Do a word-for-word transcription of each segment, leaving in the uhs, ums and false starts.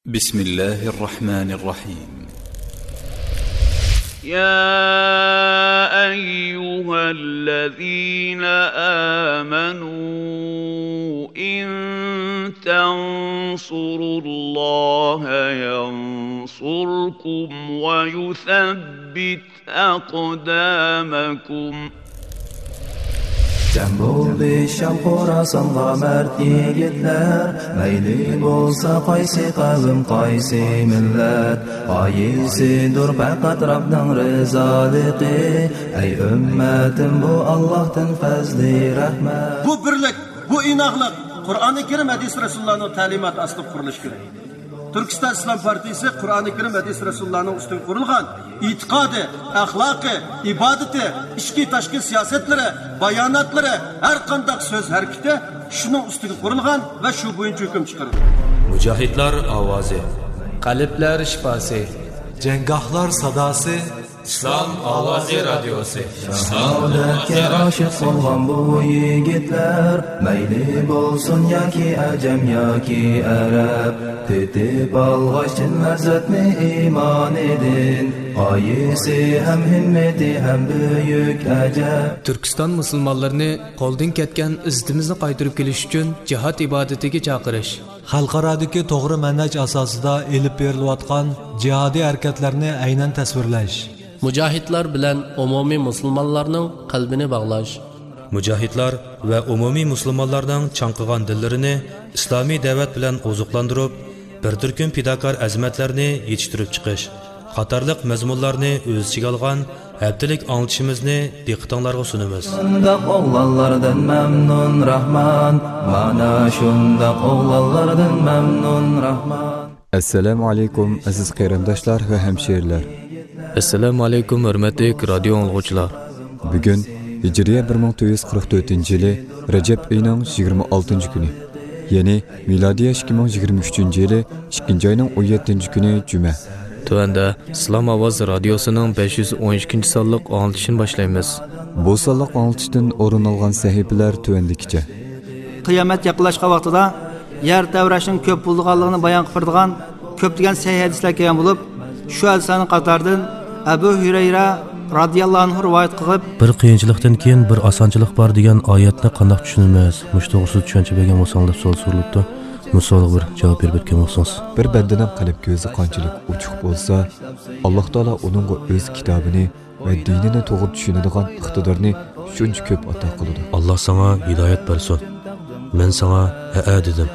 بسم الله الرحمن الرحيم. يا أيها الذين آمنوا إن تنصروا الله ينصركم ويثبت أقدامكم. جەم بولدى شام خوراسانغا مەرد يىگىتلەر، مەيلى بولسا قايسى قەۋم، قايسى مىللەت، غايىسىدۇر پەقەت رەبنىڭ رىزالىقى. ئەي ئۈممەتىم، بۇ ئاللاھتىن پەزلى رەھمەت. بۇ بىرلىك، بۇ ئىناقلىق قۇرئانى كەرىم، ھەدىس رەسۇلۇللانىڭ تەلىماتى ئاستىدا قۇرۇلۇشى كېرەك. تۈركىستان ئىسلام پارتىيىسى قۇرئانى كەرىم، ھەدىس رەسۇلۇللانىڭ ئۈستىگە قۇرۇلغان ئېتىقادى، ئەخلاقى، ئىبادىتى، ئىچكى تاشقى سىياسەتلىرى، باياناتلىرى، ھەر قانداق سۆز ھەرىكىتى شۇنىڭ ئۈستىگە قۇرۇلغان ۋە شۇ بويىچە ھۆكۈم چىقىرىدۇ. مۇجاھىدلار ئاۋازى. قەلبلەر شىپاسى. جەڭگاھلار ساداسى. ئىسلام ئاۋازى رادىيوسى. شاھادەتكە ئاشىق بولغان بۇ يىگىتلەر، مەيلى بولسۇن ياكى ئەجەم ياكى ئەرەب، تېتىپ ئالغاچ چىن لەززەتنى ئىمانىدىن، غايىسى ھەم ھىممىتى ھەم بۈيۈك ئەجەب. تۈركىستان مۇسۇلمانلىرىنى قولدىن كەتكەن ئىززىتىمىزنى قايتۇرۇپ كېلىش ئۈچۈن جىھاد ئىبادىتىگە چاقىرىش. خەلقئارادىكى توغرا مەنھەج ئاساسىدا ئېلىپ بېرىلىۋاتقان جىھادىي ھەرىكەتلەرنى ئەينەن تەسۋىرلەش. مۇجاھىدلار بىلەن ئومۇمىي مۇسۇلمانلارنىڭ قەلبىنى باغلاش. مۇجاھىدلار ۋە ئومۇمىي مۇسۇلمانلارنىڭ چاڭقىغان دىللىرىنى ئىسلامىي دەۋەت بىلەن ئوزۇقلاندۇرۇپ، بىر تۈركۈم پىداكار ئەزىمەتلەرنى يېتىشتۈرۈپ چىقىش قاتارلىق مەزمۇنلارنى ئۆز ئىچىگە ئالغان ھەپتىلىك ئاڭلىتىشىمىزنى دىققىتىڭلارغا سۇنىمىز. شۇنداق ئوغلانلاردىن مەمنۇن راھمان، مانا شۇنداق ئوغلانلاردىن مەمنۇن راھمان. ئەسسالامۇ ئەلەيكۇم، ئەزىز قېرىنداشلار ۋە ھەمشىرىلەر. ئەسسالامۇ ئەلەيكۇم، ھۆرمەتلىك رادىيو ئاڭلىغۇچىلار. بۈگۈن ھىجرىيە بىر مىڭ تۆت يۈز قىرىق تۆتىنچى يىلى رەجەب ئېيىنىڭ يىگىرمە ئالتىنچى كۈنى، يەنى مىلادىيە ئىككى مىڭ يىگىرمە ئۈچىنچى يىلى ئىككىنچى ئاينىڭ ئون يەتتىنچى كۈنى جۈمە. تۆۋەندە ئىسلام ئاۋازى رادىيوسىنىڭ بەش يۈز ئون ئىككىنچى سانلىق ئاڭلىتىشىنى باشلايمىز. بۇ سانلىق ئاڭلىتىشتىن ئورۇن ئالغان سەھىپىلەر تۆۋەندىكىچە. قىيامەت يېقىنلاشقان ۋاقتىدا يەر تەۋرەشنىڭ كۆپ بولىدىغانلىقىنى بايان قىلىپ بېرىدىغان كۆپلىگەن سەھىھ ھەدىسلەر كەلگەن بولۇپ، شۇ ھەدىسلەرنىڭ قاتارىدىن ئەبۇ ھۈرەيرە رازىياللاھۇ ئەنھۇ رىۋايەت قىلىپ، بىر قىيىنچىلىقتىن كېيىن بىر ئاسانچىلىق بار دېگەن ئايەتنى قانداق چۈشىنىمىز؟ مۇشۇ توغرىسىدا چۈشەنچە بەرگەن بولساڭلار دەپ سوئال سورىلىپتۇ. مۇشۇ سوئالغا بىر جاۋاب بېرىپ ئۆتكەن بولسىڭىز. بىر بەندىنىڭ قەلب كۆزى قانچىلىك ئوچۇق بولسا، ئاللاھ تائالا ئۇنىڭغا ئۆز كىتابىنى ۋە دىنىنى توغرا چۈشىنىدىغان ئىقتىدارنى شۇنچە كۆپ ئاتا قىلىدۇ. ئاللاھ ساڭا ھىدايەت بەرسۇن. مەن ساڭا ھەئە دېدىم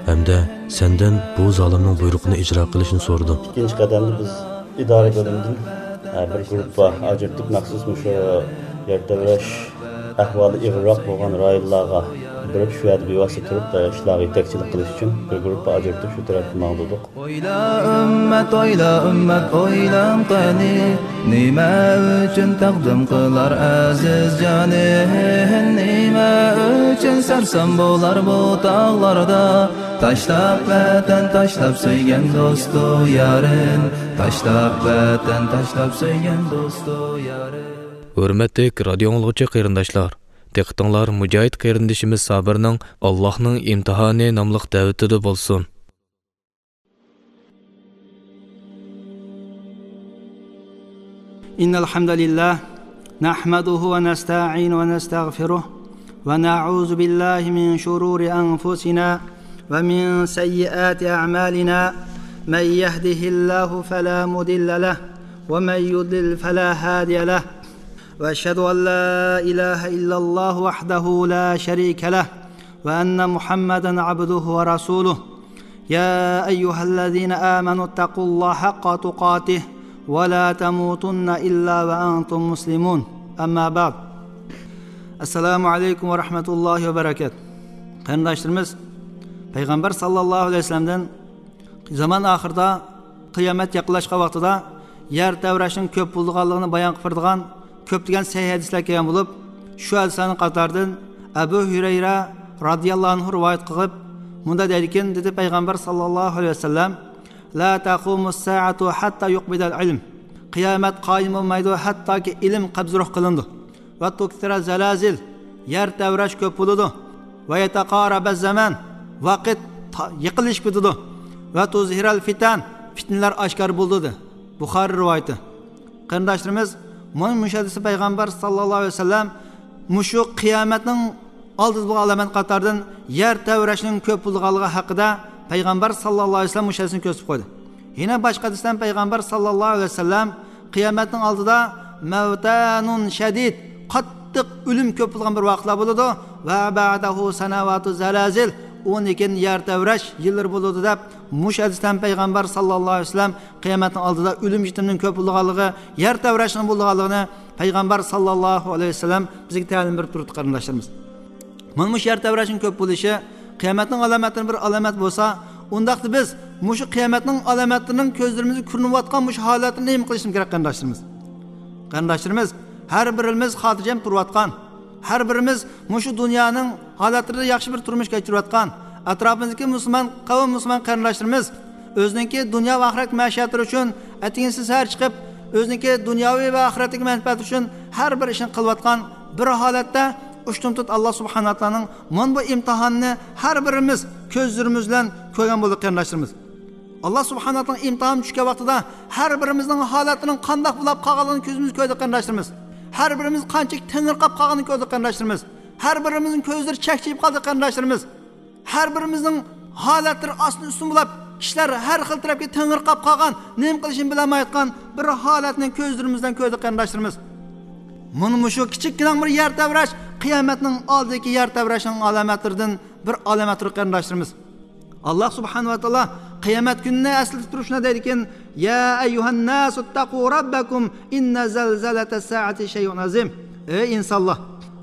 ھەمدە سەندىن بۇ زالىمنىڭ بۇيرۇقىنى ئىجرا قىلىشنى سورىدىم. ئىككىنچى قەدەمدە بىز ئىدارە بۆلۈمىدىن، ئە، بىر گۇرۇپپا ئاجرىتىپ، مەخسۇس مۇشۇ يەر تەۋرەش ئەھۋالى ئېغىرراق بولغان رايونلارغا بېرىپ، شۇ يەردە بىۋاسىتە تۇرۇپ، ئە، ئىشلارغا يېتەكچىلىك قىلىش ئۈچۈن بىر گۇرۇپپا ئاجرىتىپ، شۇ تەرەپكە ماڭدۇردۇق. ئويلا ئۈممەت، ئويلا ئۈممەت، ئويلاڭ قېنى، نېمە ئۈچۈن تەقدىم قىلار ئەزىز جانى؟ نېمە ئۈچۈن سەرسان بولار بۇ تاغلاردا؟ تاشلاپ ۋەتەن، تاشلاپ سۆيگەن دوستۇ يارىن، تاشلاپ ۋەتەن، تاشلاپ سۆيگەن دوستۇ يارىن. ھۆرمەتلىك رادىيو ئاڭلىغۇچى قېرىنداشلار، دىققىتىڭلار مۇجاھىد قېرىندىشىمىز سابىرنىڭ ئاللاھنىڭ ئىمتىھانى ناملىق دەۋىتىدە بولسۇن. إن الحمد لله نحمده ونستعينه ونستغفره ونعوذ بالله من شرور أنفسنا ومن سيئات أعمالنا. من يهده الله فلا مضل له ومن يضلل فلا هادي له. وأشهد أن لا إله إلا الله وحده لا شريك له وأن محمدا عبده ورسوله. يا أيها الذين آمنوا اتقوا الله حق تقاته ولا تموتن إلا وأنتم مسلمون. أما بعد. السلام عليكم ورحمة الله وبركاته. قېرىنداشلىرىمىز، پەيغەمبەر ساللاللاھۇ ئەلەيھى ۋەسەللەمدىن زامان ئاخىرىدا، قىيامەت يېقىنلاشقان ۋاقتىدا يەر تەۋرەشنىڭ كۆپ بولىدىغانلىقىنى بايان قىلىپ بېرىدىغان كۆپلىگەن سەھىھ ھەدىسلەر كەلگەن بولۇپ، شۇ ھەدىسلەرنىڭ قاتارىدىن ئەبۇ ھۈرەيرە رازىياللاھۇ ئەنھۇ رىۋايەت قىلىپ مۇنداق دەيدىكەن، دېدى پەيغەمبەر ساللاللاھۇ ئەلەيھى ۋەسەللەم، لا تقوم الساعة حتى يقبض العلم. قىيامەت قايىم بولمايدۇ، ھەتتاكى ئىلىم قەبزى روھ قىلىنىدۇ. وتكثر الزلازل، يەر تەۋرەش كۆپ بولىدۇ. ويتقارب الزمان، ۋاقىت تا-، يېقىنلىشىپ كېتىدۇ. ۋە تۇزھىرەل فىتەن، پىتنىلەر ئاشكارا بولىدۇ، دېدى. بۇخارىي رىۋايىتى. قېرىنداشلىرىمىز، مانا مۇشۇ ھەدىستە پەيغەمبەر ساللاللاھۇ ئەلەيھى ۋەسەللەم مۇشۇ قىيامەتنىڭ ئالدىدا بولغان ئالامەت قاتارىدىن يەر تەۋرەشنىڭ كۆپ بولىدىغانلىقى ھەققىدە پەيغەمبەر ساللاللاھۇ ئەلەيھى ۋەسەللەم مۇشۇ ھەدىسنى كۆرسىتىپ قويدى. يەنە باشقا ھەدىستە پەيغەمبەر ساللاللاھۇ ئەلەيھى ۋەسەللەم قىيامەتنىڭ ئالدىدا مەۋتانۇن شەدىد، قاتتىق ئۆلۈم كۆپ بولغان بىر ۋاقىتلار بولىدۇ. ۋە بەدەھۇ سەنەۋاتۇ زەلازىل، ئۇنىڭدىن كېيىن يەر تەۋرەش يىللىرى بولىدۇ، دەپ مۇشۇ ھەدىستە پەيغەمبەر ساللاللاھۇ ئەلەيھى ۋەسەللەم قىيامەتنىڭ ئالدىدا ئۆلۈم يېتىمنىڭ كۆپ بولىدىغانلىقى، يەر تەۋرەشنىڭ بولىدىغانلىقىنى پەيغەمبەر ساللاللاھۇ ئەلەيھى ۋەسەللەم بىزگە تەلىم بېرىپ تۇرۇپتۇ، قېرىنداشلىرىمىز. مانا مۇشۇ يەر تەۋرەشنىڭ كۆپ بولۇشى قىيامەتنىڭ ئالامەتلىرىنىڭ بىر ئالامەت بولسا، ئۇنداقتا بىز مۇشۇ قىيامەتنىڭ ئالامەتلىرىنىڭ كۆزلىرىمىزگە كۆرۈنۈۋاتقان مۇشۇ ھالەتنى نېمە قىلىشىمىز كېرەك، قېرىنداشلىرىمىز؟ قېرىنداشلىرىمىز، ھەر بىرىمىز خاتىرجەم تۇرۇۋاتقان، ھەر بىرىمىز مۇشۇ دۇنيانىڭ ھالەتلىرىدە ياخشى بىر تۇرمۇش كەچۈرۈۋاتقان، ئەتراپىمىزدىكى مۇسۇلمان قەۋم، مۇسۇلمان قېرىنداشلىرىمىز ئۆزىنىڭكى دۇنيا ۋە ئاخىرەت مەشىيەتلىرى ئۈچۈن ئەتىگىن سەھەر چىقىپ، ئۆزىنىڭكى دۇنياۋى ۋە ئاخىرەتتىكى مەنپەئەت ئۈچۈن ھەر بىر ئىشنى قىلىۋاتقان بىر ھالەتتە، ئۇشتۇمتۇت ئاللا سۇبھانەھۇ ۋە تائالانىڭ مانا بۇ ئىمتىھانىنى ھەر بىرىمىز كۆزلىرىمىز بىلەن كۆرگەن بولدۇق، قېرىنداشلىرىمىز. ئاللا سۇبھانەھۇ ۋە تائالانىڭ ئىمتىھانى چۈشكەن ۋاقتىدا ھەر بىرىمىزنىڭ ھالەتلىرىنىڭ قانداق بولۇپ قالغانلىقىنى كۆزىمىز كۆردى، قېرىنداشلىرىمىز. ھەر بىرىمىز قانچىلىك تېڭىرقاپ قالغانلىقىنى كۆردۇق، قېرىنداشلىرىمىز. ھەر بىرىمىزنىڭ كۆزلىرى چەكچىيىپ قالدى، قېرىنداشلىرىمىز. ھەر بىرىمىزنىڭ ھالەتلىرى ئاستىن ئۈستۈن بولۇپ، كىشىلەر ھەر خىل تەرەپكە تېڭىرقاپ قالغان، نېمە قىلىشىنى بىلەلمەيۋاتقان بىر ھالەتنى كۆزلىرىمىز بىلەن كۆردۇق، قېرىنداشلىرىمىز. مانا مۇشۇ كىچىككىنە بىر يەر تەۋرەش قىيامەتنىڭ ئالدىدىكى يەر تەۋرەشنىڭ ئالامەتلىرىدىن بىر ئالامەتتۇر، قېرىنداشلىرىمىز. ئاللا سۇبھانەھۇ ۋە تائالا قىيامەت كۈنىنى ئەسلىتىپ تۇرۇپ شۇنداق دەيدىكەن، يا ئەييۇھەنناسۇ ئىتتەقۇ رەببەكۇم ئىننە زەلزەلەتەس سائەتى شەيئۇن ئەزىم. ئەي ئىنسانلار،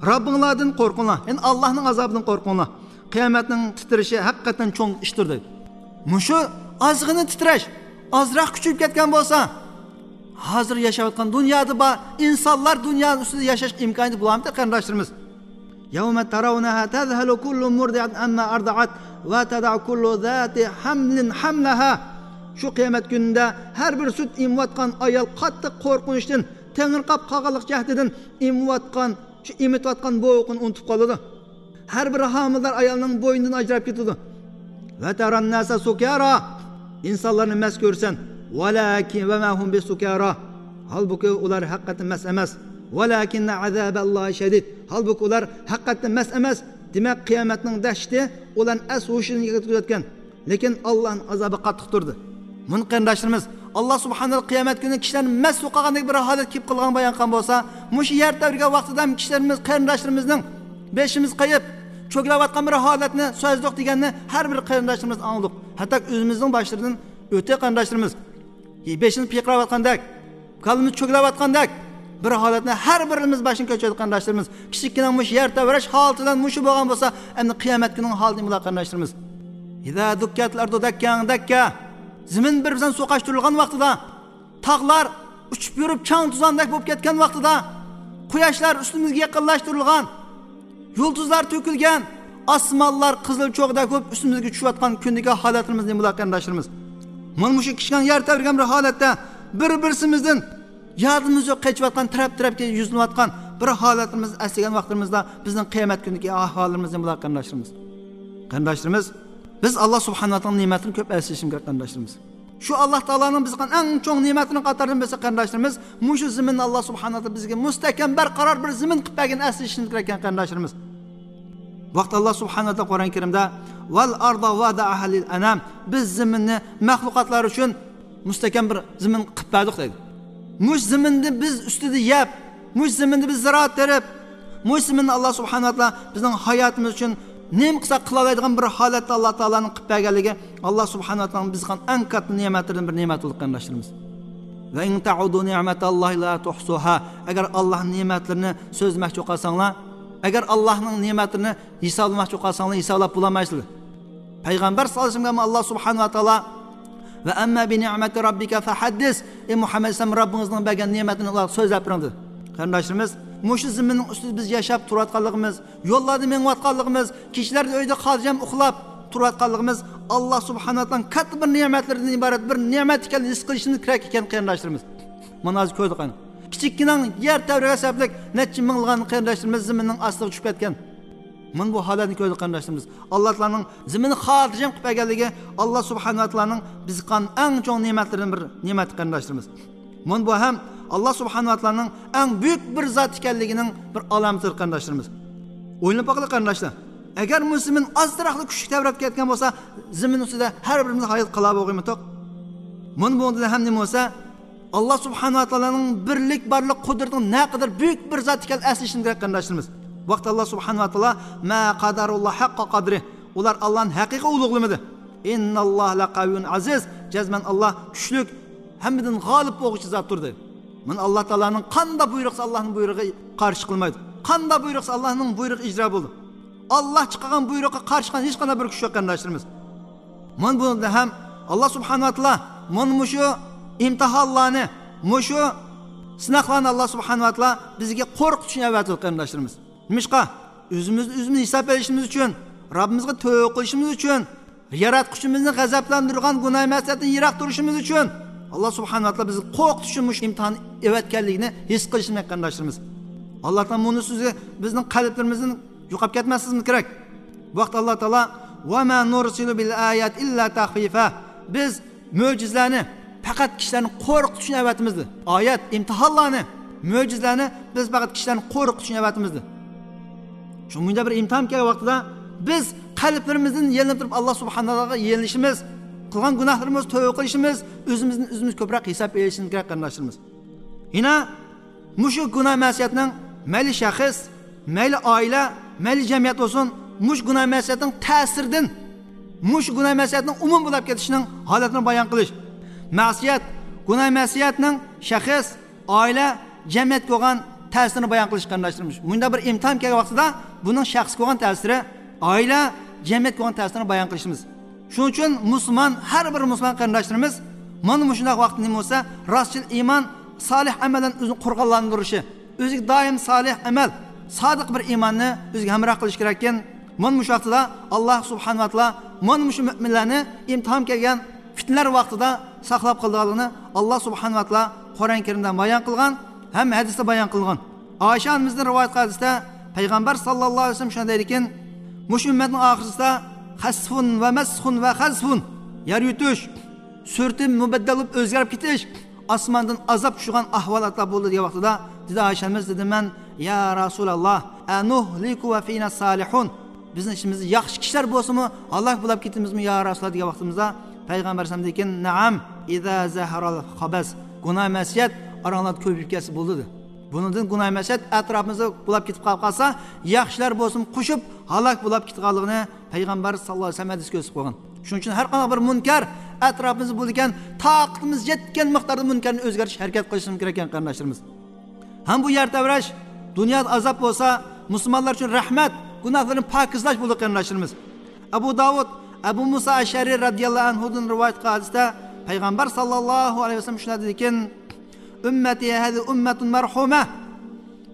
رەببىڭلاردىن قورقۇڭلار، يەنى ئاللانىڭ ئازابىدىن قورقۇڭلار. قىيامەتنىڭ تىترىشى ھەقىقەتەن چوڭ ئىشتۇر، دەيدۇ. مۇشۇ ئازغىنە تىترەش ئازراق كۈچىيىپ كەتكەن بولسا، ھازىر ياشاۋاتقان دۇنيادا بار ئىنسانلار دۇنيانىڭ ئۈستىدە ياشاش ئىمكانىيىتى بولامتى، قېرىنداشلىرىمىز؟ يوم ترونها تذهل كل مرضعة عما أرضعت وتضع كل ذات حمل حملها. شۇ قىيامەت كۈنىدە ھەر بىر سۈت ئېمىۋاتقان ئايال قاتتىق قورقۇنچتىن، تېڭىرقاپ قالغانلىق جەھىتىدىن ئېمىۋاتقان، شۇ ئېمىتىۋاتقان بوۋىقىنى ئۇنتۇپ قالىدۇ. ھەر بىر ھامىلىدار ئايالنىڭ بوينىدىن ئاجراپ كېتىدۇ. ۋە تەرەن ناسە سۇكارا. ئىنسانلارنى مەست كۆرىسەن. ۋەلەكىن ۋە مە ھۇم بىسۇكارا. ھالبۇكى، ئۇلار ھەقىقەتەن مەست ئەمەس. ۋەلەكىننە ئازابەللاھى شەدىد. ھالبۇكى، ئۇلار ھەقىقەتەن مەست ئەمەس. دېمەك، قىيامەتنىڭ دەھشىتى ئۇلارنى ئەس ھوشىدىن يىقىتىۋەتكەن. لېكىن ئاللانىڭ ئازابى قاتتىق تۇردى. مۇنۇ قېرىنداشلىرىمىز، ئاللا سۇبھانەھۇ قىيامەت كۈنى كىشىلەرنى مەست بولۇپ قالغاندەك بىر ھالەت كېلىپ قالغان بايان قىلغان بولسا، مۇشۇ يەر تەۋرىگەن ۋاقتىدا ھەم كىشىلىرىمىز، قېرىنداشلىرىمىزنىڭ بېشىمىز قېيىپ، چۆگىلەۋاتقان بىر ھالەتنى سۆزلىدۇق دېگەننى ھەر بىر قېرىنداشلىرىمىز ئاڭلىدۇق. ھەتتا ئۆزىمىزنىڭ باشلىرىدىن ئۆتتى، قېرىنداشلىرىمىز. بېشىمىز پىرقىراۋاتقاندەك، كاللىمىز چۆگىلەۋاتقاندەك بىر ھالەتنى ھەر بىرىمىز باشتىن كەچۈردۇق، قېرىنداشلىرىمىز. كىچىككىنە مۇشۇ يەر تەۋرەش ھالىتىدىن مۇشۇ بولغان بولسا، ئەمدى قىيامەت كۈنىنىڭ ھالى نېمە بولار، قېرىنداشلىرىمىز؟ ئىزا دۇككەتىل ئەرزۇ دەككەن دەككە. زېمىن بىر-بىرىدىن سوقاشتۇرۇلغان ۋاقتىدا، تاغلار ئۇچۇپ يۈرۈپ چاڭ-توزاندەك بولۇپ كەتكەن ۋاقتىدا، قۇياشلار ئۈستىمىزگە يېقىنلاشتۇرۇلغان، يۇلتۇزلار تۆكۈلگەن، ئاسمانلار قىزىل چوغدەك بولۇپ ئۈستىمىزگە چۈشۈۋاتقان كۈندىكى ھالەتلىرىمىز نېمە بولار، قېرىنداشلىرىمىز؟ مانا مۇشۇ كىچىككىنە يەر تەۋرىگەن بىر ھالەتتە بىر-بىرسىمىزدىن يادىمىز يوق، قېچىۋاتقان، تەرەپ-تەرەپكە يۈزلىنىۋاتقان بىر ھالەتلىرىمىزنى ئەسلىگەن ۋاقتىمىزدا بىزنىڭ قىيامەت كۈنىدىكى ئەھۋالىمىز نېمە بولار، قېرىنداشلىرىمىز؟ قېرىنداشلىرىمىز، بىز ئاللا سۇبھانەھۇ ۋە تائالانىڭ نېمەتلىرىنى كۆپ ئەسلىشىمىز كېرەك، قېرىنداشلىرىمىز. شۇ ئاللا تائالانىڭ بىزگە قىلغان ئەڭ چوڭ نېمەتلىرىنىڭ قاتارىدىن بىرسى، قېرىنداشلىرىمىز، مۇشۇ زېمىننى ئاللا سۇبھانەھۇ ۋە تائالا بىزگە مۇستەھكەم، بەرقارار بىر زېمىن قىلىپ بەرگەننى ئەسلىشىمىز كېرەك ئىكەن، قېرىنداشلىرىمىز. ۋاقىت ئاللا سۇبھانەھۇ ۋە تائالا قۇرئان كەرىمدە، «ۋەل ئەرزە ۋەزەئەھا لىل ئەنام»، بىز زېمىننى مەخلۇقاتلار ئۈچۈن مۇستەھكەم بىر زېمىن قىلىپ بەردۇق، دەيدۇ. مۇشۇ زېمىننى بىز ئۈستىدە يەپ، مۇشۇ زېمىندا بىز زىرائەت تېرىپ، مۇشۇ زېمىننى ئاللا سۇبھانەھۇ ۋە تائالا بىزنىڭ ھاياتىمىز ئۈچۈن نېمە قىلساق قىلالايدىغان بىر ھالەتتە ئاللا تائالانىڭ قىلىپ بەرگەنلىكى، ئاللا سۇبھانەھۇ ۋە تائالانىڭ بىزگە قىلغان ئەڭ كاتتا نېمەتلىرىدىن بىر نېمەت بولدى، قېرىنداشلىرىمىز. «ۋە ئىن تەئۇدۇ نىئمەتەللاھى لا تۇھسۇھا»، ئەگەر ئاللانىڭ نېمەتلىرىنى سۆزلىمەكچى بولۇپ قالساڭلار، ئەگەر ئاللانىڭ نېمەتلىرىنى ھېسابلىماقچى بولۇپ قالساڭلار، ھېسابلاپ بولالمايسىلەر. پەيغەمبەر ساللاللاھۇ ئەلەيھى ۋەسەللەمگە ئاللا سۇبھانەھۇ ۋە تائالا، «ۋە ئەمما بىنىئمەتى رەببىكە فەھەددىس»، ئەي مۇھەممەد ئەلەيھىسسالام، رەببىڭىزنىڭ بەرگەن نېمەتلىرىنى ئۇلارغا سۆزلەپ بېرىڭ، دېدى. قېرىنداشلىرىمىز، مۇشۇ زېمىننىڭ ئۈستىدە بىز ياشاپ تۇرۇۋاتقانلىقىمىز، يوللاردا مېڭىۋاتقانلىقىمىز، كېچىلەردە ئۆيدە خاتىرجەم ئۇخلاپ تۇرۇۋاتقانلىقىمىز ئاللا سۇبھانەھۇ ۋە تائالانىڭ كاتتا بىر نېمەتلىرىدىن ئىبارەت بىر نېمەت ئىكەنلىكىنى ھېس قىلىشىمىز كېرەك ئىكەن، قېرىنداشلىرىمىز. مانا ھازىر كۆردۇق ئەنە. كىچىككىنە يەر تەۋرىگەن سەۋەبلىك نەچچە مىڭلىغان قېرىنداشلىرىمىز زېمىننىڭ ئاستىغا چۈشۈپ كەتكەن. مانا بۇ ھالەتنى كۆردۇق، قېرىنداشلىرىمىز. ئاللا تائالانىڭ زېمىننى خاتىرجەم قىلىپ بەرگەنلىكى ئاللا سۇبھانەھۇ ۋە تائالانىڭ بىزگە قىلغان ئەڭ چوڭ نېمەتلىرىدىن بىر نېمەت، قېرىنداشلىرىمىز. مانا بۇ ھەم ئاللا سۇبھانەھۇ ۋە تائالانىڭ ئەڭ بۈيۈك بىر زات ئىكەنلىكىنىڭ بىر ئالامىتىدۇر، قېرىنداشلىرىمىز. ئويلىنىپ باقىلى، قېرىنداشلار. ئەگەر مۇشۇ زېمىن ئازراقلا كۈچلۈك تەۋرەپ كەتكەن بولسا، زېمىن ئۈستىدە ھەر بىرىمىز ھايات قالا بولغىيمىتۇق؟ مانا بۇنىڭدىن ھەم نېمە بولسا، ئاللا سۇبھانەھۇ ۋە تائالانىڭ بىرلىك بارلىق قۇدرىتىنىڭ نەقەدەر بۈيۈك بىر زات ئىكەنلىكىنى ئەسلىشىمىز كېرەك، قېرىنداشلىرىمىز. ۋاقىت ئاللا سۇبھانەھۇ ۋە تائالا، ما قەدەرۇللا ھەققە قەدرى، ئۇلار ئاللانى ھەقىقىي ئۇلۇغلىمىدى. ئىنناللاھە لەقەۋىيۇن ئەزىز، جەزمەن ئاللا كۈچلۈك، ھەممىدىن غالىب بولغۇچى زاتتۇر، دېدى. مانا ئاللا تائالانىڭ قانداق بۇيرۇقسا، ئاللانىڭ بۇيرۇقىغا قارشى قىلمايدۇ. قانداق بۇيرۇقسا، ئاللانىڭ بۇيرۇقى ئىجرا بولىدۇ. ئاللا چىقارغان بۇيرۇققا قارشى چىققان ھېچقانداق بىر كۈچ يوق، قېرىنداشلىرىمىز. مانا بۇنىڭدا ھەم ئاللا سۇبھانەھۇ ۋە تائالا مانا مۇشۇ ئىمتىھانلارنى، مۇشۇ سىناقلارنى ئاللا سۇبھانەھۇ ۋە تائالا بىزگە قورقۇتۇشنى ئەۋەتىدۇ، قېرىنداشلىرىمىز. نېمىشقا؟ ئۆزىمىزنى ئۆزىمىز ھېساب ئېلىشىمىز ئۈچۈن، رەببىمىزگە تەۋبە قىلىشىمىز ئۈچۈن، ياراتقۇچىمىزنى غەزەپلەندۈرىدىغان گۇناھ مەسىيەتتىن يىراق تۇرۇشىمىز ئۈچۈن ئاللا سۇبھانەھۇ ۋە تائالا بىزگە قورقۇتۇش ئۈچۈن مۇشۇ ئىمتىھان ئەۋەتكەنلىكىنى ھېس قىلىشىمىز كېرەك، قېرىنداشلىرىمىز. ئاللا تائالا مۇنۇ سۆزى بىزنىڭ قەلبلىرىمىزدىن يوقاپ كەتمەسلىكىمىز كېرەك. بۇ ھەقتە ئاللا تائالا، ۋە ما نۇرسىلۇ بىل ئايات ئىللا تەخۋىفا. بىز مۆجىزىلەرنى پەقەت كىشىلەرنى قورقۇتۇش ئۈچۈن ئەۋەتىمىز، دېدى. ئايەت، ئىمتىھانلارنى، مۆجىزىلەرنى بىز پەقەت كىشىلەرنى قورقۇتۇش ئۈچۈن ئەۋەتىمىز، دېدى. شۇ مۇنداق بىر ئىمتىھان كەلگەن ۋاقتىدا بىز قەلبلىرىمىزدىن يېلىنىپ تۇرۇپ ئاللا سۇبھانەھۇ ۋە تائالاغا يېلىنىشىمىز، قىلغان گۇناھلىرىمىزغا تەۋبە قىلىشىمىز، ئۆزىمىزدىن ئۆزىمىز كۆپرەك ھېساب ئېلىشىمىز كېرەك، قېرىنداشلىرىمىز. يەنە مۇشۇ گۇناھ مەسىيەتنىڭ مەيلى شەخس، مەيلى ئائىلە، مەيلى جەمئىيەت بولسۇن، مۇشۇ گۇناھ مەسىيەتنىڭ تەسىرىدىن، مۇشۇ گۇناھ مەسىيەتنىڭ ئومۇمىي بولاپ كېتىشىنىڭ ھالەتىنى بايان قىلىش. مەسىيەت، گۇناھ مەسىيەتنىڭ شەخس، ئائىلە، جەمئىيەتكە بولغان تەسىرىنى بايان قىلىش، قېرىنداشلىرىم. مۇنداق بىر ئىمتىھان كەلگەن ۋاقتىدا بۇنىڭ شەخسكە بولغان تەسىرى، ئائىلە، جەمئىيەتكە بولغان تەسىرىنى بايان قىلىشىمىز. شۇنىڭ ئۈچۈن مۇسۇلمان، ھەر بىر مۇسۇلمان قېرىنداشلىرىمىز مانا مۇشۇنداق ۋاقىتتا نېمە بولسا، راستچىل ئىمان، سالىھ ئەمەلدىن ئۆزىنى قۇرغانلاندۇرۇشى، ئۆزىگە دائىم سالىھ ئەمەل، سادىق بىر ئىماننى ئۆزىگە ھەمراھ قىلىشى كېرەككەن. مانا مۇشۇ ۋاقتىدا ئاللا سۇبھانەھۇ ۋە تائالا مانا مۇشۇ مۆمىنلەرنى ئىمتىھان كەلگەن پىتنىلەر ۋاقتىدا ساقلاپ قالىدىغانلىقىنى ئاللا سۇبھانەھۇ ۋە تائالا قۇرئان كەرىمدە بايان قىلغان ھەم ھەدىستە بايان قىلغان. ئائىشە ئانىمىزدىن رىۋايەت قىلىنىشىچە، پەيغەمبەر ساللاللاھۇ ئەلەيھى ۋەسەللەم شۇنداق دەيدىكەن، مۇشۇ ئۈممەتنىڭ ئاخىرىسىدا خەسفۇن ۋە مەسخۇن ۋە خەزفۇن، يەر يۇتۇش، سۈرىتى مۇبەددەل بولۇپ ئۆزگىرىپ كېتىش، ئاسماندىن ئازاب چۈشىدىغان ئەھۋالاتلار بولىدۇ دېگەن ۋاقتىدا، دېدى ئائىشە ئانىمىز، دېدىم مەن، يا رەسۇلاللا، ئەنۇھلىكۇ ۋە فىنا سالىھۇن، بىزنىڭ ئىچىمىزدە ياخشى كىشىلەر بولسىمۇ ھالاك بولاپ كېتىمىزمۇ يا رەسۇلاللا دېگەن ۋاقتىمىزدا، پەيغەمبەر ئەلەيھىسسالام دېدىكەن، نەئەم، ئىزا زەھەرەل خەبەس، گۇناھ مەسىيەت ئاراڭلاردا كۆپىيىپ كەتسە بولىدۇ، دېدى. بۇنىڭدىن گۇناھ مەسىيەت ئەتراپىمىزدا بولاپ كېتىپ قالىپ قالسا، ياخشىلار بولسىمۇ قوشۇپ ھالاك بولاپ كېتىدىغانلىقىنى پەيغەمبەر ساللاللاھۇ ئەلەيھى ۋەسەللەم ھەدىس كۆرسىتىپ قويغان. شۇنىڭ ئۈچۈن ھەر قانداق بىر مۇنكەر ئەتراپىمىزدا بولىدىكەن، تاقىتىمىز يەتكەن مىقداردا مۇنكەرنى ئۆزگەرتىش ھەرىكەت قىلىشىمىز كېرەك ئىكەن، قېرىنداشلىرىمىز. ھەم بۇ يەر تەۋرەش دۇنيادا ئازاب بولسا، مۇسۇلمانلار ئۈچۈن رەھمەت، گۇناھلىرىنى پاكىزلاش بولىدۇ، قېرىنداشلىرىمىز. ئەبۇ داۋۇد، ئەبۇ مۇسا ئەشئەرى رەزىياللاھۇ ئەنھۇدىن رىۋايەت قىلغان ھەدىستە پەيغەمبەر ساللاللاھۇ ئەلەيھى ۋەسەللەم شۇنداق دېدىكەن، ئۈممەتى ھەزى ئۈممەتۇن مەرھۇمە.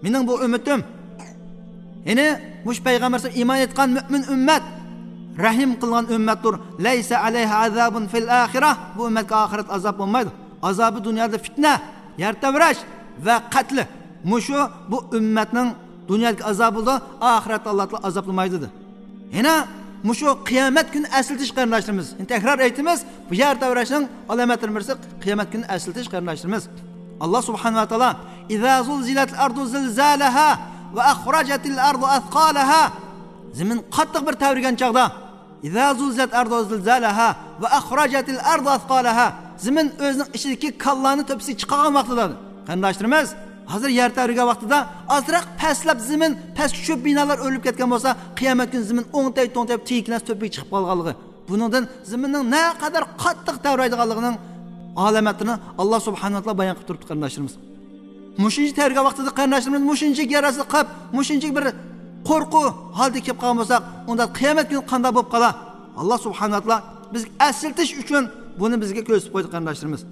مېنىڭ بۇ ئۈممىتىم، يەنى مۇشۇ پەيغەمبەر ئىمان ئېيتقان مۆمىن ئۈممەت، رەھىم قىلغان ئۈممەتتۇر. لەيسە ئەلەيھا ئازابۇن فىل ئاخىرە. بۇ ئۈممەتكە ئاخىرەتتە ئازاب بولمايدۇ. ئازابى دۇنيادا پىتنە، يەر تەۋرەش ۋە قەتلى. مۇشۇ بۇ ئۈممەتنىڭ دۇنيادىكى ئازابى بولىدۇ، ئاخىرەتتە ئاللا تائالا ئازابلىمايدۇ، دېدى. يەنە مۇشۇ قىيامەت كۈنى ئەسلىتىش، قېرىنداشلىرىمىز. يەنە تەكرار ئېيتىمىز، بۇ يەر تەۋرەشنىڭ ئالامەتلىرىنىڭ بىرسى قىيامەت كۈنى ئەسلىتىش، قېرىنداشلىرىمىز. ئاللا سۇبھانەھۇ ۋە تائالا، ئىزا زۇلزىلەتىل ئەرزۇ زىلزالەھا ۋە ئەخرەجەتىل ئەرزۇ ئەسقالەھا. زېمىن قاتتىق بىر تەۋرىگەن چاغدا، ئىزا زۇلزىلەتىل ئەرزۇ زىلزالەھا ۋە ئەخرەجەتىل ئەرزۇ ئەسقالەھا. زېمىن ئۆزىنىڭ ئىچىدىكى كانلارنى تۆپىسىگە چىقارغان ۋاقتىدا، قېرىنداشلىرىمىز، ھازىر يەر تەۋرىگەن ۋاقتىدا ئازراق پەسلەپ زېمىن پەسكە چۈشۈپ، بىنالار ئۆرۈلۈپ كەتكەن بولسا، قىيامەت كۈنى زېمىن ئوڭتەي-توڭتەي تېگىپ تۆپىگە چىقىپ قالغانلىقى. بۇنىڭدىن زېمىننىڭ نەقەدەر قاتتىق تەۋرەيدىغانلىقىنىڭ ئالامەتلىرىنى ئاللا سۇبھانەھۇ ۋە تائالا بايان قىلىپ تۇرۇپتۇ، قېرىنداشلىرىمىز. مۇشۇنچە تەۋرىگەن ۋاقتىدا، قېرىنداشلىرىمىز، مۇشۇنچە ياراسى قىپ، مۇشۇنچە بىر قورقۇ ھالدا كېلىپ قالغان بولساق، ئۇندا قىيامەت كۈنى قانداق بولۇپ قالا؟ ئاللا سۇبھانەھۇ ۋە تائالا بىزگە ئەسلىتىش ئۈچۈن بۇنى بىزگە كۆرسىتىپ قويدى، قېرىنداشلىرىمىز.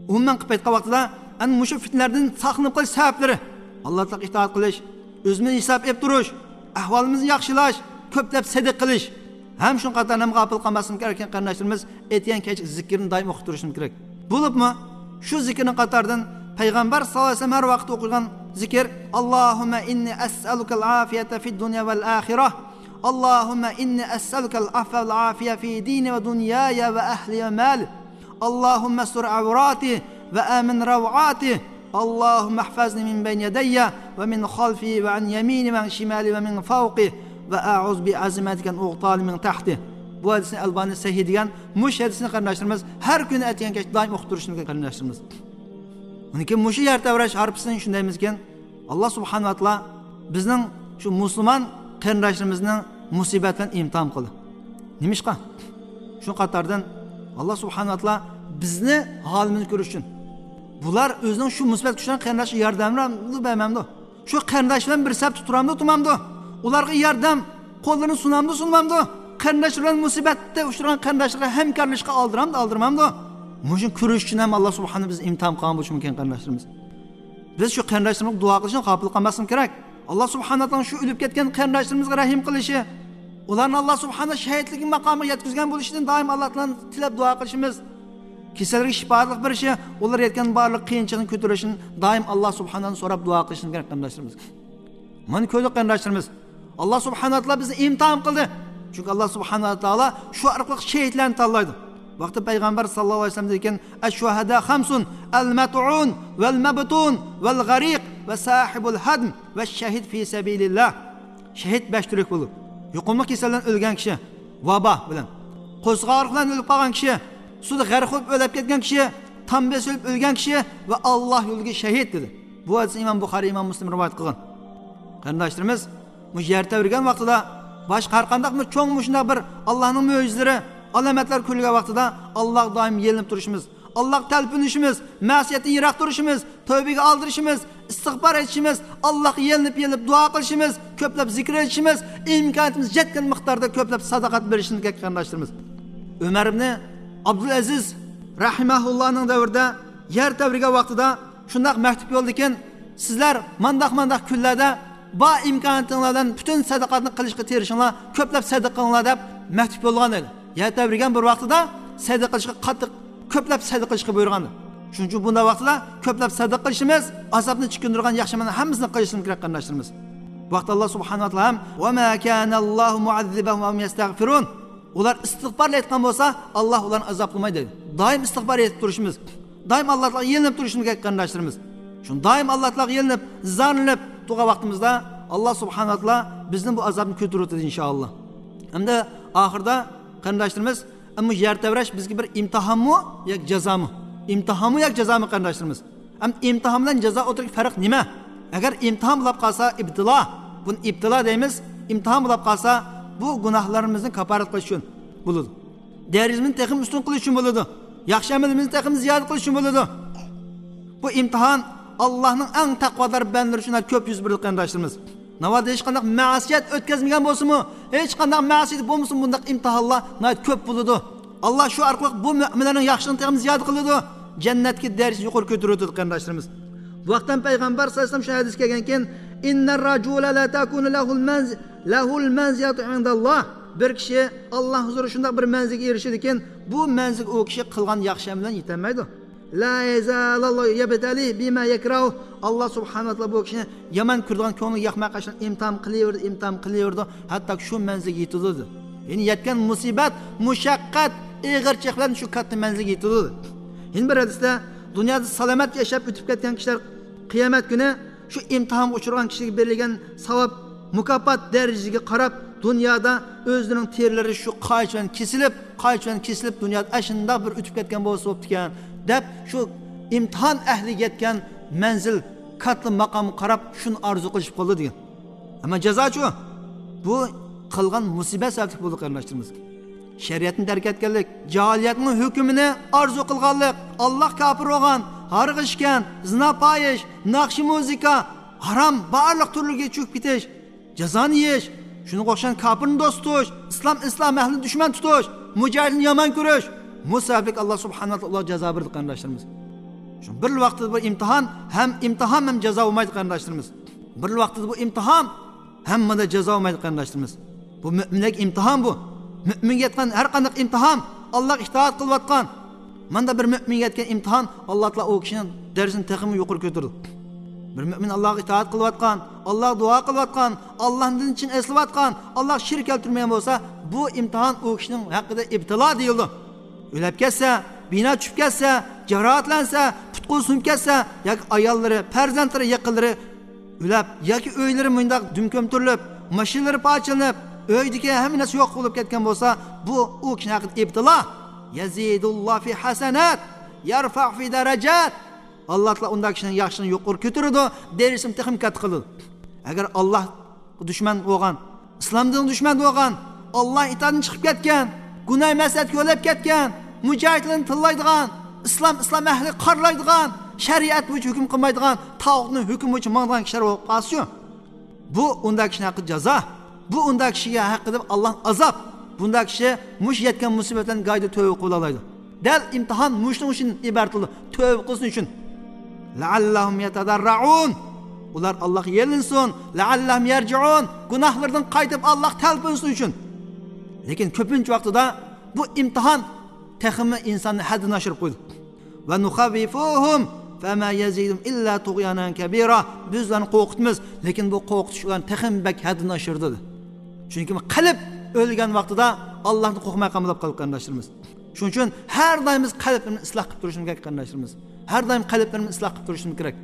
ئومۇمەن قىلىپ ئېيتقان ۋاقتىدا، ئەنە مۇشۇ پىتنىلەردىن ساقلىنىپ قېلىش سەۋەبلىرى، ئاللا تائالاغا ئىتائەت قىلىش، ئۆزىمىزنى ھېساب ئېلىپ تۇرۇش، ئەھۋالىمىزنى ياخشىلاش، كۆپلەپ سەدىقە قىلىش. ھەم شۇنىڭ قاتارىدا ھەم غاپىل قالماسلىق كېرەك ئىكەن، قېرىنداشلىرىمىز، ئەتىگەن كەچ زىكىرنى دائىم ئوقۇپ تۇرۇشىمىز كېرەك. بولۇپمۇ شۇ زىكىرنىڭ قاتارىدىن پەيغەمبەر ساللاللاھۇ ئەلەيھى ۋەسەللەم ھەر ۋاقىت ئوقۇغان ذكر: اللهم إني أسألك العافية في الدنيا والآخرة. اللهم إني أسألك العفو والعافية في ديني ودنياي وأهلي ومالي. اللهم استر عوراتي وآمن روعاتي. اللهم احفظني من بين يدي ومن خلفي وعن يميني وعن شمالي ومن فوقي. وأعوذ بعظمتك أن أغتال من تحتي. بۇ ھەدىسنى ئەلبانى سەھىھ دېگەن. مۇشۇ ھەدىسنى قېرىنداشلىرىمىز ھەر كۈنى ئەتىگەن كەچ دائىم ئوقۇپ تۇرۇشىمىز كېرەك قېرىنداشلىرىمىز. ئۇنىڭ كېيىن مۇشۇ يەر تەۋرەش ھارپىسىنى شۇندايمىزكىن، ئاللا سۇبھانەھۇ ۋە تائالا بىزنىڭ شۇ مۇسۇلمان قېرىنداشلىرىمىزنى مۇسىبەت بىلەن ئىمتىھان قىلدى. نېمىشقا؟ شۇ قاتاردىن ئاللا سۇبھانەھۇ ۋە تائالا بىزنى ھالىمىزنى كۆرۈش ئۈچۈن، بۇلار ئۆزىنىڭ شۇ مۇسىبەتكە ئۇچرىغان قېرىنداشىغا ياردەممۇ بەرمەمدۇ؟ شۇ قېرىنداش بىلەن بىر سەپتە تۇرامدۇ، تۇرمامدۇ؟ ئۇلارغا ياردەم قوللىرىنى سۇنامدۇ، سۇنمامدۇ؟ قېرىنداشلار بىلەن مۇسىبەتتە ئۇچرىغان قېرىنداشلارغا ھەمكارلىشىشقا ئالدىرامدۇ، ئالدىرمامدۇ؟ مۇشۇنى كۆرۈش ئۈچۈن ھەم ئاللا سۇبھانەھۇ بىزنى ئىمتىھان قىلغان بولۇشى مۇمكىن، قېرىنداشلىرىمىز. بىز شۇ قېرىنداشلىرىمىزغا دۇئا قىلىشنى غاپىل قالماسلىقىمىز كېرەك. ئاللا سۇبھانەھۇ تائالانىڭ شۇ ئۆلۈپ كەتكەن قېرىنداشلىرىمىزغا رەھىم قىلىشى، ئۇلارنى ئاللا سۇبھانەھۇ شەھىدلىك ماقامىغا يەتكۈزگەن بولۇشىدىن دائىم ئاللا تائالادىن تىلەپ دۇئا قىلىشىمىز. كېسەلگە شىپالىق بېرىشى، ئۇلار يەتكەن بارلىق قىيىنچىلىقنى كۆتۈرۈشىنى دائىم ئاللا سۇبھانەھۇدىن سوراپ دۇئا قىلىشىمىز كېرەك، قېرىنداشلىرىمىز. مانا كۆردۇق، قېرىنداشلىرىمىز. ئاللا سۇبھانەھۇ ۋە تائالا بىزنى ئىمتىھان قىلدى. چۈنكى ئاللا سۇبھانەھۇ ۋە تائالا شۇ ئارقىلىق شېھىتلەرنى تاللايدۇ. بۇ ھەقتە پەيغەمبەر ساللاللاھۇ ئەلەيھى ۋەسەللەم دېگەن، الشهداء خمس، المطعون والمبطون والغريق وصاحب الهدم والشهيد في سبيل الله. شېھىت بەش تۈرلۈك بولىدۇ. يۇقۇملۇق كېسەلدىن ئۆلگەن كىشى، ۋابا بىلەن، قورسىقى ئاغرىق بىلەن ئۆلۈپ قالغان كىشى، سۇدا غەرق بولۇپ ئۆلۈپ كەتكەن كىشى، تام بېسىلىپ ئۆلگەن كىشى ۋە ئاللا يولىدىكى شېھىت، دېدى. بۇ ھەدىسنى ئىمام بۇخارىي، ئىمام مۇسلىم رىۋايەت قىلغان. قېرىنداشلىرىمىز، بۇ يەر تەۋرىگەن ۋاقتىدا، باشقا ھەر قانداق بىر چوڭ مۇشۇنداق بىر ئاللانىڭ مۆجىزىلىرى، ئالامەتلەر كۆرۈلگەن ۋاقتىدا، ئاللاغا دائىم يېلىنىپ تۇرۇشىمىز، ئاللاغا تەلپۈنۈشىمىز، مەسىيەتتىن يىراق تۇرۇشىمىز، تەۋبىگە ئالدىرىشىمىز، ئىستىغپار ئېيتىشىمىز، ئاللاغا يېلىنىپ، يېلىنىپ دۇئا قىلىشىمىز، كۆپلەپ زىكىر ئېيتىشىمىز، ئىمكانىيىتىمىز يەتكەن مىقداردا كۆپلەپ ساداقەت بېرىشىمىز كېرەك، قېرىنداشلىرىمىز. ئۆمەر ئىبنى ئابدۇلئەزىز رەھىمەھۇللانىڭ دەۋرىدە يەر تەۋرىگەن ۋاقتىدا شۇنداق مەكتۇب يوللىدىكەن، سىزلەر مانداق مانداق كۈنلەردە بار ئىمكانىيىتىڭلار بىلەن پۈتۈن سەدىقاتنى قىلىشقا تىرىشىڭلار، كۆپلەپ سەدىقە قىلىڭلار دەپ مەكتۇب يوللىغان ئىدى. يەر تەۋرىگەن بىر ۋاقتىدا سەدىقە قىلىشقا قاتتىق، كۆپلەپ سەدىقە قىلىشقا بۇيرۇغان ئىدى. شۇنىڭ ئۈچۈن بۇنداق ۋاقتىدا كۆپلەپ سەدىقە قىلىشىمىز، ئازابنى چېكىندۈرىدىغان ياخشى ئەمەلنىڭ ھەممىسىنى قىلىشىمىز كېرەك، قېرىنداشلىرىمىز. بۇ ھەقتە ئاللا سۇبھانەھۇ ۋە تائالا ھەم، وما كان الله معذبهم وهم يستغفرون. ئۇلار ئىستىغپار ئېيتقان بولسا، ئاللا ئۇلارنى ئازابلىمايدۇ دەيدۇ. دائىم ئىستىغپار ئېيتىپ تۇرۇشىمىز، دائىم ئاللا تائالاغا يېلىنىپ تۇرۇشىمىز كېرەك، قېرىنداشلىرىمىز. شۇ دائىم ئاللا تائالاغا يېلىنىپ، زارلىنىپ تۇرغان ۋاقتىمىزدا، ئاللا سۇبھانەھۇ ۋە تائالا بىزدىن بۇ ئازابنى كۆتۈرۈۋېتىدۇ، ئىنشائاللا. ھەمدە ئاخىرىدا، قېرىنداشلىرىمىز، ئەمما يەر تەۋرەش بىزگە بىر ئىمتىھانمۇ ياكى جازامۇ؟ ئىمتىھانمۇ ياكى جازامۇ، قېرىنداشلىرىمىز؟ ئەمما ئىمتىھان بىلەن جازا ئوتتۇرىدىكى پەرق نېمە؟ ئەگەر ئىمتىھان بولۇپ قالسا، ئىبتىلا، بۇنى ئىبتىلا دەيمىز، ئىمتىھان بولۇپ قالسا، بۇ گۇناھلىرىمىزنى كاپپارەت قىلىش ئۈچۈن بولىدۇ. دەرىجىمىزنى تېخىمۇ ئۈستۈن قىلىش ئۈچۈن بولىدۇ. ياخشى ئەمىلىمىزنى تېخىمۇ زىيادە قىلىش ئۈچۈن بولىدۇ. بۇ ئىمتىھان ئاللانىڭ ئەڭ تەقۋادار بەندىلىرى ئۈچۈن كۆپ يۈز بېرىدۇ، قېرىنداشلىرىمىز. ناۋادا ھېچقانداق مەسىيەت ئۆتكەزمىگەن بولسىمۇ، ھېچقانداق مەسىيەت بولمىسىمۇ، بۇنداق ئىمتىھانلار ناھايىتى كۆپ بولىدۇ. ئاللا شۇ ئارقىلىق بۇ مۆمىنلەرنىڭ ياخشىلىقىنى تېخىمۇ زىيادە قىلىدۇ، جەننەتتىكى دەرىجىسىنى يۇقىرى كۆتۈرۈۋېتىدۇ، قېرىنداشلىرىمىز. بۇ ھەقتە پەيغەمبەر ساللاللاھۇ ئەلەيھى ۋەسەللەم شۇ ھەدىسكە كەلگەنكەن، إن الرجل لتكون له المنز-، له المنزلة عند الله. بىر كىشى ئاللا ھۇزۇرىدا شۇنداق بىر مەنزىلگە ئېرىشىدىكەن، بۇ مەنزىلگە ئۇ كىشى قىلغان ياخشى ئەمەل بىلەن يېتەلمەيدۇ. لا يزال الله يبتليه بما يكره. ئاللا سۇبھانەھۇ ۋە تائالا بۇ كىشىنى يامان كۆرىدىغان، كۆڭلىگە ياقمايدىغان ئىشلارنى ئىمتىھان قىلىۋېرىدۇ، ئىمتىھان قىلىۋېرىدۇ، ھەتتا شۇ مەنزىلگە يېتىدۇ، دېدى. يەنى يەتكەن مۇسىبەت، مۇشەققەت، ئېغىرچىلىق بىلەن شۇ كاتتا مەنزىلگە يېتىدۇ، دېدى. يەنە بىر ھەدىستە، دۇنيادا سالامەت ياشاپ ئۆتۈپ كەتكەن كىشىلەر قىيامەت كۈنى شۇ ئىمتىھانغا ئۇچرىغان كىشىگە بېرىلگەن ساۋاب، مۇكاپات دەرىجىسىگە قاراپ، دۇنيادا ئۆزلىرىنىڭ تېرىلىرى شۇ قايچ بىلەن كېسىلىپ، قايچ بىلەن كېسىلىپ، دۇنيادا ئاشۇنداق بىر ئۆتۈپ كەتكەن بولسا بوپتىكەن، دەپ، شۇ ئىمتىھان ئەھلىگە يەتكەن مەنزىل، كاتتا ماقامغا قاراپ شۇنى ئارزۇ قىلىشىپ قالىدۇ، دېگەن. ئەمما جازاچۇ؟ بۇ قىلغان مۇسىبەت سەۋەبلىك بولدى، قېرىنداشلىرىمىز. شەرىئەتنى تەرك ئەتكەنلىك، جاھىلىيەتنىڭ ھۆكمىنى ئارزۇ قىلغانلىق، ئاللاغا كاپىر بولغان، ھارغا ئىچكەن، زىنا پاھىش، ناخشا مۇزىكا، ھارام بارلىق تۈرلىرىگە چۆكۈپ كېتىش، جازانى يېيىش، شۇنىڭغا ئوخشىغان كاپىرنى دوست تۇتۇش، ئىسلام، ئىسلام ئەھلىنى دۈشمەن تۇتۇش، مۇجاھىدنى يامان كۆرۈش، بۇ سەۋەبلىك ئاللا سۇبھانەھۇ ۋە تائالا ئۇلارغا جازا بېرىدۇ، قېرىنداشلىرىمىز. شۇ بىر ۋاقىتتا بۇ ئىمتىھان ھەم ئىمتىھان ھەم جازا بولمايدۇ، قېرىنداشلىرىمىز. بىر ۋاقىتتا بۇ ئىمتىھان، ھەممىدە جازا بولمايدۇ، قېرىنداشلىرىمىز. بۇ مۆمىنلەرگە ئىمتىھان بۇ. مۆمىنگە يەتكەن ھەر قانداق ئىمتىھان، ئاللاغا ئىتائەت قىلىۋاتقان. ماندا بىر مۆمىنگە يەتكەن ئىمتىھان، ئاللا تائالا ئۇ كىشىنىڭ دەرىجىسىنى تېخىمۇ يۇقىرى كۆتۈرىدۇ. بىر مۆمىن ئاللاغا ئىتائەت قىلىۋاتقان، ئاللاغا دۇئا قىلىۋاتقان، ئاللانىڭ دىنىنى چىن ئەسلىۋاتقان، ئاللاغا شېرىك كەلتۈرمىگەن بولسا، بۇ ئىمتىھان ئۇ كىشىنىڭ ھەققىدە ئىبتىلا دېيىلىدۇ. ئۆلۈپ كەتسە، بىنا چۈشۈپ كەتسە، جاراھەتلەنسە، پۇت-قولى سۇنۇپ كەتسە ياكى ئاياللىرى، پەرزەنتلىرى، يېقىنلىرى ئۆلۈپ ياكى ئۆيلىرى مۇنداق دۈم كۆمتۈرۈلۈپ، ماشىنىلىرى پارچىلىنىپ، ئۆيدىكى ھەممە نەرسە يوق بولۇپ كەتكەن بولسا، بۇ ئۇ كىشىنىڭ ھەققىدە ئىبتىلا. يەزىدۇللا فى ھەسەنات، يەرفەئۇ فى دەرەجات. ئاللا تائالا ئۇنداق كىشىنىڭ ياخشىلىقىنى يۇقىرى كۆتۈرىدۇ، دەرىجىسىنى تېخىمۇ كاتتا قىلىدۇ. ئەگەر ئاللاغا دۈشمەن بولغان، ئىسلام دىنىغا دۈشمەن بولغان، ئاللا ئىتائىتىدىن چىقىپ كەتكەن، گۇناھ مەسلىھەتكە يۆلەپ كەتكەن، مۇجاھىدلارنى تىللايدىغان، ئىسلام، ئىسلام ئەھلىگە قارىلايدىغان، شەرىئەت بويىچە ھۆكۈم قىلمايدىغان، تاغۇتنىڭ ھۆكمى بويىچە ماڭىدىغان كىشىلەر بولۇپ قالسىچۇ؟ بۇ ئۇنداق كىشىنىڭ ھەققىدە جازا. بۇ ئۇنداق كىشىگە ھەققىدە ئاللا ئازاب. بۇنداق كىشى مۇشۇ يەتكەن مۇسىبەتلەرنىڭ گايىدا تۆۋە قىلىۋالالايدۇ. دەل ئىمتىھان مۇشۇنىڭ ئۈچۈن ئىبارەت قىلىدۇ. تۆۋە قىلسۇن ئۈچۈن. لەئەللەھۇم يەتەدەررەئۇن. ئۇلار ئاللاغا يېلىنسۇن. لەئەللەھۇم يەرجىئۇن. گۇناھلىرىدىن قايتىپ ئاللاغا تەلپۈنسۇن ئۈچۈن. لېكىن كۆپىنچە ۋاقتىدا بۇ ئىمتىھان تېخىمۇ ئىنساننى ھەددىدىن ئاشۇرۇپ قويىدۇ. ۋە نۇخەۋۋىفۇھۇم فەما يەزىدۇم ئىللا تۇغيانەن كەبىرا. بىز ئۇلارنى قورقۇتىمىز، لېكىن بۇ قورقۇتۇش ئۇلارنى تېخىمۇ بەك ھەددىدىن ئاشۇرىدۇ. چۈنكى قەلب ئۆلگەن ۋاقتىدا ئاللاھتىن قورقماي قالمىدۇق، قېرىنداشلىرىمىز. شۇنىڭ ئۈچۈن ھەر دائىم بىز قەلبلىرىمىزنى ئىسلاھ قىلىپ تۇرۇشىمىز كېرەك، قېرىنداشلىرىمىز. ھەر دائىم قەلبلىرىمىزنى ئىسلاھ قىلىپ تۇرۇشىمىز كېرەك.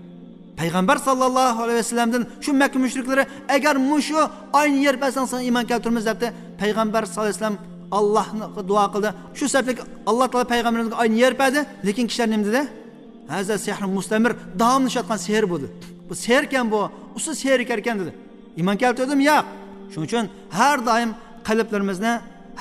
پەيغەمبەر ساللاللاھۇ ئەلەيھى ۋەسەللەمدىن شۇ مەككە مۇشرىكلىرى، ئەگەر مۇشۇ ئاينى يېرىپ بەرسەڭ، ساڭا ئىمان كەلتۈرىمىز، دەپتۇ. پەيغەمبەر ساللاللاھۇ ئەلەيھى ۋەسەللەم ئاللاھقا دۇئا قىلدى. شۇ سەۋەبلىك ئاللا تائالا پەيغەمبىرىمىزگە ئاينى يېرىپ بەردى. لېكىن كىشىلەر نېمە دېدى؟ ھازا سېھرۇن مۇستەمىر، داۋاملىشىۋاتقان سېھىر بۇ، دېدى. بۇ سېھىركەن بۇ، ئۇسسۇل سېھىركەنكەن، دېدى. ئىمان كەلتۈردىمۇ؟ ياق. شۇنىڭ ئۈچۈن ھەر دائىم قەلبلىرىمىزنى،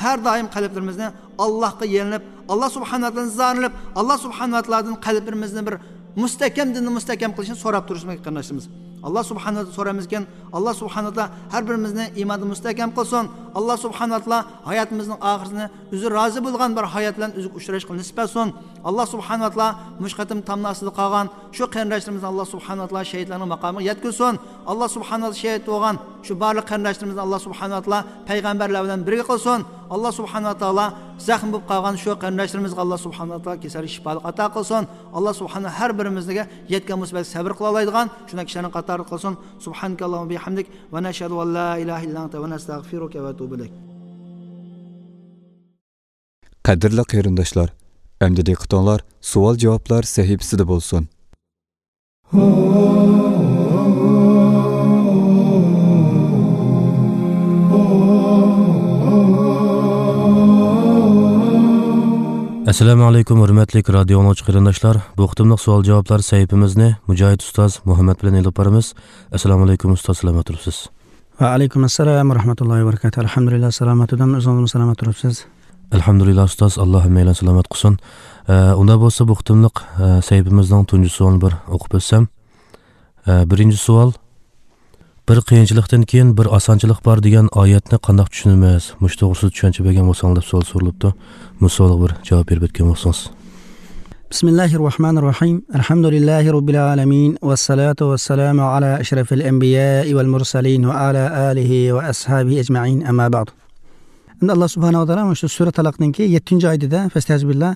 ھەر دائىم قەلبلىرىمىزنى ئاللاھقا يېلىنىپ، ئاللا سۇبھانەھۇ ۋە تائالادىن زارلىنىپ، ئاللا سۇبھانەھۇ ۋە تائالادىن قەلبلىرىمىزنى بىر مۇستەھكەم دىننى مۇستەھكەم قىلىشنى سوراپ تۇرۇشىمىز كېرەك، قېرىنداشلىرىمىز. ئاللا سۇبھانەھۇ ۋە تائالا سورايمىزكەن، ئاللا سۇبھانەھۇ ۋە تائالا ھەر بىرىمىزنى ئىماندا مۇستەھكەم قىلسۇن. ئاللا سۇبھانەھۇ ۋە تائالا ھاياتىمىزنىڭ ئاخىرىنى ئۆزى رازى بولغان بىر ھايات بىلەن ئۆزىگە ئۇچراشقا نېسىپ ئەتسۇن. ئاللا سۇبھانەھۇ ۋە تائالا مۇشۇ قېتىم تامناسىدا قالغان شۇ قېرىنداشلىرىمىزنى ئاللا سۇبھانەھۇ ۋە تائالا شېھىتلەرنىڭ ماقامىغا يەتكۈزسۇن. ئاللا سۇبھانەھۇ ۋە تائالا شېھىت بولغان شۇ بارلىق قېرىنداشلىرىمىزنى ئاللا سۇبھانەھۇ ۋە تائالا پەيغەمبەرلەر بىلەن بىرگە قىلسۇن. ئاللا سۇبھانەھۇ ۋە تائالا زەخىم بولۇپ قالغان شۇ قېرىنداشلىرىمىزغا ئاللا سۇبھانەھۇ ۋە تائالا كېسەللىك شىپالىق ئاتا قىلسۇن. ئاللا سۇبھانەھۇ ھەر بىرىمىزگە يەتكەن مۇسىبەتكە سەۋر قىلالايدىغان شۇنداق كىشىلەرنىڭ قاتارىدا قىلسۇن. سۇبھانەكەللاھۇممە بىھەمدىك ۋە نەشھەدۇ ئەن لا ئىلاھە ئىللا ئەنتە ۋە نەستەغفىرۇكە ۋە نەتۇبۇ ئىلەيك. قەدىرلىك قېرىنداشلار، ئەمدى دىققىتىڭلار سوئال-جاۋابلار سەھىپىسىدە بولسۇن. ئەسسالامۇ ئەلەيكۇم، ھۆرمەتلىك رادىيو ئاڭلىغۇچى قېرىنداشلار. بۇ قېتىملىق سوئال-جاۋابلار سەھىپىمىزنى مۇجاھىد ئۇستاز مۇھەممەد بىلەن ئېلىپ بارىمىز. ئەسسالامۇ ئەلەيكۇم ئۇستاز، سالامەت تۇرۇپسىز؟ ۋەئەلەيكۇم ئەسسالام ۋە رەھمەتۇللاھى ۋە بەرىكاتۇھ. ئەلھەمدۇلىللا، سالامەت تۇردۇم. ئۆزىڭىزمۇ سالامەت تۇرۇپسىز؟ ئەلھەمدۇلىللا ئۇستاز، ئاللا ھەممەيلەن سالامەت قىلسۇن. ئە، ئۇنداق بولسا بۇ قېتىملىق، ئە، سەھىپىمىزنىڭ تۇنجى سوئالىنى بىر ئوقۇپ ئۆتسەم. ئە، بىرىنچى سوئال، بىر قىيىنچىلىقتىن كېيىن بىر ئاسانچىلىق بار دېگەن ئايەتنى قانداق چۈشىنىمىز؟ مۇشۇ توغرىسىدا چۈشەنچە بەرگەن بولساڭلار دەپ سوئال سورىلىپتۇ. بۇ سوئالغا بىر جاۋاب بېرىپ ئۆتكەن بولسىڭىز. بسم الله الرحمن الرحيم. الحمد لله رب العالمين، والصلاة والسلام على أشرف الأنبياء والمرسلين وعلى آله وأصحابه أجمعين، أما بعد. ئەمدى ئاللا سۇبھانەھۇ ۋە تائالا مۇشۇ سۈرە تالاقنىڭكى يەتتىنچى ئايىتىدە، فەستەئىزۇ بىللا،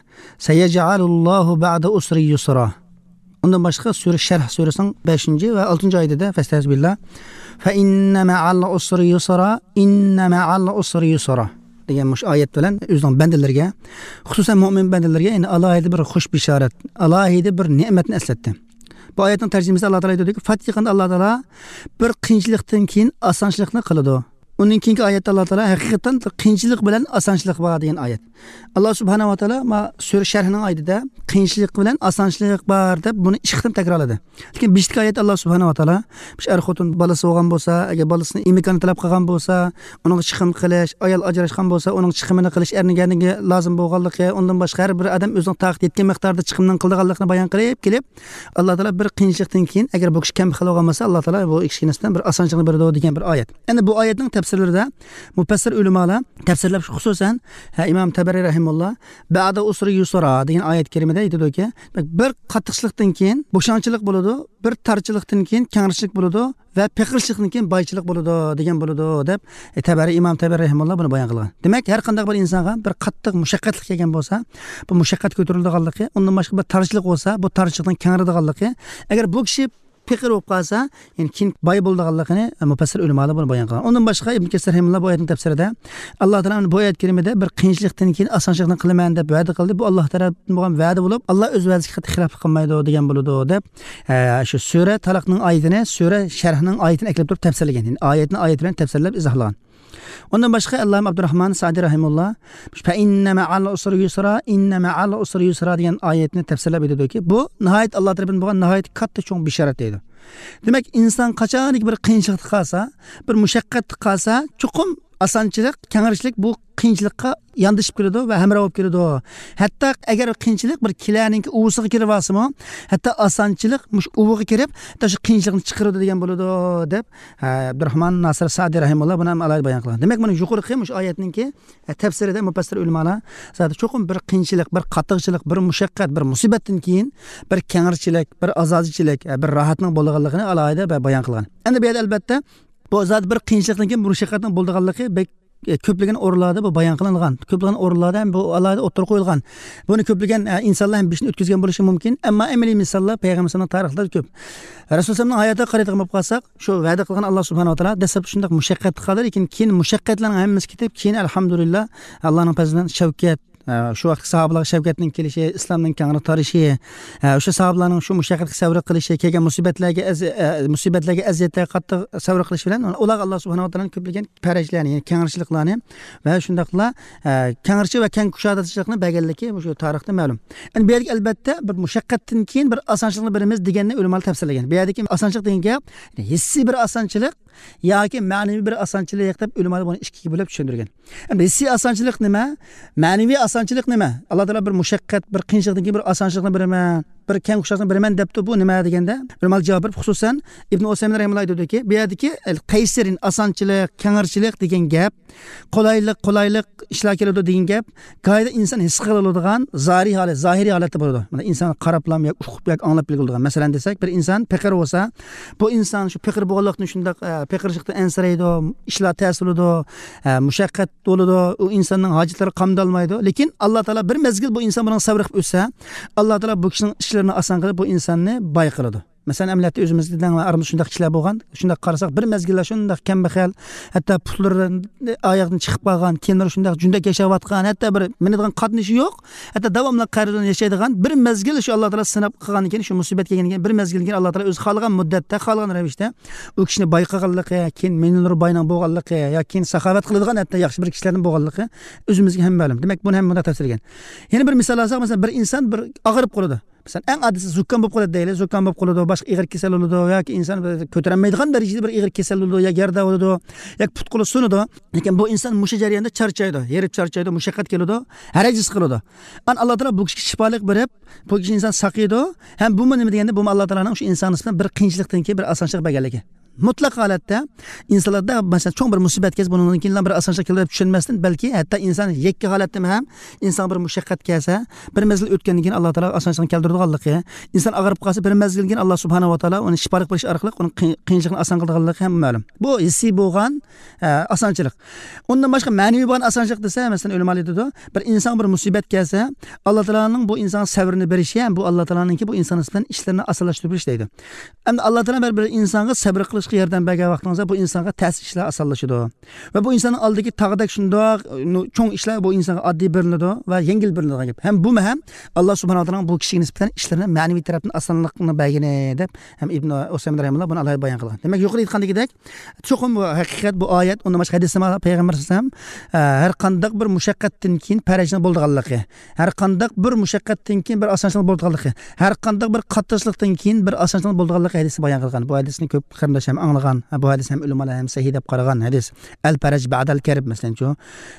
سەيەجئەلۇللاھۇ بەئدە ئۇسرى يۇسرا. ئۇندىن باشقا سۈرە شەرھ سۈرىسىنىڭ بەشىنچى ۋە ئالتىنچى ئايىتىدە، فەستەئىزۇ بىللا، فەئىننە مەئەل ئۇسرى يۇسرا، ئىننە مەئەل ئۇسرى يۇسرا دېگەن مۇشۇ ئايەت بىلەن ئۆزىنىڭ بەندىلىرىگە، خۇسۇسەن مۆمىن بەندىلىرىگە، يەنى ئالاھىدە بىر خۇش بېشارەت، ئالاھىدە بىر نېمەتنى ئەسلەتتى. بۇ ئايەتنىڭ تەرجىمىسىدە ئاللا تائالا ئېيتىدۇكى، پات يېقىندا ئاللا تائالا بىر قىيىنچىلىقتىن كېيىن ئاسانچىلىقنى قىلىدۇ. ئۇنىڭ كېيىنكى ئايەتتە ئاللا تائالا ھەقىقەتەن بىر قىيىنچىلىق بىلەن ئاسانچىلىق بار دېگەن ئايەت. ئاللا سۇبھانەھۇ ۋە تائالا ما سۈرە شەرھنىڭ ئايىتىدە قىيىنچىلىق بىلەن ئاسانچىلىق بار دەپ بۇنى ئىككى قېتىم تەكرارلىدى. لېكىن بېشىدىكى ئايەتتە ئاللا سۇبھانەھۇ ۋە تائالا مۇشۇ ئەر خوتۇن بالىسى بولغان بولسا، ئەگەر بالىسىنى ئىمكانى تەلەپ قىلغان بولسا، ئۇنىڭغا چىقىم قىلىش، ئايال ئاجراشقان بولسا، ئۇنىڭ چىقىمىنى قىلىش، ئەرنىڭ لازىم بولغانلىقى، ئۇندىن باشقا ھەر بىر ئادەم ئۆزىنىڭ تاقىتى يەتكەن مىقداردا چىقىمنىڭ قىلىدىغانلىقىنى بايان قىلىپ كېلىپ، ئاللا تائالا بىر قىيىنچىلىقتىن كېيىن، ئەگەر بۇ كىشى كەمبەغەل بولغان بولسا، ئاللا تائالا بۇ كىشىگە نىسبەتەن بىر ئاسانچىلىقنى بېرىدۇ دېگەن بىر ئايەت. ئەنە بۇ ئايەتنىڭ تەپسىرلىرىدە مۇپەسسىر ئۆلىمالار تەپسىرلەپ، خۇسۇسەن، ھە، ئىمام تەبەرى رەھىمۇللا بەئدە ئۇسرى يۇسرا دېگەن ئايەت كەرىمىدە ئېيتىدۇكى، بىر قاتتىقچىلىقتىن كېيىن بوشاڭچىلىق بولىدۇ، بىر تارچىلىقتىن كېيىن كەڭرىچىلىك بولىدۇ ۋە پېقىرچىلىقتىن كېيىن بايچىلىق بولىدۇ دېگەن بولىدۇ دەپ، ئە، تەبەرى، ئىمام تەبەرى رەھىمۇللا بۇنى بايان قىلغان. دېمەك، ھەر قانداق بىر ئىنسانغا بىر قاتتىق مۇشەققەتلىك كەلگەن بولسا، بۇ مۇشەققەت كۆتۈرۈلىدىغانلىقى، ئۇندىن باشقا بىر تارچىلىق بولسا، بۇ تارچىلىقنىڭ كەڭرىيدىغانلىقى، ئەگەر بۇ كىشى پېقىر بولۇپ قالسا، يەنى كېيىن باي بولىدىغانلىقىنى مۇپەسسىر ئۆلىمالار بۇنى بايان قىلغان. ئۇندىن باشقا ئىبن كەسىر رەھىمۇللا بۇ ئايەتنىڭ تەپسىرىدە، ئاللا تائالا بۇ ئايەت كەرىمىدە بىر قىيىنچىلىقتىن كېيىن ئاسانچىلىقنى قىلىمەن دەپ ۋەدە قىلدى. بۇ ئاللا تەرەپتىن بولغان ۋەدە بولۇپ، ئاللا ئۆز ۋەدىسىگە قەتئىي خىلاپلىق قىلمايدۇ دېگەن بولىدۇ دەپ، ئە، شۇ سۈرە تالاقنىڭ ئايىتىنى، سۈرە شەرھنىڭ ئايىتىنى ئەكىرىپ تۇرۇپ تەپسىرلىگەن. يەنى ئايەتنى ئايەت بىلەن تەپسىرلەپ ئىزاھلىغان. ئۇندىن باشقا ئەللامە ئابدۇراھمان سادى رەھىمۇللا «فەئىننە مەئەل ئۇسرى يۇسرا، ئىننە مەئەل ئۇسرى يۇسرا» دېگەن ئايەتنى تەپسىرلەپ ئېيتىدۇكى، بۇ ناھايىتى ئاللا تەرىپىدىن بولغان ناھايىتى كاتتا چوڭ بېشارەت دەيدۇ. دېمەك، ئىنسان قاچانكى بىر قىيىنچىلىقتا قالسا، بىر مۇشەققەتتە قالسا، چوقۇم ئاسانچىلىق، كەڭرىچىلىك بۇ قىيىنچىلىققا ياندىشىپ كېلىدۇ ۋە ھەمراھ بولۇپ كېلىدۇ. ھەتتا ئەگەر قىيىنچىلىق بىر كېلەنىڭكى ئۇۋىسىغا كىرىۋالسىمۇ، ھەتتا ئاسانچىلىق مۇشۇ ئۇۋىغا كىرىپ، ھەتتا شۇ قىيىنچىلىقنى چىقىرىدۇ دېگەن بولىدۇ، دەپ، ھە، ئابدۇراھمان ناسىر سادى رەھىمۇللا بۇنى ھەم ئالاھىدە بايان قىلغان. دېمەك، مانا يۇقىرىقى مۇشۇ ئايەتنىڭكى، ھە، تەپسىرىدە مۇپەسسىر ئۆلىمالار زادى چوقۇم بىر قىيىنچىلىق، بىر قاتتىقچىلىق، بىر مۇشەققەت، بىر مۇسىبەتتىن كېيىن بىر كەڭرىچىلىك، بىر ئازادىچىلىك، ھە، بىر راھەتنىڭ بولىدىغانلىقىنى ئالاھىدە بايان قىلغان. ئەمدى بۇ يەردە ئەلبەتتە بۇ زادى بىر قىيىنچىلىقتىن كېيىن بۇ مۇشەققەتنىڭ بولىدىغانلىقى بەك، ئە، كۆپلىگەن ئورۇنلاردا بۇ بايان قىلىنغان. كۆپلىگەن ئورۇنلاردا ھەم بۇ ئالاھىدە ئوتتۇرىغا قويۇلغان. بۇنى كۆپلىگەن، ئە، ئىنسانلار ھەم بېشىدىن ئۆتكۈزگەن بولۇشى مۇمكىن. ئەمما ئەمەلىي مىساللار پەيغەمبىرىمىزنىڭ تارىخلىرىدا كۆپ. رەسۇل سەللەللاھۇ ئەلەيھى ۋەسەللەمنىڭ ھاياتىغا قارايدىغان بولۇپ قالساق، شۇ ۋەدە قىلغان ئاللا سۇبھانەھۇ ۋە تائالا دەسلەپتە شۇنداق مۇشەققەتتە قالدى، لېكىن كېيىن مۇشەققەتلەرنىڭ ھەممىسى كېتىپ، كېيىن ئەلھەمدۇلىللا، ئاللانىڭ پەزلىدىن شەۋكەت، ئە، شۇ ۋاقىتتىكى ساھابىلارغا شەۋكەتنىڭ كېلىشى، ئىسلامنىڭ كەڭرى تارىشى، ئە، شۇ ساھابىلارنىڭ شۇ مۇشەققەتكە سەۋر قىلىشى، كەلگەن مۇسىبەتلەرگە ئەز-، ئە، مۇسىبەتلەرگە، ئەزىيەتلەرگە قاتتىق سەۋر قىلىشى بىلەن ئۇلارغا ئاللا سۇبھانەھۇ ۋە تائالانىڭ كۆپلىگەن پەرەجلەرنى، يەنى كەڭرىچىلىكلارنى ۋە شۇنداقلا، ئە، كەڭرىچى ۋە كەڭ كۇشادىچىلىقنى بەرگەنلىكى مۇشۇ تارىختا مەلۇم. ئەمدى بۇ يەردىكى ئەلبەتتە بىر مۇشەققەتتىن كېيىن بىر ئاسانچىلىقنى بېرىمىز دېگەننى ئۆلىمالار تەپسىرلىگەن. بۇ يەردىكى ئاسانچىلىق دېگەن گەپ ھېسسىي بىر ئاسانچىلىق ياكى مەنىۋى بىر ئاسانچىلىق دەپ ئۆلىمالار بۇنى ئىككىگە بۆلۈپ چۈشەندۈرگەن. ئەمدى ھېسسىي ئاسانچىلىق نېمە؟ مەنىۋى ئاسانچىلىق نېمە؟ ئاللا تائالا بىر مۇشەققەت، بىر قىيىنچىلىقتىن كېيىن بىر ئاسانچىلىقنى بېرىمەن، بىر كەڭ كۇشادىچىلىقنى بېرىمەن دەپتۇ. بۇ نېمە دېگەندە، ئۆلىمالار جاۋاب بېرىپ، خۇسۇسەن ئىبن ئۇسەيمىن رەھىمەللا ئېيتىدۇكى، بۇ يەردىكى ئەل قەيسىرىن، ئاسانچىلىق، كەڭرىچىلىك دېگەن گەپ، قولايلىق، قولايلىق ئىشلار كېلىدۇ دېگەن گەپ، گاھىدا ئىنسان ھېس قىلىدىغان زاھىرىي ھالەت، زاھىرىي ھالەتتە بولىدۇ. مانا ئىنسان قاراپلام ياكى ئۇقۇپ ياكى ئاڭلاپ بىلگىلى بولىدىغان. مەسىلەن دېسەك، بىر ئىنسان پېقىر بولسا، بۇ ئىنسان شۇ پېقىر بولغانلىقتىن شۇنداق، ئە، پېقىرچىلىقتىن ئەنسىرەيدۇ، ئىشلار تەس بولىدۇ، ئە، مۇشەققەت بولىدۇ، ئۇ ئىنساننىڭ ھاجەتلىرى قامدالمايدۇ. لېكىن ئاللا تائالا بىر مەزگىل بۇ ئىنسان بۇنىڭغا سەۋر قىلىپ ئۆتسە، ئاللا تائالا بۇ كىشىنىڭ ئىشلىرىنى ئاسان قىلىپ، بۇ ئىنساننى باي قىلىدۇ. مەسىلەن، ئەمەلىيەتتە ئۆزىمىزدە دەڭ ۋە ئارىمىزدا شۇنداق كىشىلەر بولغان. شۇنداق قارىساق، بىر مەزگىللەر شۇنداق كەمبەغەل، ھەتتا پۇتلىرى ئاياغدىن چىقىپ قالغان، كىيىملىرى شۇنداق جۈندەك ياشاۋاتقان، ھەتتا بىر مىنىدىغان قاتنىشى يوق، ھەتتا داۋاملىق قەرز بىلەن ياشايدىغان بىر مەزگىل شۇ ئاللا تائالا سىناپ قىلغاندىن كېيىن، شۇ مۇسىبەت كەلگەندىن كېيىن، بىر مەزگىلدىن كېيىن ئاللا تائالا ئۆزى خالىغان مۇددەتتە، خالىغان رەۋىشتە ئۇ كىشىنى باي قىلغانلىقى، كېيىن مىليونېر باينىڭ بولغانلىقى، يا كېيىن ساخاۋەت قىلىدىغان ھەتتا ياخشى بىر كىشىلەردىن بولغانلىقى ئۆزىمىزگە ھەم مەلۇم. دېمەك، بۇنى ھەم مۇنداق تەپسىرلىگەن. يەنە بىر مىسال ئالساق، مەسىلەن، بىر ئىنسان بىر ئاغرىپ قالىدۇ. مەسىلەن، ئەڭ ئاددىيسى زۇكام بولۇپ قالىدۇ دەيلى. زۇكام بولۇپ قالىدۇ، باشقا ئېغىر كېسەل بولىدۇ ياكى ئىنسان بىر كۆتۈرەلمەيدىغان دەرىجىدە بىر ئېغىر كېسەل بولىدۇ ياكى يەردە بولىدۇ ياكى پۇت-قولى سۇنىدۇ. لېكىن بۇ ئىنسان مۇشۇ جەرياندا چارچايدۇ، ھېرىپ چارچايدۇ، مۇشەققەت كېلىدۇ، ھەرەج ھېس قىلىدۇ. ئان ئاللا تائالا بۇ كىشىگە شىپالىق بېرىپ، بۇ كىشى ئىنسان ساقىيىدۇ. ھەم بۇمۇ نېمە دېگەندە، بۇمۇ ئاللا تائالانىڭ شۇ ئىنسان نىسبەتەن بىر قىيىنچىلىقتىن كېيىن بىر ئاسانچىلىق بەرگەنلىكى. مۇتلەق ھالەتتە ئىنسانلاردا، مەسىلەن، چوڭ بىر مۇسىبەت كەلسە، بۇنىڭدىن كېيىن بىر ئاسانچىلىق كېلىدۇ دەپ چۈشەنمەستىن، بەلكى ھەتتا ئىنسان يەككە ھالەتتىمۇ ھەم ئىنسانغا بىر مۇشەققەت كەلسە، بىر مەزگىل ئۆتكەندىن كېيىن ئاللا تائالا ئاسانچىلىقنى كەلتۈرىدىغانلىقى، ئىنسان ئاغرىپ قالسا، بىر مەزگىلدىن كېيىن ئاللا سۇبھانەھۇ ۋە تائالا ئۇنى شىپالىق بېرىش ئارقىلىق ئۇنىڭ قىي-، قىيىنچىلىقىنى ئاسان قىلىدىغانلىقى ھەم مەلۇم. بۇ ھېسسىي بولغان، ئە، ئاسانچىلىق. ئۇندىن باشقا مەنىۋى بولغان ئاسانچىلىق دېسە، مەسىلەن، ئۆلىمالار ئېيتىدۇ، بىر ئىنسانغا بىر مۇسىبەت كەلسە، ئاللا تائالانىڭ بۇ ئىنسانغا سەۋرىنى بېرىشى ھەم بۇ ئاللا تائالانىڭكى بۇ ئىنسان نىسبەتەن ئىشلىرىنى ئاسانلاشتۇرۇپ بېرىشى دەيدۇ. ئەمدى ئاللا تائالا بىر، بىر ئىنسانغا سەۋر قىلىشقا ياردەم بەرگەن ۋاقتىڭىزدا بۇ ئىنسانغا تەس ئىشلار ئاسانلىشىدۇ. ۋە بۇ ئىنساننىڭ ئالدىدىكى تاغدەك شۇنداق، نۇ-، چوڭ ئىشلار بۇ ئىنسانغا ئاددىي بىلىنىدۇ ۋە يەڭگىل بىلىنىدىغان گەپ. ھەم بۇمۇ ھەم ئاللا سۇبھانەھۇ ۋە تائالانىڭ بۇ كىشىگە نىسبەتەن ئىشلىرىنى مەنىۋى تەرەپتىن ئاسانلىقنى بەرگىنى دەپ ھەم ئىبن ئۇسەيمىن رەھىمەھۇللا بۇنى ئالاھىدە بايان قىلغان. دېمەك، يۇقىرىدا ئيتقاندىكىدەك، چوقۇم بۇ ھەقىقەت، بۇ ئايەت، ئۇندىن باشقا ھەدىسلەرمۇ پەيغەمبەر ئەلەيھىسسالام، ئە، ھەر قانداق بىر مۇشەققەتتىن كېيىن پەرەجنىڭ بولىدىغانلىقى، ھەر قانداق بىر مۇشەققەتتىن كېيىن بىر ئاسانچىلىق بولىدىغانلىقى، ھەر قانداق بىر قاتتىقچىلىقتىن كېيىن بىر ئاسانچىلىق بولىدىغانلىقى ھەدىسنى بايان قىلغان. بۇ ھەدىسنى كۆپ قېرىنداش ھەم ئاڭلىغان، بۇ ھەدىس ھەم ئۆلىمالار ھەم سەھىھ دەپ قارىغان ھەدىس. ئەل پەرەج بەدەل كەرب، مەسىلەنچۇ،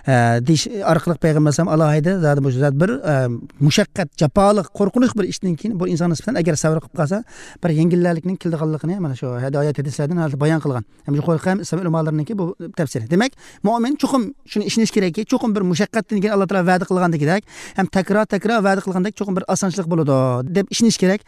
ئە، دېيىش ئارقىلىق پەيغەمبەر ئەلەيھىسسالام ئالاھىدە زادى بۇ زادى بىر، ئە، مۇشەققەت، جاپالىق، قورقۇنچلۇق بىر ئىشتىن كېيىن بۇ ئىنسان نىسبەتەن ئەگەر سەۋر قىلىپ قالسا، بىر يەڭگىللەرلىكنىڭ كېلىدىغانلىقىنى مانا شۇ ھايات ھەدىسلەردىن ھازىر بايان قىلغان. ھەم يۇقىرىقى ھەم ئىسلام ئۆلىمالىرىنىڭكى بۇ تەپسىرى. دېمەك، مۆمىن چوقۇم شۇنى ئىشىنىش كېرەككى، چوقۇم بىر مۇشەققەتتىن كېيىن ئاللا تائالا ۋەدە قىلغاندىكىدەك، ھەم تەكرار، تەكرار ۋەدە قىلغاندەك چوقۇم بىر ئاسانچىلىق بولىدۇ، دەپ ئىشىنىش كېرەك.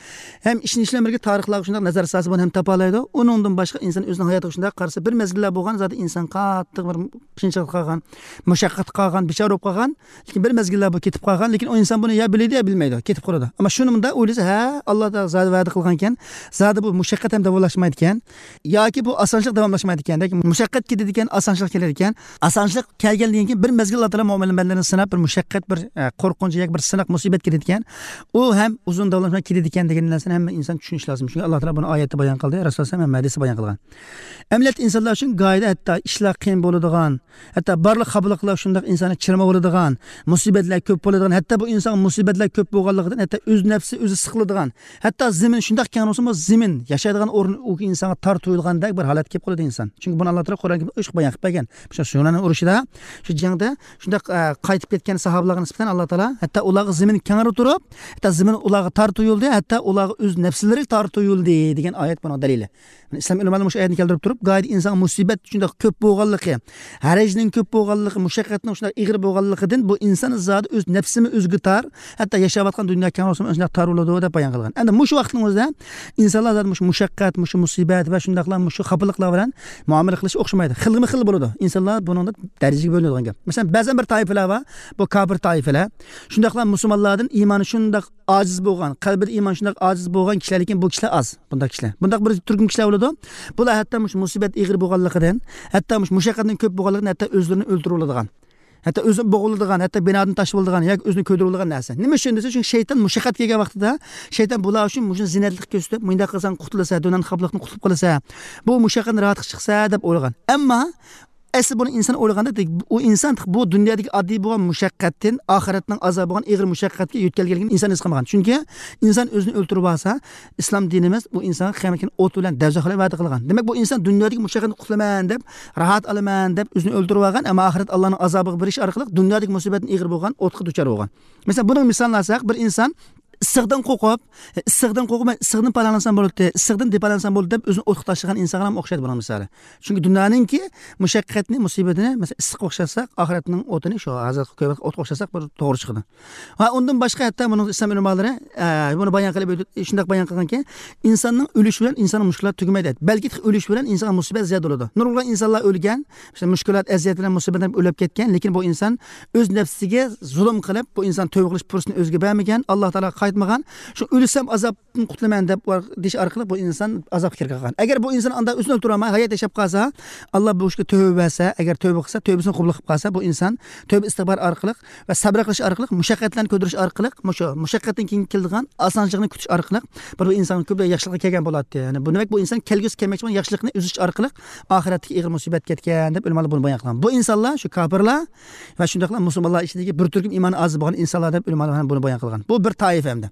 ھەم ئىشىنىش بىلەن بىرگە تارىخلارغا شۇنداق نەزەر سالسا، بۇنى ھەم تاپالايدۇ. ئۇنىڭدىن باشقا ئىنسان ئۆزىنىڭ ھاياتىغا شۇنداق قارىسا، بىر مەزگىللەر بولغان، زادى ئىنسان قاتتىق بىر قىيىنچىلىققا قالغان، مۇشەققەتكە قالغان، بىچارە بولۇپ قالغان، لېكىن بىر مەزگىللەر بۇ كېتىپ قالغان، لېكىن ئۇ ئىنسان بۇنى يا بىلىدۇ، يا بىلمەيدۇ، كېتىپ قالىدۇ. ئەمما شۇنى مۇنداق ئويلىسا، ھە، ئاللا تائالا زادى ۋەدە قىلغانكەن، زادى بۇ مۇشەققەت ھەم داۋاملاشمايدىكەن، ياكى بۇ ئاسانچىلىق داۋاملاشمايدىكەن، لېكىن مۇشەققەت كېتىدىكەن، ئاسانچىلىق كېلىدىكەن. ئاسانچىلىق كەلگەندىن كېيىن بىر مەزگىل ئاللا تائالا مۆمىن بەندىلەرنى سىناپ، بىر مۇشەققەت، بىر، ئە، قورقۇنچ ياكى بىر سىناق، مۇسىبەت كېلىدىكەن. ئۇ ھەم ئۇزۇن داۋاملاشماي كېتىدىكەن دېگەن نەرسىنى ھەممە ئىنسان چۈشىنىشى لازىم. چۈنكى ئاللا تائالا بۇنى ئايەتتە بايان قىلدى، رەسۇلۇللا ھەم ھەدىستە بايان قىلغان. ئەمەلىيەتتە ئىنسانلار ئۈچۈن گاھىدا ھەتتا ئىشلار قىيىن بولىدىغان، ھەتتا بارلىق خاپىلىقلار شۇنداق ئىنساننى چىرماۋالىدىغان، مۇسىبەتلەر كۆپ بولىدىغان، ھەتتا بۇ ئىنسانغا مۇسىبەتلەر كۆپ بولغانلىقىدىن، ھەتتا ئۆز نەپسى ئۆزى سىقىلىدىغان، ھەتتا زېمىن شۇنداق كەڭ بولسىمۇ، زېمىن، ياشايدىغان ئورۇن ئۇ ئىنسانغا تار تۇيۇلغاندەك بىر ھالەتكە كېلىپ قالىدۇ ئىنسان. چۈنكى بۇنى ئاللا تائالا قۇرئان كەرىمدە ئوچۇق بايان قىلىپ بەرگەن. مۇشۇ ھۇنەن ئۇرۇشىدا، شۇ جەڭدە شۇنداق، ئە، قايتىپ كەتكەن ساھابىلارغا نىسبەتەن ئاللا تائالا ھەتتا ئۇلارغا زېمىن كەڭرى تۇرۇپ، ھەتتا زېمىن ئۇلارغا تار تۇيۇلدى، ھەتتا ئۇلارغا ئۆز نەپسلىرى تار تۇيۇلدى دېگەن ئايەت بۇنىڭ دەلىلى. ئىسلام ئۆلىمالىرى مۇشۇ ئايەتنى كەلتۈرۈپ تۇرۇپ، گاھىدا ئىنسانغا مۇسىبەت شۇنداق كۆپ بولغانلىقى، ھەرەجنىڭ كۆپ بولغانلىقى، مۇشەققەتنىڭ شۇنداق ئېغىر بولغانلىقىدىن بۇ ئىنسان زادى ئۆز نەپسىمۇ ئۆزىگە تار، ھەتتا ياشاۋاتقان دۇنيا كەڭرى بولسىمۇ شۇنداق تار بولىدۇ دەپ بايان قىلغان. ئەمدى مۇشۇ ۋاقىتنىڭ ئۆزىدە ئىنسانلار زادى مۇشۇ مۇشەققەت، مۇشۇ مۇسىبەت ۋە شۇنداقلا مۇشۇ خاپىلىقلار بىلەن مۇئامىلە قىلىشى ئوخشىمايدۇ. خىلمۇ خىل بولىدۇ. ئىنسانلار بۇنىڭدا دەرىجىگە بۆلۈنىدىغان گەپ. مەسىلەن، بەزەن بىر تائىپىلەر بار، بۇ كاپىر تائىپىلەر. شۇنداقلا مۇسۇلمانلاردىن ئىمانى شۇنداق ئاجىز بولغان، قەلبىدە ئىمان شۇنداق ئاجىز بولغان كىشىلەر، لېكىن بۇ كىشىلەر ئاز، بۇنداق كىشىلەر. بۇنداق بىر تۈركۈم كىشىلەر بولىدۇ. بۇلار ھەتتا مۇشۇ مۇسىبەت ئېغىر بولغانلىقىدىن، ھەتتا مۇشۇ مۇشەققەتنىڭ كۆپ بولغانلىقىدىن ھەتتا ئۆزلىرىنى ئۆلتۈرۈۋالىدىغان، ھەتتا ئۆزىنى بوغۇلىدىغان، ھەتتا بىنادىن تاشلىۋالىدىغان ياكى ئۆزىنى كۆيدۈرۈۋالىدىغان نەرسە. نېمە ئۈچۈن دېسە، چۈنكى شەيتان مۇشەققەت كەلگەن ۋاقتىدا، شەيتان بۇلار ئۈچۈن مۇشۇ زىننەتلىك كۆرسىتىپ، مۇنداق قىلساڭ قۇتۇلىسەن، دۇنيانىڭ خاپىلىقتىن قۇتۇلۇپ قالىسەن، بۇ مۇشەققەتتىن راھەتكە چىقىسەن دەپ ئويلىغان. ئەمما ئەسلى بۇنى ئىنسان ئويلىغاندا، ئۇ ئىنسان بۇ دۇنيادىكى ئاددىي بولغان مۇشەققەتتىن ئاخىرەتنىڭ ئازابى بولغان ئېغىر مۇشەققەتكە يۆتكەلگەنلىكىنى ئىنسان ھېس قىلمىغان. چۈنكى ئىنسان ئۆزىنى ئۆلتۈرۈپ ئالسا، ئىسلام دىنىمىز بۇ ئىنسانغا قىيامەت كۈنى ئوت بىلەن دوزاخ بىلەن ۋەدە قىلغان. دېمەك، بۇ ئىنسان دۇنيادىكى مۇشەققەتنى قۇتۇلىمەن دەپ، راھەت ئالىمەن دەپ ئۆزىنى ئۆلتۈرۈپ ئالغان، ئەمما ئاخىرەت ئاللانىڭ ئازابىغا بېرىش ئارقىلىق دۇنيادىكى مۇسىبەتتىن ئېغىر بولغان ئوتقا دۇچار بولغان. مەسىلەن، بۇنىڭ مىسالىنى ئالساق، بىر ئىنسان ئىسسىقتىن قورقۇپ، ئىسسىقتىن قورقۇپ، مەن ئىسسىقتىن پالاڭلانسام بولاتتى، ئىسسىقتىن دېپالاڭلانسام بولاتتى دەپ ئۆزىنى ئوتقا تاشلىغان ئىنسانغا ھەم ئوخشايدۇ بۇنىڭ مىسالى. چۈنكى دۇنيانىڭكى مۇشەققەتنى، مۇسىبىتىنى، مەسىلەن، ئىسسىققا ئوخشاتساق، ئاخىرەتنىڭ ئوتىنى شۇ ھازىرقى كۆيۈۋاتقان ئوتقا ئوخشاتساق بىر توغرا چىقىدۇ. ۋە ئۇندىن باشقا ھەتتا بۇنىڭ ئىسلام ئۆلىمالىرى، ئە، بۇنى بايان قىلىپ، شۇنداق بايان قىلغانكى، ئىنساننىڭ ئۆلۈشى بىلەن ئىنساننىڭ مۈشكۈلاتى تۈگىمەيدۇ. بەلكى ئۆلۈش بىلەن ئىنسانغا مۇسىبەت زىيادە بولىدۇ. نۇرغۇن ئىنسانلار ئۆلگەن، مۇشۇ مۈشكۈلات، ئەزىيەت بىلەن مۇسىبەت بىلەن ئۆلۈپ كەتكەن، لېكىن بۇ ئىنسان ئۆز نەپسىگە زۇلۇم قىلىپ، بۇ ئىنسان تۆبە قىلىش پۇرسىتىنى ئۆزىگە بەرمىگەن، ئاللا تائالاغا قايتمىغان، شۇ ئۆلسەم ئازابتىن قۇتۇلىمەن دەپ دېيىش ئارقىلىق بۇ ئىنسان ئازابقا كىرىپ قالغان. ئەگەر بۇ ئىنسان ئاندا ئۆزىنى ئۆلتۈرەلمەي، ھايات ياشاپ قالسا، ئاللا بۇ ئىشقا تۆبە بەرسە، ئەگەر تۆبە قىلسا، تۆبىسىنى قوبۇل قىلىپ قالسا، بۇ ئىنسان تۆبە ئىستىغپار ئارقىلىق ۋە سەبرى قىلىش ئارقىلىق، مۇشەققەتلەرنى كۆتۈرۈش ئارقىلىق، مۇشۇ مۇشەققەتتىن كېيىن كېلىدىغان ئاسانچىلىقنى كۈتۈش ئارقىلىق بىر ئىنسان كۆپ ياخشىلىققا كەلگەن بولاتتى. يەنى بۇ دېمەك، بۇ ئىنسان كەلگۈسى كەلمەكچى بولغان ياخشىلىقنى ئۈزۈش ئارقىلىق ئاخىرەتتىكى ئېغىر مۇسىبەت كەتكەن دەپ ئۆلىمالار بۇنى بايان قىلغان. بۇ ئىنسانلار شۇ كاپىرلار ۋە شۇنداقلا مۇسۇلمانلار ئىچىدىكى بىر تۈركۈم ئىمانى ئاز بولغان ئىنسانلار دەپ ئۆلىمالار بۇنى بايان قىلغان. بۇ بىر تائىپە ئەمدى.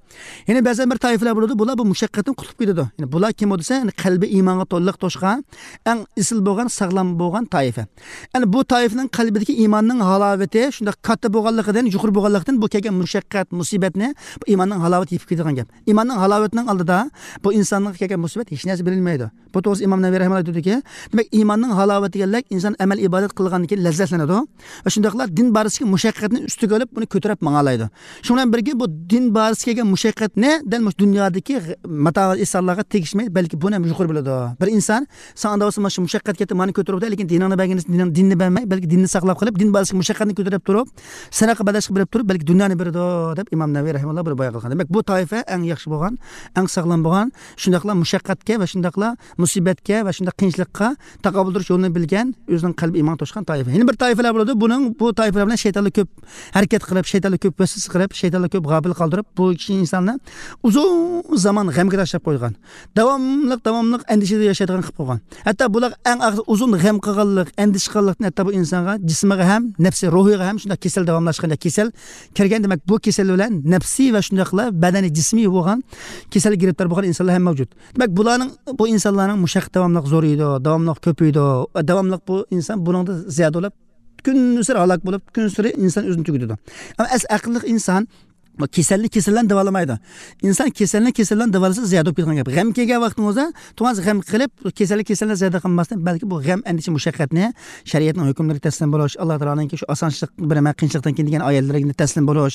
يەنە بەزەن بىر تائىپىلەر بولىدۇ، بۇلار بۇ مۇشەققەتتىن قۇتۇلۇپ كېتىدۇ. يەنى بۇلار كىم بۇ دېسە، يەنى قەلبى ئىمانغا تولۇق توشقان، ئەڭ ئېسىل بولغان، ساغلام بولغان تائىپە. يەنى بۇ تائىپىنىڭ قەلبىدىكى ئىماننىڭ ھالاۋىتى شۇنداق كاتتا بولغانلىقىدىن، يۇقىرى بولغانلىقتىن، بۇ كەلگەن مۇشەققەت، مۇسىبەتنى بۇ ئىماننىڭ ھالاۋىتى يېپىپ كېتىدىغان گەپ. ئىماننىڭ ھالاۋىتىنىڭ ئالدىدا بۇ ئىنسانغا كەلگەن مۇسىبەت ھېچ نەرسە بىلىنمەيدۇ. بۇ توغرىسىدا ئىمام نەۋەۋى رەھىمەھۇللا دېدىكى، دېمەك، ئىماننىڭ ھالاۋىتى دېگەنلىك ئىنسان ئەمەل ئىبادەت قىلغاندىن كېيىن لەززەتلىنىدۇ. ۋە شۇنداقلا دىن بارىسىدىكى مۇشەققەتنى ئۈستىگە ئېلىپ، بۇنى كۆتۈرۈپ ماڭالايدۇ. شۇنىڭ بىلەن بىرگە، بۇ دىن بارىسىدىكى كەلگەن مۇشەققەتنى دەل مۇشۇ دۇنيادىكى غ-، ماتائۇل ئېھسانلارغا تېگىشمەي، بەلكى بۇنى ھەم يۇقىرى بىلىدۇ. بىر ئىنسان ساڭا ئانداق بولسا، مانا شۇ مۇشەققەت كەتتى، مانا كۆتۈرۈپ، لېكىن دىنىڭنى بەرگىنى، دىنىڭ، دىننى بەرمەي، بەلكى دىننى ساقلاپ قېلىپ، دىن بارىسىدىكى مۇشەققەتنى كۆتۈرۈپ تۇرۇپ، سەدىقە بەدەخشە بېرىپ تۇرۇپ، بەلكى دۇنيانى بېرىدۇ، دەپ ئىمام نەۋەۋى رەھىمەھۇللا بۇنى بايان قىلغان. دېمەك، بۇ تائىپە ئەڭ ياخشى بولغان، ئەڭ ساغلام بولغان، شۇنداقلا مۇشەققەتكە ۋە شۇنداقلا مۇسىبەتكە ۋە شۇنداق قىيىنچىلىققا تاقابىل تۇرۇش يولىنى بىلگەن، ئۆزىنىڭ قەلبى ئىمانغا توشقان تائىپە. يەنە بىر تائىپىلەر بولىدۇ. بۇنىڭ، بۇ تائىپىلەر بىلەن شەيتانلار كۆپ ھەرىكەت قىلىپ، شەيتانلار كۆپ ۋەسۋەسە قىلىپ، شەيتانلار كۆپ غاپىل قالدۇرۇپ، بۇ كىشى ئىنساننى ئۇزۇن زامان غەمگە تاشلاپ قويغان. داۋاملىق، داۋاملىق ئەندىشىدە ياشايدىغان قىلىپ قويغان. ھەتتا بۇلار ئەڭ ئاخىرى ئۇزۇن غەم قىلغانلىق، ئەندىشە قىلغانلىقتىن ھەتتا بۇ ئىنسانغا جىسمىغا ھەم، نەپسى، روھىغا ھەم شۇنداق كېسەل داۋاملاشقان، كېسەل كىرگەن. دېمەك، بۇ كېسەل بىلەن نەپسىي ۋە شۇنداقلا بەدەنى، جىسمىي بولغان كېسەلگە گىرىپتار بولغان ئىنسانلار ھەم مەۋجۇت. دېمەك، بۇلارنىڭ، بۇ ئىنسانلارنىڭ مۇشەققىتى داۋاملىق زورىيىدۇ، داۋاملىق كۆپىيىدۇ، داۋاملىق بۇ ئىنسان بۇنىڭدا زىيادە بولۇپ، كۈنسېرى ھالاك بولۇپ، كۈنسېرى ئىنسان ئۆزىنى تۈگىتىدۇ. ئەمما ئەس-، ئەقىللىق ئىنسان بۇ كېسەلنى كېسەل بىلەن داۋالىمايدۇ. ئىنسان كېسەلنى كېسەل بىلەن داۋالىسا زىيادە بولۇپ كېتىدىغان گەپ. غەم كەلگەن ۋاقتىڭىزدا تۇڭاز غەم قىلىپ، كېسەلنى كېسەل بىلەن زىيادە قىلماستىن، بەلكى بۇ غەم، ئەندىشە، مۇشەققەتنى شەرىئەتنىڭ ھۆكۈملىرىگە تەسلىم بولۇش، ئاللا تائالانىڭكى شۇ ئاسانچىلىق بېرىمەن، قىيىنچىلىقتىن كېيىن دېگەن ئايەتلىرىگە تەسلىم بولۇش،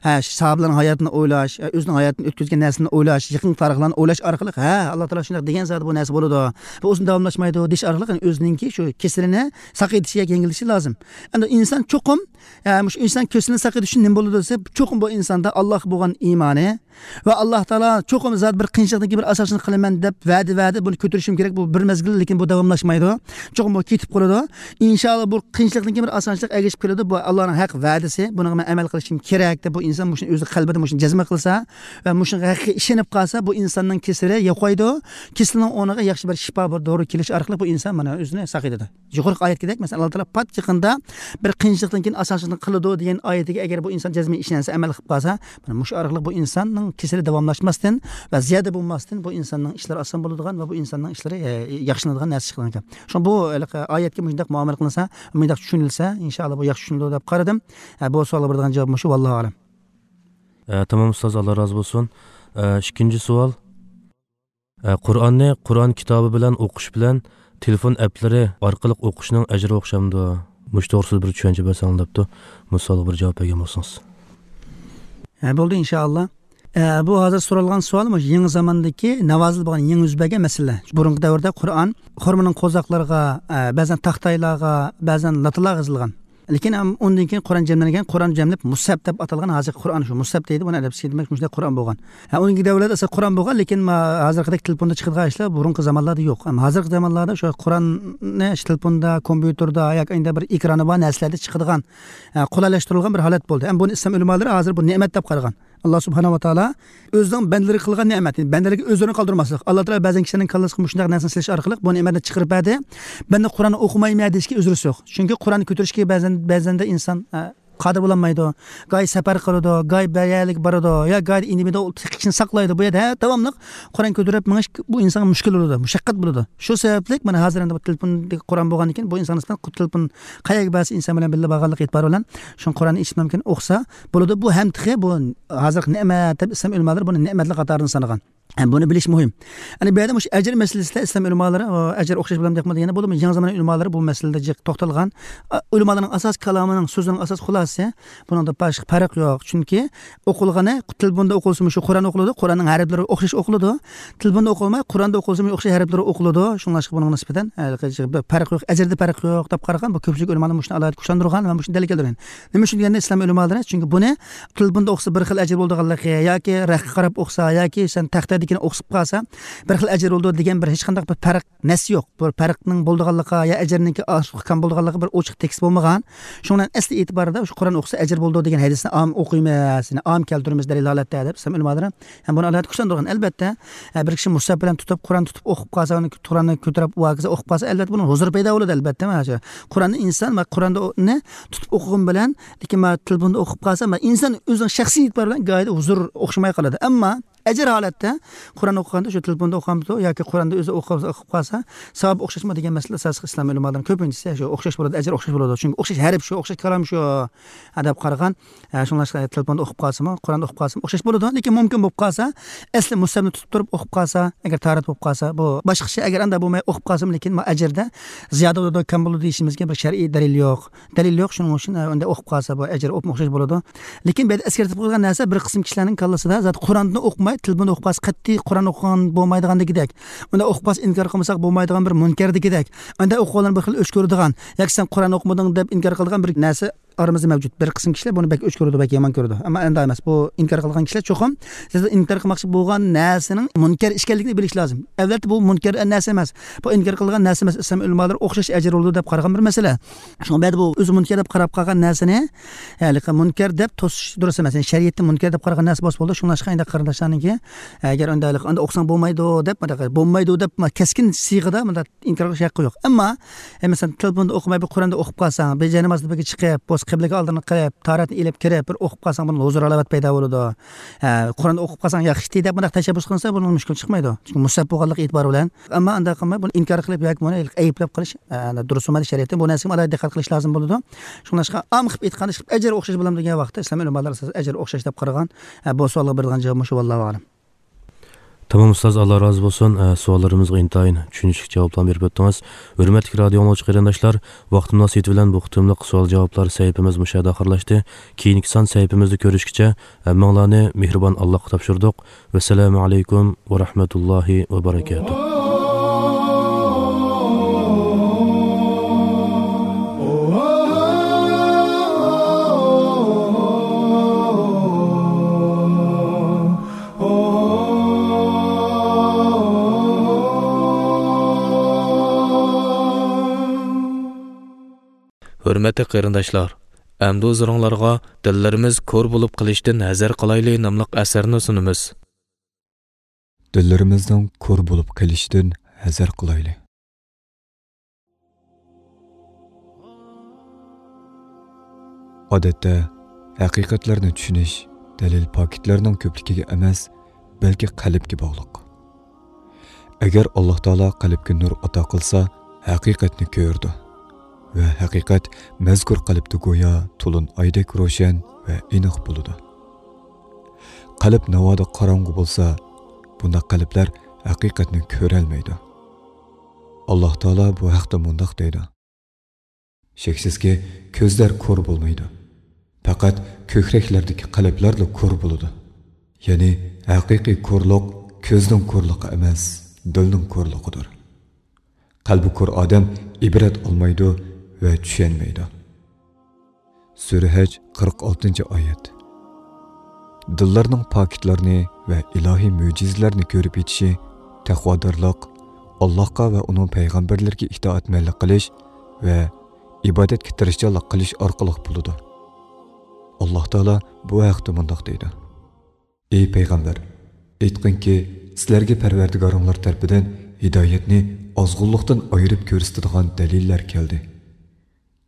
ھە، ساھابىلەرنىڭ ھاياتىنى ئويلاش، ئۆزىنىڭ ھاياتىنى ئۆتكۈزگەن نەرسىنى ئويلاش، يېقىن تارىخلارنى ئويلاش ئارقىلىق، ھە، ئاللا تائالا شۇنداق دېگەن زادى بۇ نەرسە بولىدۇ، بۇ ئۇزۇن داۋاملاشمايدۇ دېيىش ئارقىلىق، يەنى ئۆزىنىڭكى شۇ كېسىلىنى ساقىيتىشى ياكى يەڭگىللىشى لازىم. ئەمدى ئىنسان چوقۇم، ھە، مۇشۇ ئىنسان كېسىلىنى ساقىيتىش ئۈچۈن نېمە بولىدۇ دېسە، چوقۇم بۇ ئىنساندا ئاللاغا بولغان ئىمانى، ۋە ئاللا تائالا چوقۇم زادى بىر قىيىنچىلىقتىن كېيىن بىر ئاسانچىلىق قىلىمەن دەپ ۋەدە، ۋەدە، بۇنى كۆتۈرۈشۈم كېرەك، بۇ بىر مەزگىل، لېكىن بۇ داۋاملاشمايدۇ. چوقۇم بۇ كېتىپ قالىدۇ. ئىنشائاللا، بۇ قىيىنچىلىقتىن كېيىن بىر ئاسانچىلىق ئەگىشىپ كېلىدۇ. بۇ ئاللانىڭ ھەق ۋەدىسى، بۇنىڭغا مەن ئەمەل قىلىشىم كېرەك دەپ، بۇ ئىنسان مۇشۇنى ئۆزى قەلبىدە مۇشۇنى جەزم قىلسا ۋە مۇشۇنىڭغا ھەقىقىي ئىشىنىپ قالسا، بۇ ئىنساننىڭ كېسىلى يوقايدۇ. كېسىلىنىڭ ئورنىغا ياخشى بىر شىپا، بىر دورا كېلىش ئارقىلىق بۇ ئىنسان مانا ئۆزىنى ساقىيدۇ. يۇقىرىقى ئايەتكىدەك، مەسىلەن، ئاللا تائالا پات يېقىندا بىر قىيىنچىلىقتىن كېيىن ئاسانچىلىقنى قىلىدۇ دېگەن ئايىتىگە ئەگەر بۇ ئىنسان جەزمەن ئىشەنسە، ئەمەل قىلىپ قالسا، مانا مۇشۇ ئارقىلىق بۇ ئىنساننىڭ كېسىلى داۋاملاشماستىن ۋە زىيادە بولماستىن، بۇ ئىنساننىڭ ئىشلىرى ئاسان بولىدىغان ۋە بۇ ئىنساننىڭ ئىشلىرى، ئە، ياخشىلىنىدىغان نەرسە چىقىدىغان گەپ. شۇڭا بۇ ھېلىقى ئايەتكە مۇشۇنداق مۇئامىلە قىلىنسا، مۇنداق چۈشىنىلسە، ئىنشائاللا، بۇ ياخشى چۈشىنىدۇ دەپ قارىدىم. ئە، بۇ سوئالغا بېرىدىغان جاۋاب مۇشۇ، ۋاللاھۇ ئەلەم. ئە، تامام، ئۇستاز، ئاللا رازى بولسۇن. ئە، ئىككىنچى سوئال. ئە، قۇرئاننى قۇرئان كىتابى بىلەن ئوقۇش بىلەن تېلېفون ئەپلىرى ئارقىلىق ئوقۇشنىڭ ئەجرى ئوخشامدۇ؟ مۇشۇ توغرىسىدا بىر چۈشەنچە بەرسەڭ دەپتۇ. مۇشۇ سوئالغا بىر جاۋاب بەرگەن بولسىڭىز. ھە، بولدى، ئىنشائاللا. ئە، بۇ ھازىر سورالغان سوئال مۇشۇ يېڭى زاماندىكى ناۋازىل بولغان، يېڭى يۈز بەرگەن مەسىلە. بۇرۇنقى دەۋردە قۇرئان خورمىنىڭ قوزاقلىرىغا، ئە، بەزەن تاختايلارغا، بەزەن لاتىلارغا يېزىلغان. لېكىن ئەم-، ئۇندىن كېيىن قۇرئان جەملەنگەن، قۇرئان جەملىنىپ مۇسھەپ دەپ ئاتالغان، ھازىرقى قۇرئان شۇ، مۇسھەپ دەيدۇ، بۇنى ئەرەبچىسى دېمەك، مۇشۇنداق قۇرئان بولغان. ھە، ئۇنىڭ دەۋرىدە ئەسلى قۇرئان بولغان، لېكىن ما-، ھازىرقىدەك تېلېفوندا چىقىدىغان ئىشلار بۇرۇنقى زامانلاردا يوق. ئەمما ھازىرقى زامانلاردا شۇ قۇرئاننى تېلېفوندا، كومپيۇتېردا ياكى ئەندە بىر ئېكرانى بار نەرسىلەردە چىقىدىغان، ھە، قولايلاشتۇرۇلغان بىر ھالەت بولدى. ئەمما بۇنى ئىسلام ئۆلىمالىرى ھازىر بۇ نېمەت دەپ قارىغان. ئاللا سۇبھانەھۇ ۋە تائالا ئۆزىنىڭ بەندىلىرىگە قىلغان نېمەت، يەنى بەندىلىرىگە ئۆزلىرىنى قالدۇرماسلىق. ئاللا تائالا بەزەن كىشىلەرنىڭ كاللىسىغا مۇشۇنداق نەرسىنى سېلىش ئارقىلىق بۇ نېمەتنى چىقىرىپ بەردى. بەندە قۇرئاننى ئوقۇمايمەن دېيىشكە ئۆزرىسى يوق. چۈنكى قۇرئاننى كۆتۈرۈشكە بەزەن، بەزەندە ئىنسان، ئە، قادىر بولالمايدۇ. گاھى سەپەر قىلىدۇ، گاھى بىر يەرلىككە بارىدۇ، يا گاھى ئىنىمىدە تېخىچىنى ساقلايدۇ. بۇ يەردە ھە، داۋاملىق قۇرئان كۆتۈرۈپ مېڭىش بۇ ئىنسانغا مۈشكۈل بولىدۇ، مۇشەققەت بولىدۇ. شۇ سەۋەبلىك مانا ھازىر ئەمدى بۇ تېلېفوندىكى قۇرئان بولغاندىن كېيىن بۇ ئىنسان نىسبەتەن تېلېفون قەيەرگە بەرسە ئىنسان بىلەن بىللە بارغانلىقى ئېتىبارى بىلەن شۇ قۇرئاننى ئېچىپ مۇمكىن ئوقۇسا بولىدۇ. بۇ ھەم تېخى بۇ ھازىرقى نېمەت دەپ ئىسلام ئۆلىمالىرى بۇنى نېمەتلەر قاتارىدىن سانىغان. ھەم بۇنى بىلىش مۇھىم. يەنى بۇ يەردە مۇشۇ ئەجىر مەسىلىسىدە ئىسلام ئۆلىمالىرى، ئۇ، ئەجىر ئوخشاش بولامدۇ يوقمۇ دېگەندە بولدى، يېڭى زامان ئۆلىمالىرى بۇ مەسىلىدە جىق توختالغان. ئا، ئۆلىمالارنىڭ ئاساسىي كالامىنىڭ سۆزىنىڭ ئاساسىي خۇلاسىسى، بۇنىڭدا باشقا پەرق يوق. چۈنكى ئوقۇلغىنى تېلېفوندا ئوقۇلسىمۇ شۇ قۇرئان ئوقۇلىدۇ، قۇرئاننىڭ ھەرپلىرى ئوخشاش ئوقۇلىدۇ. تېلېفوندا ئوقۇلماي، قۇرئاندا ئوقۇلسىمۇ ئوخشاش ھەرپلىرى ئوقۇلىدۇ. شۇڭلاشقا بۇنىڭغا نىسبەتەن، ھە، پەرق يوق، ئەجىردە پەرق يوق دەپ قارىغان. بۇ كۆپچىلىك ئۆلىمالار مۇشۇنى ئالاھىدە كۈچلەندۈرگەن ۋە مۇشۇنى دەلىل كەلتۈرگەن. نېمە ئۈچۈن دېگەندە ئىسلام ئۆلىمالىرى، چۈنكى بۇنى تېلېفوندا ئوقۇسا بىر خىل ئەجىر بولىدىغانلىقى ياكى رەخكە قاراپ ئوقۇسا ياكى سەن تەختەدىكىنى ئوقۇپ قالسا بىر خىل ئەجىر بولىدۇ دېگەن بىر ھېچقانداق بىر پەرق نەس يوق. بىر پەرقنىڭ بولىدىغانلىقى يا ئەجىرنىڭكى ئاھكام بولىدىغانلىقى بىر ئوچۇق تېكىست بولمىغان. شۇنىڭ بىلەن ئەسلى ئېتىبارىدا شۇ قۇرئان ئوقۇسا ئەجىر بولىدۇ دېگەن ھەدىسنى ئام ئوقۇيمىز، يەنى ئام كەلتۈرىمىز دەلىل ھالەتتە دەپ ئىسلام ئۆلىمالىرى ھەم بۇنى ئالاھىدە كۈچلەندۈرگەن. ئەلۋەتتە، ھە، بىر كىشى مۇسھەپ بىلەن تۇتۇپ، قۇرئان تۇتۇپ ئوقۇپ قالسا، ئۇنى قۇرئاننى كۆتۈرۈپ ئۇ ھاكىزا ئوقۇپ قالسا، ئەلۋەتتە بۇنىڭ ھۇزۇرى پەيدا بولىدۇ، ئەلۋەتتە. مانا شۇ قۇرئاننى ئىنسان ۋە قۇرئاننى تۇتۇپ ئوقۇغىنى بىلەن، لېكىن مانا تېلېفوندا ئوقۇپ قالسا، مانا ئىنسان ئۆزىنىڭ شەخسىي ئېتىبارى بىلەن گاھىدا ھۇزۇر ئوخشىماي قالىدۇ. ئەمما ئەجىر ھالەتتە قۇرئان ئوقۇغاندا شۇ تېلېفوندا ئوقۇغانمىدۇ ياكى قۇرئاندا ئۆزى ئوقۇپ، ئوقۇپ قالسا، ساۋاب ئوخشاشمۇ دېگەن مەسىلە ئاساسلىق ئىسلام ئۆلىمالىرىنىڭ كۆپىنچىسى شۇ ئوخشاش بولىدۇ، ئەجىر ئوخشاش بولىدۇ. چۈنكى ئوخشاش ھەرپ شۇ، ئوخشاش كالام شۇ، ھە، دەپ قارىغان. ھە، شۇڭلاشقا تېلېفوندا ئوقۇپ قالسىمۇ، قۇرئاندا ئوقۇپ قالسىمۇ ئوخشاش بولىدۇ. لېكىن مۇمكىن بولۇپ قالسا، ئەسلى مۇسھەپنى تۇتۇپ تۇرۇپ ئوقۇپ قالسا، ئەگەر تاھارەت بولۇپ قالسا، بۇ باشقىچە. ئەگەر ئانداق بولماي ئوقۇپ قالسىمۇ، لېكىن ما ئەجىردە زىيادە بولىدۇ، كەم بولىدۇ دېيىشىمىزگە بىر شەرئىي دەلىل يوق. دەلىل يوق، شۇنىڭ ئۈچۈن، ئە، ئۇنداق ئوقۇپ قالسا، بۇ ئەجىر ئوخشاش بولىدۇ. لېكىن بۇ يەردە ئەسكەرتىپ قويغان نەرسە، بىر قىسىم كىشىلەرنىڭ كاللىسىدا زادى قۇرئاننى ئوقۇماي، تېلېفوندا ئوقۇپ قالسا، قەتئىي قۇرئان ئوقۇغان بولمايدىغاندىكىدەك، ئۇنداق ئوقۇپ قالسا، ئىنكار قىلمىساق بولمايدىغان بىر مۇنكەردىكىدەك، ئۇنداق ئوقۇغانلارنى بىر خىل ئۆچ كۆرىدىغان، ياكى سەن قۇرئان ئوقۇمىدىڭ دەپ ئىنكار قىلىدىغان بىر نەرسە ئارىمىزدا مەۋجۇت. بىر قىسىم كىشىلەر بۇنى بەك ئۆچ كۆرىدۇ، بەك يامان كۆرىدۇ. ئەمما ئەنداق ئەمەس. بۇ ئىنكار قىلغان كىشىلەر چوقۇم سىز ئىنكار قىلماقچى بولغان نەرسىنىڭ مۇنكەر ئىكەنلىكىنى بىلىشى لازىم. ئەلۋەتتە، بۇ مۇنكەر نەرسە ئەمەس. بۇ ئىنكار قىلغان نەرسە ئەمەس. ئىسلام ئۆلىمالىرى ئوخشاش ئەجىر بولىدۇ دەپ قارىغان بىر مەسىلە. شۇڭا بەدە بۇ ئۆزى مۇنكەر دەپ قاراپ قالغان نەرسىنى، ھېلىقى مۇنكەر دەپ توسۇش دۇرۇس ئەمەس. يەنى شەرىئەتتە مۇنكەر دەپ قارىغان نەرسە بولسا بولىدۇ. شۇڭلاشقا ئەندى قارىنداشلارنىڭكى، ئەگەر ئۇنداق، ئۇنداق ئوقۇساڭ بولمايدۇ دەپ، مۇنداق بولمايدۇ دەپ، ما، كەسكىن سىيغىدا مۇنداق ئىنكار قىلىش ھەققى يوق. ئەمما، ئە، مەسىلەن، تېلېفوندا ئوقۇماي، بىر قۇرئاندا ئوقۇپ قالساڭ، بىر جاي نامازدا بىرگە چىقىپ، بۇ قىبلىگە ئالدىنى قىلىپ، تارەتنى ئېلىپ كىرىپ، بىر ئوقۇپ قالساڭ، بۇنىڭ ھۇزۇر ھالاۋەت پەيدا بولىدۇ. ھە، قۇرئاننى ئوقۇپ قالساڭ ياخشى دەپ مۇنداق تەشەببۇس قىلسا، بۇنىڭ مۈشكۈل چىقمايدۇ. چۈنكى مۇسھەپ بولغانلىقى ئېتىبارى بىلەن. ئەمما ئانداق قىلماي، بۇنى ئىنكار قىلىپ ياكى بۇنى ئەيىبلەپ قېلىش، ئە، دۇرۇس بولمايدۇ شەرىئەتتە. بۇ نەرسىگە ئالاھىدە دىققەت قىلىش لازىم بولىدۇ. شۇڭلاشقا، ئام قىلىپ ئېيتقاندا، ئىشقىلىپ ئەجىر ئوخشاش بولامدۇ دېگەن ۋاقىتتا، ئىسلام ئۆلىمالىرى ئاساسەن ئەجىر ئوخشاش دەپ قارىغان. ھە، بۇ سوئالغا بېرىدىغان جاۋاب مۇشۇ، ۋاللاھۇ ئەلەم. تامام ئۇستاز، ئاللا رازى بولسۇن. ئە، سوئاللىرىمىزغا ئىنتايىن چۈشىنىشلىك جاۋابلارنى بېرىپ ئۆتتىڭىز. ھۆرمەتلىك رادىئو ئاڭلىغۇچى قېرىنداشلار، ۋاقىت مۇناسىۋىتى بىلەن بۇ قېتىملىق سوئال-جاۋابلار سەھىپىمىز مۇشۇ يەردە ئاخىرلاشتى. كېيىنكى سان سەھىپىمىزدە كۆرۈشكىچە، ھەممىڭلارنى مېھرىبان ئاللاغا تاپشۇردۇق. ۋەسسالامۇ ئەلەيكۇم ۋە رەھمەتۇللاھى ۋە بەرىكاتۇھ. ھۆرمەتلىك قېرىنداشلار، ئەمدى ھۇزۇرۇڭلارغا دىللىرىمىز كور بولۇپ قېلىشتىن ھەزەر قىلايلى ناملىق ئەسەرنى سۇنىمىز. دىللىرىمىزنىڭ كور بولۇپ قېلىشىدىن ھەزەر قىلايلى. ئادەتتە، ھەقىقەتلەرنى چۈشىنىش دەلىل پاكىتلەرنىڭ كۆپلۈكىگە ئەمەس، بەلكى قەلبكە باغلىق. ئەگەر ئاللاھ تائالا قەلبكە نۇر ئاتا قىلسا، ھەقىقەتنى كۆرىدۇ ۋە ھەقىقەت مەزكۇر قەلبتە گويا تولۇن ئايدەك روشەن ۋە ئېنىق بولىدۇ. قەلب ناۋادا قاراڭغۇ بولسا، بۇنداق قەلبلەر ھەقىقەتنى كۆرەلمەيدۇ. ئاللاھ تائالا بۇ ھەقتە مۇنداق دەيدۇ: شەكسىزكى، كۆزلەر كور بولمايدۇ. پەقەت كۆكرەكلەردىكى قەلبلەرلا كور بولىدۇ. يەنى ھەقىقىي كورلۇق كۆزنىڭ كورلۇقى ئەمەس، دىلنىڭ كورلۇقىدۇر. قەلبى كور ئادەم ئىبرەت ئالمايدۇ ۋە چۈشەنمەيدۇ. سۈرە ھەج، قىرىق ئالتىنچى ئايەت. دىللارنىڭ پاكىتلارنى ۋە ئىلاھىي مۆجىزىلەرنى كۆرۈپ يېتىشى تەقۋادارلىق، ئاللاھقا ۋە ئۇنىڭ پەيغەمبەرلىرىگە ئىتائەتمەنلىك قىلىش ۋە ئىبادەتكە تىرىشچانلىق قىلىش ئارقىلىق بولىدۇ. ئاللاھ تائالا بۇ ھەقتە مۇنداق دەيدۇ: ئى پەيغەمبەر، ئېيتقىنكى، سىلەرگە پەرۋەردىگارىڭلار تەرىپىدىن ھىدايەتنى ئازغۇنلۇقتىن ئايرىپ كۆرسىتىدىغان دەلىللەر كەلدى.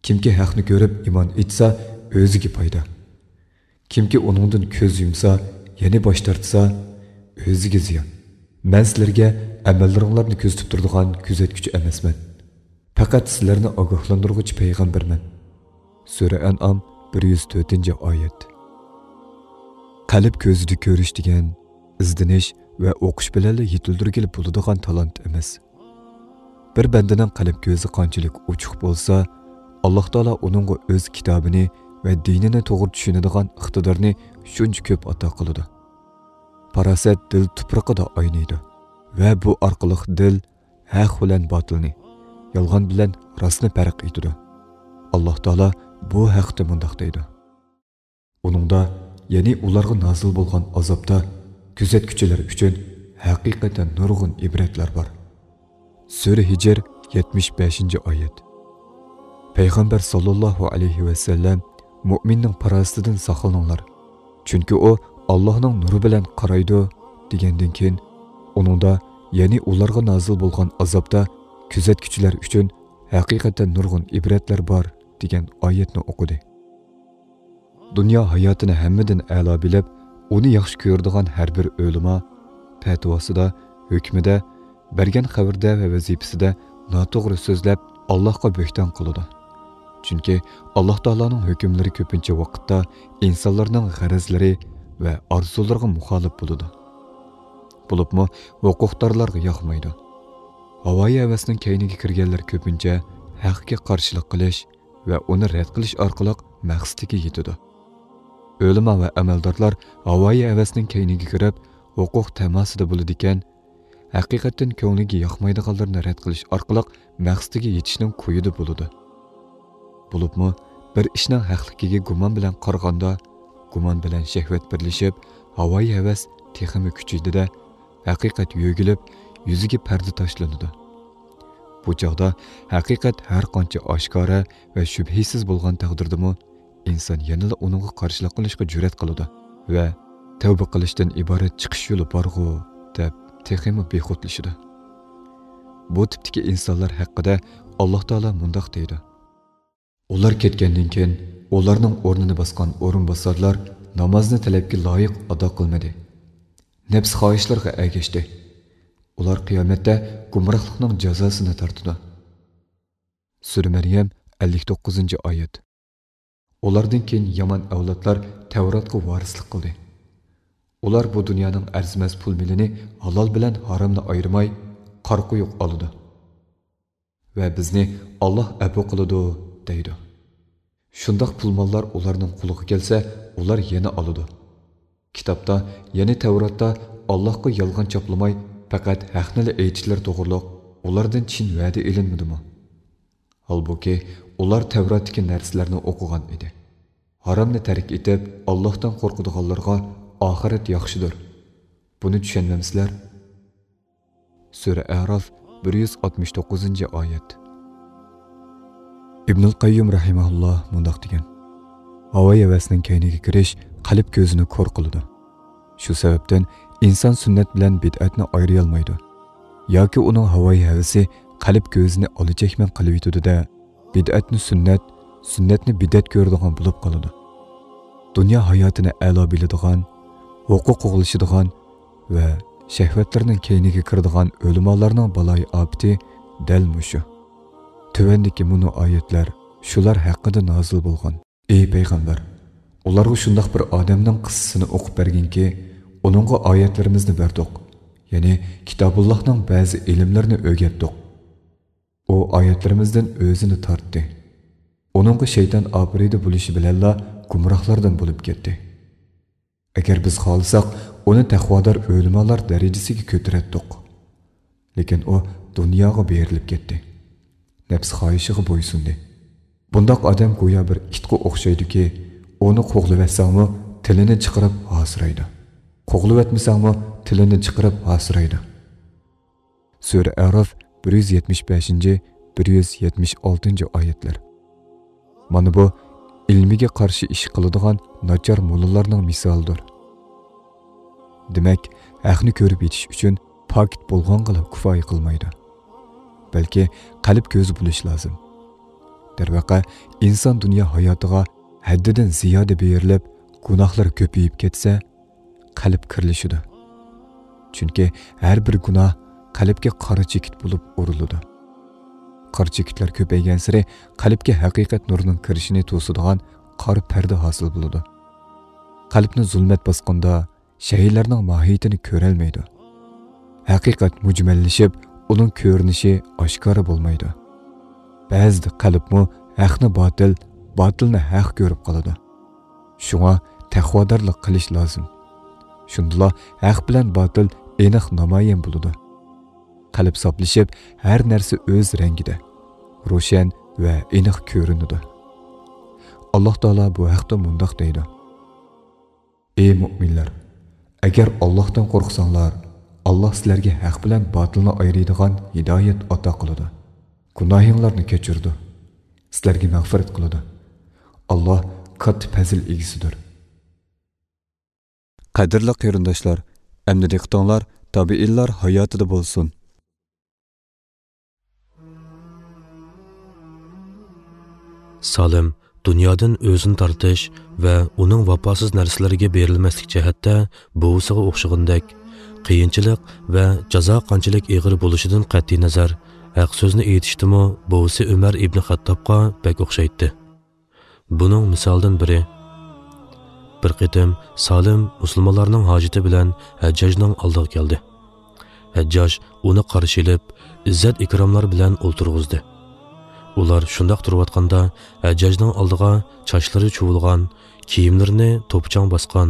كىمكى ھەقنى كۆرۈپ ئىمان ئېيتسا، ئۆزىگە پايدا. كىمكى ئۇنىڭدىن كۆز يۇمسا، يەنى باش تارتسا، ئۆزىگە زىيان. مەن سىلەرگە ئەمەللىرىڭلارنى كۆزىتىپ تۇرىدىغان كۆزەتكۈچى ئەمەسمەن. پەقەت سىلەرنى ئاگاھلاندۇرغۇچى پەيغەمبەرمەن. سۈرە ئەنئام، بىر يۈز تۆتىنچى ئايەت. قەلب كۆزىدە كۆرۈش دېگەن ئىزدىنىش ۋە ئوقۇش بىلەنلا يېتىلدۈرگىلى بولىدىغان تالانت ئەمەس. بىر بەندىنىڭ قەلب كۆزى قانچىلىك ئوچۇق بولسا، ئاللاھ تائالا ئۇنىڭغا ئۆز كىتابىنى ۋە دىنىنى توغرا چۈشىنىدىغان ئىقتىدارنى شۇنچە كۆپ ئاتا قىلىدۇ. پاراسەت دىل تۇپرىقىدا ئاينايدۇ ۋە بۇ ئارقىلىق دىل ھەق بىلەن باتىلنى، يالغان بىلەن راستنى پەرق ئېتىدۇ. ئاللاھ تائالا بۇ ھەقتە مۇنداق دەيدۇ: ئۇنىڭدا، يەنى ئۇلارغا نازىل بولغان ئازابتا، كۆزەتكۈچىلەر ئۈچۈن ھەقىقەتەن نۇرغۇن ئىبرەتلەر بار. سۈرە ھىجر، يەتمىش بەشىنچى ئايەت. پەيغەمبەر ساللاللاھۇ ئەلەيھى ۋەسەللەم، مۇئمىننىڭ پاراسىتىدىن ساقلىنىڭلار، چۈنكى ئۇ ئاللاھنىڭ نۇرى بىلەن قارايدۇ، دېگەندىن كېيىن، ئۇنىڭدا، يەنى ئۇلارغا نازىل بولغان ئازابتا كۆزەتكۈچىلەر ئۈچۈن ھەقىقەتەن نۇرغۇن ئىبرەتلەر بار، دېگەن ئايەتنى ئوقۇدى. دۇنيا ھاياتىنى ھەممىدىن ئەلا بىلىپ، ئۇنى ياخشى كۆرىدىغان ھەر بىر ئۆلىما پەتىۋاسىدا، ھۆكمىدە، بەرگەن خەۋىرىدە ۋە ۋەزىپىسىدە ناتوغرا سۆزلەپ، ئاللاھقا بۆھتان قىلىدۇ. چۈنكى ئاللاھ تائالانىڭ ھۆكۈملىرى كۆپىنچە ۋاقىتتا ئىنسانلارنىڭ غەرەزلىرى ۋە ئارزۇلىرىغا مۇخالىپ بولىدۇ. بولۇپمۇ ھوقۇقدارلارغا ياقمايدۇ. ھاۋايى ھەۋەسنىڭ كەينىگە كىرگەنلەر كۆپىنچە ھەققە قارشىلىق قىلىش ۋە ئۇنى رەت قىلىش ئارقىلىق مەقسىتىگە يېتىدۇ. ئۆلىما ۋە ئەمەلدارلار ھاۋايى ھەۋەسنىڭ كەينىگە كىرىپ، ھوقۇق تەماسىدا بولىدىكەن، ھەقىقەتتىن كۆڭلىگە ياقمايدىغانلىرىنى رەت قىلىش ئارقىلىق مەقسىتىگە يېتىشنىڭ كويىدا بولىدۇ. بولۇپمۇ بىر ئىشنىڭ ھەقلىكىگە گۇمان بىلەن قارىغاندا، گۇمان بىلەن شەھۋەت بىرلىشىپ، ھاۋايى ھەۋەس تېخىمۇ كۈچىيىدۇ-دە، ھەقىقەت يۆگىلىپ، يۈزىگە پەردە تاشلىنىدۇ. بۇ چاغدا ھەقىقەت ھەر قانچە ئاشكارا ۋە شۈبھىسىز بولغان تەقدىردىمۇ، ئىنسان يەنىلا ئۇنىڭغا قارشىلىق قىلىشقا جۈرئەت قىلىدۇ ۋە تەۋبە قىلىشتىن ئىبارەت چىقىش يولى بارغۇ، دەپ تېخىمۇ بىخۇدلىشىدۇ. بۇ تىپتىكى ئىنسانلار ھەققىدە ئاللاھ تائالا مۇنداق دەيدۇ: ئۇلار كەتكەندىن كېيىن، ئۇلارنىڭ ئورنىنى باسقان ئورۇنباسارلار نامازنى تەلەپكە لايىق ئادا قىلمىدى. نەپس خاھىشلىرىغا ئەگەشتى. ئۇلار قىيامەتتە گۇمراھلىقنىڭ جازاسىنى تارتىدۇ. سۈرە مەريەم، ئەللىك توققۇزىنچى ئايەت. ئۇلاردىن كېيىن يامان ئەۋلادلار تەۋراتقا ۋارىسلىق قىلدى. ئۇلار بۇ دۇنيانىڭ ئەرزىمەس پۇل مېلىنى ھالال بىلەن ھارامنى ئايرىماي، قارا قويۇق ئالىدۇ. ۋە بىزنى ئاللاھ ئەپۇ قىلىدۇ، دەيدۇ. شۇنداق پۇل ماللار ئۇلارنىڭ قولىغا كەلسە، ئۇلار يەنە ئالىدۇ. كىتابتا، يەنى تەۋراتتا ئاللاھقا يالغان چاپلىماي، پەقەت ھەقنىلا ئېيتىشلىرى توغرۇلۇق ئۇلاردىن چىن ۋەدە ئېلىنمىدىمۇ؟ ھالبۇكى، ئۇلار تەۋراتتىكى نەرسىلەرنى ئوقۇغان ئىدى. ھارامنى تەرك ئېتىپ، ئاللاھتىن قورقىدىغانلارغا ئاخىرەت ياخشىدۇر. بۇنى چۈشەنمەمسىلەر؟ سۈرە ئەراف، بىر يۈز ئاتمىش توققۇزىنچى ئايەت. ئىبنۇل قەييۇم رەھىمەھۇللا مۇنداق دېگەن: ھاۋا ھەۋەسنىڭ كەينىگە كىرىش قەلب كۆزىنى كور قىلىدۇ. شۇ سەۋەبتىن ئىنسان سۈننەت بىلەن بىدئەتنى ئايرىيالمايدۇ. ياكى ئۇنىڭ ھاۋا ھەۋىسى قەلب كۆزىنى ئالا چەكمەن قىلىۋېتىدۇ-دە، بىدئەتنى سۈننەت، سۈننەتنى بىدئەت كۆرىدىغان بولۇپ قالىدۇ. دۇنيا ھاياتىنى ئەلا بىلىدىغان، ھوقۇق قوغلىشىدىغان ۋە شەھۋەتلىرىنىڭ كەينىگە كىرىدىغان ئۆلىمالارنىڭ بالايىئاپىتى دەل مۇشۇ. تۆۋەندىكى مۇنۇ ئايەتلەر شۇلار ھەققىدە نازىل بولغان. ئى پەيغەمبەر، ئۇلارغا شۇنداق بىر ئادەمنىڭ قىسسىسىنى ئوقۇپ بەرگىنكى، ئۇنىڭغا ئايەتلىرىمىزنى بەردۇق، يەنى كىتابۇللاھنىڭ بەزى ئىلىملىرىنى ئۆگەتتۇق. ئۇ ئايەتلىرىمىزدىن ئۆزىنى تارتتى. ئۇنىڭغا شەيتان ئاپىرىدە بولۇشى بىلەنلا گۇمراھلاردىن بولۇپ كەتتى. ئەگەر بىز خالىساق، ئۇنى تەقۋادار ئۆلىمالار دەرىجىسىگە كۆتۈرەتتۇق. لېكىن ئۇ دۇنياغا بېرىلىپ كەتتى. نەپس خاھىشىغا بويسۇندى. بۇنداق ئادەم گويا بىر ئىتقا ئوخشايدۇكى، ئۇنى قوغلىۋەتسەڭمۇ تىلىنى چىقىرىپ ھاسىرايدۇ. قوغلىۋەتمىسەڭمۇ تىلىنى چىقىرىپ ھاسىرايدۇ. سۈرە ئەراف، بىر يۈز يەتمىش بەشىنچى، بىر يۈز يەتمىش ئالتىنچى ئايەتلەر. مانا بۇ ئىلمىگە قارشى ئىش قىلىدىغان ناچار موللىلارنىڭ مىسالىدۇر. دېمەك، ھەقنى كۆرۈپ يېتىش ئۈچۈن پاكىت بولغانغىلا كۇپايە قىلمايدۇ. بەلكى قەلب كۆزى بولۇش لازىم. دەرۋەقە، ئىنسان دۇنيا ھاياتىغا ھەددىدىن زىيادە بېرىلىپ، گۇناھلار كۆپىيىپ كەتسە، قەلب كىرلىشىدۇ. چۈنكى ھەر بىر گۇناھ قەلبكە قارا چېكىت بولۇپ ئۇرۇلىدۇ. قارا چېكىتلەر كۆپەيگەنسېرى قەلبكە ھەقىقەت نۇرىنىڭ كىرىشىنى توسىدىغان قارا پەردە ھاسىل بولىدۇ. قەلبنى زۇلمەت باسقاندا، شەيئىلەرنىڭ ماھىيىتىنى كۆرەلمەيدۇ. ھەقىقەت مۈجمەللىشىپ، ئۇنىڭ كۆرۈنۈشى ئاشكارا بولمايدۇ. بەزىدە قەلبمۇ ھەقنى باتىل، باتىلنى ھەق كۆرۈپ قالىدۇ. شۇڭا تەقۋادارلىق قىلىش لازىم. شۇندىلا ھەق بىلەن باتىل ئېنىق نامايان بولىدۇ. قەلب ساپلىشىپ، ھەر نەرسە ئۆز رەڭگىدە، روشەن ۋە ئېنىق كۆرۈنىدۇ. ئاللاھ تائالا بۇ ھەقتە مۇنداق دەيدۇ: ئى مۆمىنلەر! ئەگەر ئاللاھتىن قورقساڭلار، ئاللاھ سىلەرگە ھەق بىلەن باتىلنى ئايرىيدىغان ھىدايەت ئاتا قىلىدۇ. گۇناھىڭلارنى كەچۈرىدۇ. سىلەرگە مەغپىرەت قىلىدۇ. ئاللاھ كاتتا پەزىل ئىگىسىدۇر. قەدىرلىك قېرىنداشلار، ئەمدى دىققىتىڭلار تابىئىنلار ھاياتىدا بولسۇن. سالىم دۇنيادىن ئۆزىنى تارتىش ۋە ئۇنىڭ ۋاپاسىز نەرسىلىرىگە بېرىلمەسلىك جەھەتتە بوۋىسىغا ئوخشىغىنىدەك، قىيىنچىلىق ۋە جازا قانچىلىك ئېغىر بولۇشىدىن قەتئىينەزەر، ھەق سۆزنى ئېيتىشتىمۇ بوۋىسى ئۆمەر ئىبنى خەتتابقا بەك ئوخشايتتى. بۇنىڭ مىسالىدىن بىرى، بىر قېتىم سالىم مۇسۇلمانلارنىڭ ھاجىتى بىلەن ھەججاجنىڭ ئالدىغا كەلدى. ھەججاج ئۇنى قارشى ئېلىپ، ئىززەت-ئىكراملار بىلەن ئولتۇرغۇزدى. ئۇلار شۇنداق تۇرۇۋاتقاندا، ھەججاجنىڭ ئالدىغا چاچلىرى چۇۋۇلغان، كىيىملىرىنى توپا-چاڭ باسقان،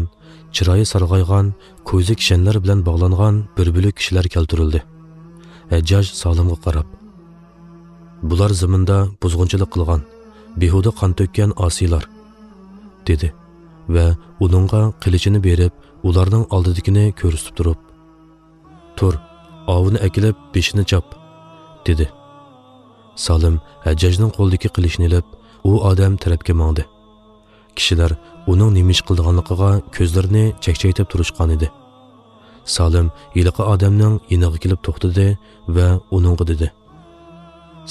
چىرايى سارغايغان، كوزا كىشەنلەر بىلەن باغلانغان بىر بۆلەك كىشىلەر كەلتۈرۈلدى. ھەججاج سالىمغا قاراپ، «بۇلار زېمىندا بۇزغۇنچىلىق قىلغان، بىھۇدە قان تۆككەن ئاسىيلار» دېدى ۋە ئۇنىڭغا قىلىچىنى بېرىپ، ئۇلارنىڭ ئالدىدىكىنى كۆرسىتىپ تۇرۇپ، «تۇر، ئاۋۇنى ئەكېلىپ بېشىنى چاپ» دېدى. سالىم ھەججاجنىڭ قولىدىكى قىلىچنى ئېلىپ، ئۇ ئادەم تەرەپكە ماڭدى. كىشىلەر ئۇنىڭ نېمە ئىش قىلىدىغانلىقىغا كۆزلىرىنى چەكچەيتىپ تۇرۇشقانىدى. سالىم ھېلىقى ئادەمنىڭ يېنىغا كېلىپ توختىدى ۋە ئۇنىڭغا دېدى،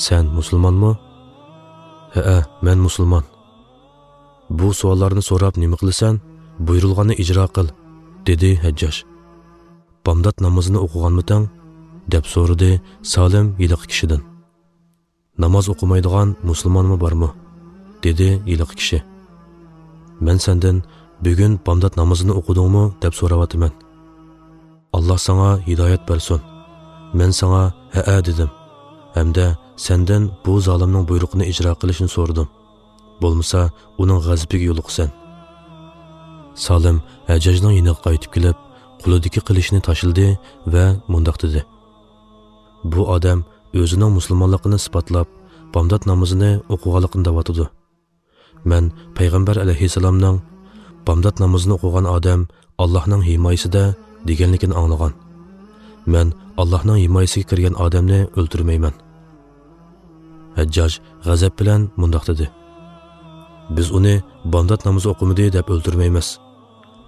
«سەن مۇسۇلمانمۇ؟» «ھەئە، مەن مۇسۇلمان.» «بۇ سوئاللارنى سوراپ نېمە قىلىسەن؟ بۇيرۇلغاننى ئىجرا قىل» دېدى ھەججاج. «بامدات نامىزىنى ئوقۇغانمىتىڭ؟» دەپ سورىدى سالىم ھېلىقى كىشىدىن. «ناماز ئوقۇمايدىغان مۇسۇلمانمۇ بارمۇ؟» دېدى ھېلىقى كىشى. «مەن سەندىن بۈگۈن بامدات نامىزىنى ئوقۇدۇڭمۇ دەپ سوراۋاتىمەن. ئاللا ساڭا ھىدايەت بەرسۇن. مەن ساڭا ھەئە دېدىم ھەمدە سەندىن بۇ زالىمنىڭ بۇيرۇقىنى ئىجرا قىلىشنى سورىدىم. بولمىسا ئۇنىڭ غەزىپىگە يولۇقىسەن.» سالىم ھەججاجنىڭ يېنىغا قايتىپ كېلىپ، قولىدىكى قىلىچنى تاشلىدى ۋە مۇنداق دېدى: «بۇ ئادەم ئۆزىنىڭ مۇسۇلمانلىقىنى ئىسپاتلاپ، بامدات نامىزىنى ئوقۇغانلىقىنى دەۋاتىدۇ. مەن پەيغەمبەر ئەلەيھىسسالامنىڭ، 'بامدات نامىزىنى ئوقۇغان ئادەم ئاللاھنىڭ ھىمايىسىدە' دېگەنلىكىنى ئاڭلىغان. مەن ئاللاھنىڭ ھىمايىسىگە كىرگەن ئادەمنى ئۆلتۈرمەيمەن.» ھەججاج غەزەپ بىلەن مۇنداق دېدى: «بىز ئۇنى بامدات نامىزى ئوقۇمىدى دەپ ئۆلتۈرمەيمىز.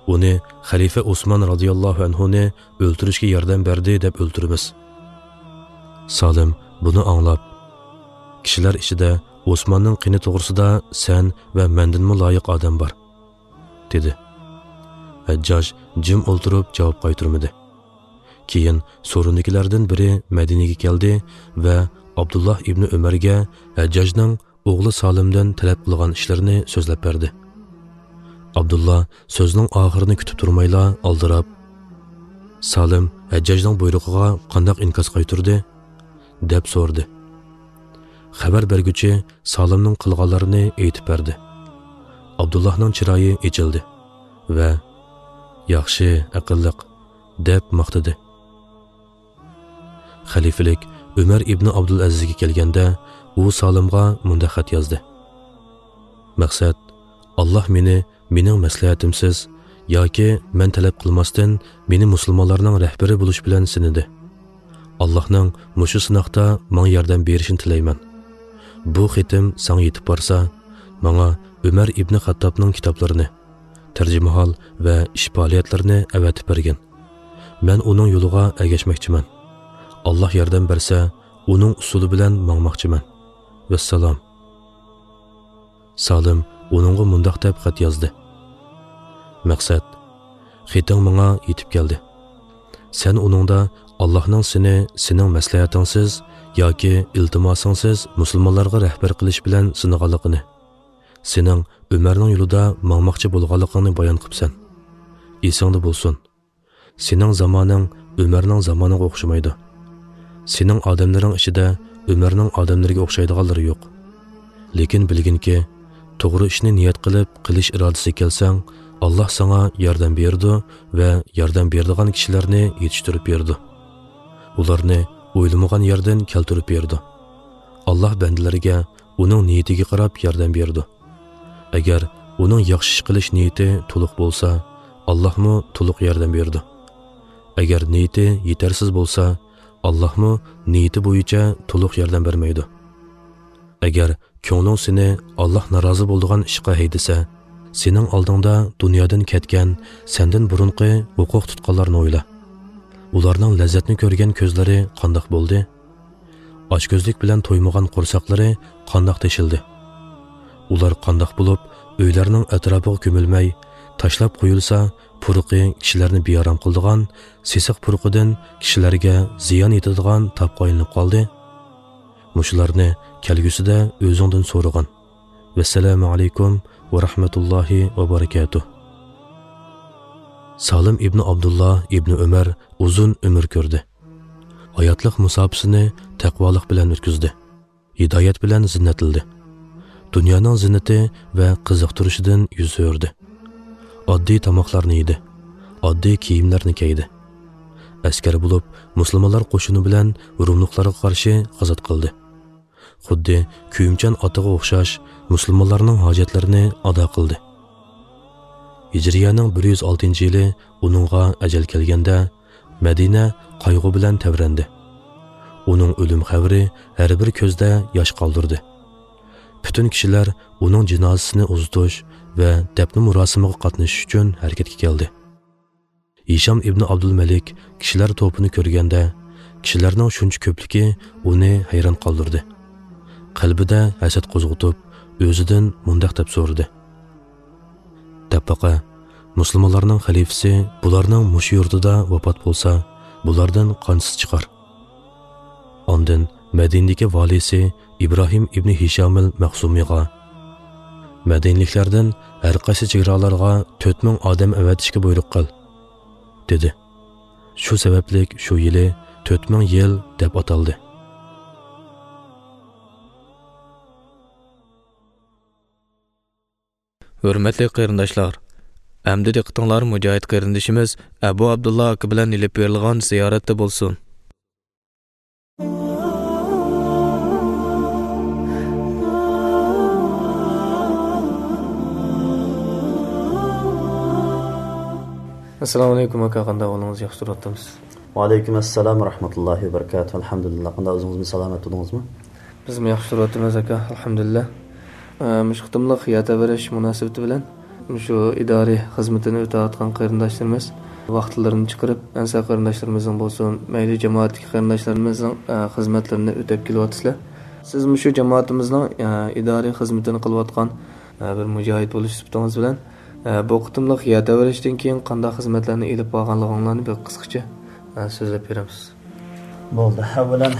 ئۇنى خەلىپە ئوسمان رازىياللاھۇ ئەنھۇنى ئۆلتۈرۈشكە ياردەم بەردى دەپ ئۆلتۈرىمىز.» سالىم بۇنى ئاڭلاپ: «كىشىلەر ئىچىدە ئوسماننىڭ قېنى توغرىسىدا سەن ۋە مەندىنمۇ لايىق ئادەم بار» دېدى. ھەججاج جىم ئولتۇرۇپ جاۋاب قايتۇرمىدى. كېيىن سورۇندىكىلەردىن بىرى مەدىنىگە كەلدى ۋە ئابدۇللا ئىبنى ئۆمەرگە ھەججاجنىڭ ئوغلى سالىمدىن تەلەپ قىلغان ئىشلىرىنى سۆزلەپ بەردى. ئابدۇللا سۆزنىڭ ئاخىرىنى كۈتۈپ تۇرمايلا ئالدىراپ: «سالىم ھەججاجنىڭ بۇيرۇقىغا قانداق ئىنكاس قايتۇردى؟» دەپ سورىدى. خەۋەر بەرگۈچى سالىمنىڭ قىلغانلىرىنى ئېيتىپ بەردى. ئابدۇللاھنىڭ چىرايى ئېچىلدى ۋە «ياخشى، ئەقىللىق» دەپ ماختىدى. خەلىپىلىك ئۆمەر ئىبنى ئابدۇلئەزىزگە كەلگەندە، ئۇ سالىمغا مۇنداق خەت يازدى: «مەقسەت، ئاللاھ مېنى مېنىڭ مەسلىھەتىمسىز ياكى مەن تەلەپ قىلماستىن مېنى مۇسۇلمانلارنىڭ رەھبىرى بولۇش بىلەن سىنىدى. ئاللاھنىڭ مۇشۇ سىناقتا ماڭا ياردەم بېرىشىنى تىلەيمەن. بۇ خېتىم ساڭا يېتىپ بارسا، ماڭا ئۆمەر ئىبنى خەتتابنىڭ كىتابلىرىنى، تەرجىمىھال ۋە ئىش پائالىيەتلىرىنى ئەۋەتىپ بەرگىن. مەن ئۇنىڭ يولىغا ئەگەشمەكچىمەن. ئاللاھ ياردەم بەرسە، ئۇنىڭ ئۇسۇلى بىلەن ماڭماقچىمەن. ۋەسسالام.» سالىم ئۇنىڭغا مۇنداق دەپ خەت يازدى: «مەقسەت، خېتىڭ ماڭا يېتىپ كەلدى. سەن ئۇنىڭدا ئاللاھنىڭ سېنى سېنىڭ مەسلىھەتىڭسىز ياكى ئىلتىماسىڭسىز مۇسۇلمانلارغا رەھبەر قىلىش بىلەن سىنىغانلىقىنى، سېنىڭ ئۆمەرنىڭ يولىدا ماڭماقچى بولغانلىقىڭنى بايان قىپسەن. ئېسىڭدە بولسۇن، سېنىڭ زامانىڭ ئۆمەرنىڭ زامانىغا ئوخشىمايدۇ. سېنىڭ ئادەملىرىڭ ئىچىدە ئۆمەرنىڭ ئادەملىرىگە ئوخشايدىغانلىرى يوق. لېكىن بىلگىنكى، توغرا ئىشنى نىيەت قىلىپ قىلىش ئىرادىسىگە كەلسەڭ، ئاللاھ ساڭا ياردەم بېرىدۇ ۋە ياردەم بېرىدىغان كىشىلەرنى يېتىشتۈرۈپ بېرىدۇ. ئۇلارنى ئويلىمىغان يەردىن كەلتۈرۈپ بېرىدۇ. ئاللاھ بەندىلىرىگە ئۇنىڭ نىيىتىگە قاراپ ياردەم بېرىدۇ. ئەگەر ئۇنىڭ ياخشى ئىش قىلىش نىيىتى تولۇق بولسا، ئاللاھمۇ تولۇق ياردەم بېرىدۇ. ئەگەر نىيىتى يېتەرسىز بولسا، ئاللاھمۇ نىيىتى بويىچە تولۇق ياردەم بەرمەيدۇ. ئەگەر كۆڭلۈڭ سېنى ئاللاھ نارازى بولىدىغان ئىشقا ھەيدىسە، سېنىڭ ئالدىڭدا دۇنيادىن كەتكەن، سەندىن بۇرۇنقى ھوقۇق تۇتقانلارنى ئويلا. ئۇلارنىڭ لەززەتنى كۆرگەن كۆزلىرى قانداق بولدى؟ ئاچكۆزلۈك بىلەن تويمىغان قورساقلىرى قانداق تېشىلدى؟ ئۇلار قانداق بولۇپ، ئۆيلەرنىڭ ئەتراپىغا كۆمۈلمەي، تاشلاپ قويۇلسا، پۇرىقى كىشىلەرنى بىئارام قىلىدىغان، سېسىق پۇرىقىدىن كىشىلەرگە زىيان يېتىدىغان تاپقا ئايلىنىپ قالدى؟ مۇشۇلارنى كەلگۈسىدە ئۆزۈڭدىن سورىغىن. ۋەسسالامۇ ئەلەيكۇم ۋە رەھمەتۇللاھى ۋە بەرىكاتۇھ. سالىم ئىبنى ئابدۇللا ئىبنى ئۆمەر ئۇزۇن ئۆمۈر كۆردى. ھاياتلىق مۇساپىسىنى تەقۋالىق بىلەن ئۆتكۈزدى. ھىدايەت بىلەن زىننەتلىدى. دۇنيانىڭ زىننىتى ۋە قىزىقتۇرۇشىدىن يۈز ئۆردى. ئاددىي تاماقلارنى يېدى. ئاددىي كىيىملەرنى كىيدى. ئەسكەر بولۇپ، مۇسۇلمانلار قوشۇنى بىلەن روملۇقلارغا قارشى غازات قىلدى. خۇددى كۆيۈمچان ئاتىغا ئوخشاش مۇسۇلمانلارنىڭ ھاجەتلىرىنى ئادا قىلدى. ھىجرىيەنىڭ بىر يۈز ئالتىنچى يىلى ئۇنىڭغا ئەجەل كەلگەندە، مەدىنە قايغۇ بىلەن تەۋرەندى. ئۇنىڭ ئۆلۈم خەۋىرى ھەر بىر كۆزدە ياش قالدۇردى. پۈتۈن كىشىلەر ئۇنىڭ جىنازىسىنى ئۇزىتىش ۋە دەپنە مۇراسىمىغا قاتنىشىش ئۈچۈن ھەرىكەتكە كەلدى. ھىشام ئىبنى ئابدۇلمەلىك كىشىلەر توپىنى كۆرگەندە، كىشىلەرنىڭ شۇنچە كۆپلۈكى ئۇنى ھەيران قالدۇردى. قەلبىدە ھەسەت قوزغىتىپ، ئۆزىدىن مۇنداق دەپ سورىدى: شەپەقە، مۇسۇلمانلارنىڭ خەلىپىسى بۇلارنىڭ مۇشۇ يۇرتىدا ۋاپات بولسا، بۇلاردىن قانچىسى چىقار؟ ئاندىن مەدىنىدىكى ۋالىسى ئىبراھىم ئىبنى ھىشامىل مەخسۇمىغا، مەدىنىلىكلەردىن ھەر قايسى چېگرالارغا تۆت مىڭ ئادەم ئەۋەتىشكە بۇيرۇق قىل، دېدى. شۇ سەۋەبلىك شۇ يىلى تۆت مىڭ يىل دەپ ئاتالدى. ھۆرمەتلىك قېرىنداشلار، ئەمدى دىققىتىڭلار مۇجاھىد قېرىندىشىمىز ئەبۇ ئابدۇللا ئاكا بىلەن ئېلىپ بېرىلغان زىيارەتتە بولسۇن. ئەسسالامۇ ئەلەيكۇم ئاكا، قانداق ئەھۋالىڭىز؟ ياخشى تۇرۇۋاتىمىز. ۋەئەلەيكۇم ئەسسالام ۋە رەھمەتۇللاھى ۋە بەرىكاتۇھ. ئەلھەمدۇلىللا. قانداق ئۆزىڭىزمۇ، سالامەت تۇردىڭىزمۇ؟ بىزمۇ ياخشى تۇرۇۋاتىمىز ئاكا، ئەلھەمدۇلىللا. ئە، مۇشۇ قېتىملىق يەر تەۋرەش مۇناسىۋىتى بىلەن مۇشۇ ئىدارىي خىزمىتىنى ئۆتەۋاتقان قېرىنداشلىرىمىز ۋاقىتلىرىنى چىقىرىپ، ئەنسار قېرىنداشلىرىمىزنىڭ بولسۇن، مەيلى جامائەتتىكى قېرىنداشلىرىمىزنىڭ، ئە، خىزمەتلىرىنى ئۆتەپ كېلىۋاتىسىلەر. سىز مۇشۇ جامائىتىمىزنىڭ، ئە، ئىدارىي خىزمىتىنى قىلىۋاتقان، ئە، بىر مۇجاھىد بولۇش سۈپىتىڭىز بىلەن، ئە، بۇ قېتىملىق يەر تەۋرەشتىن كېيىن قانداق خىزمەتلەرنى ئېلىپ بارغانلىقىڭلارنى بىر قىسقىچە، ئە، سۆزلەپ بېرىمىز. بولدى. ئەۋۋەلەن،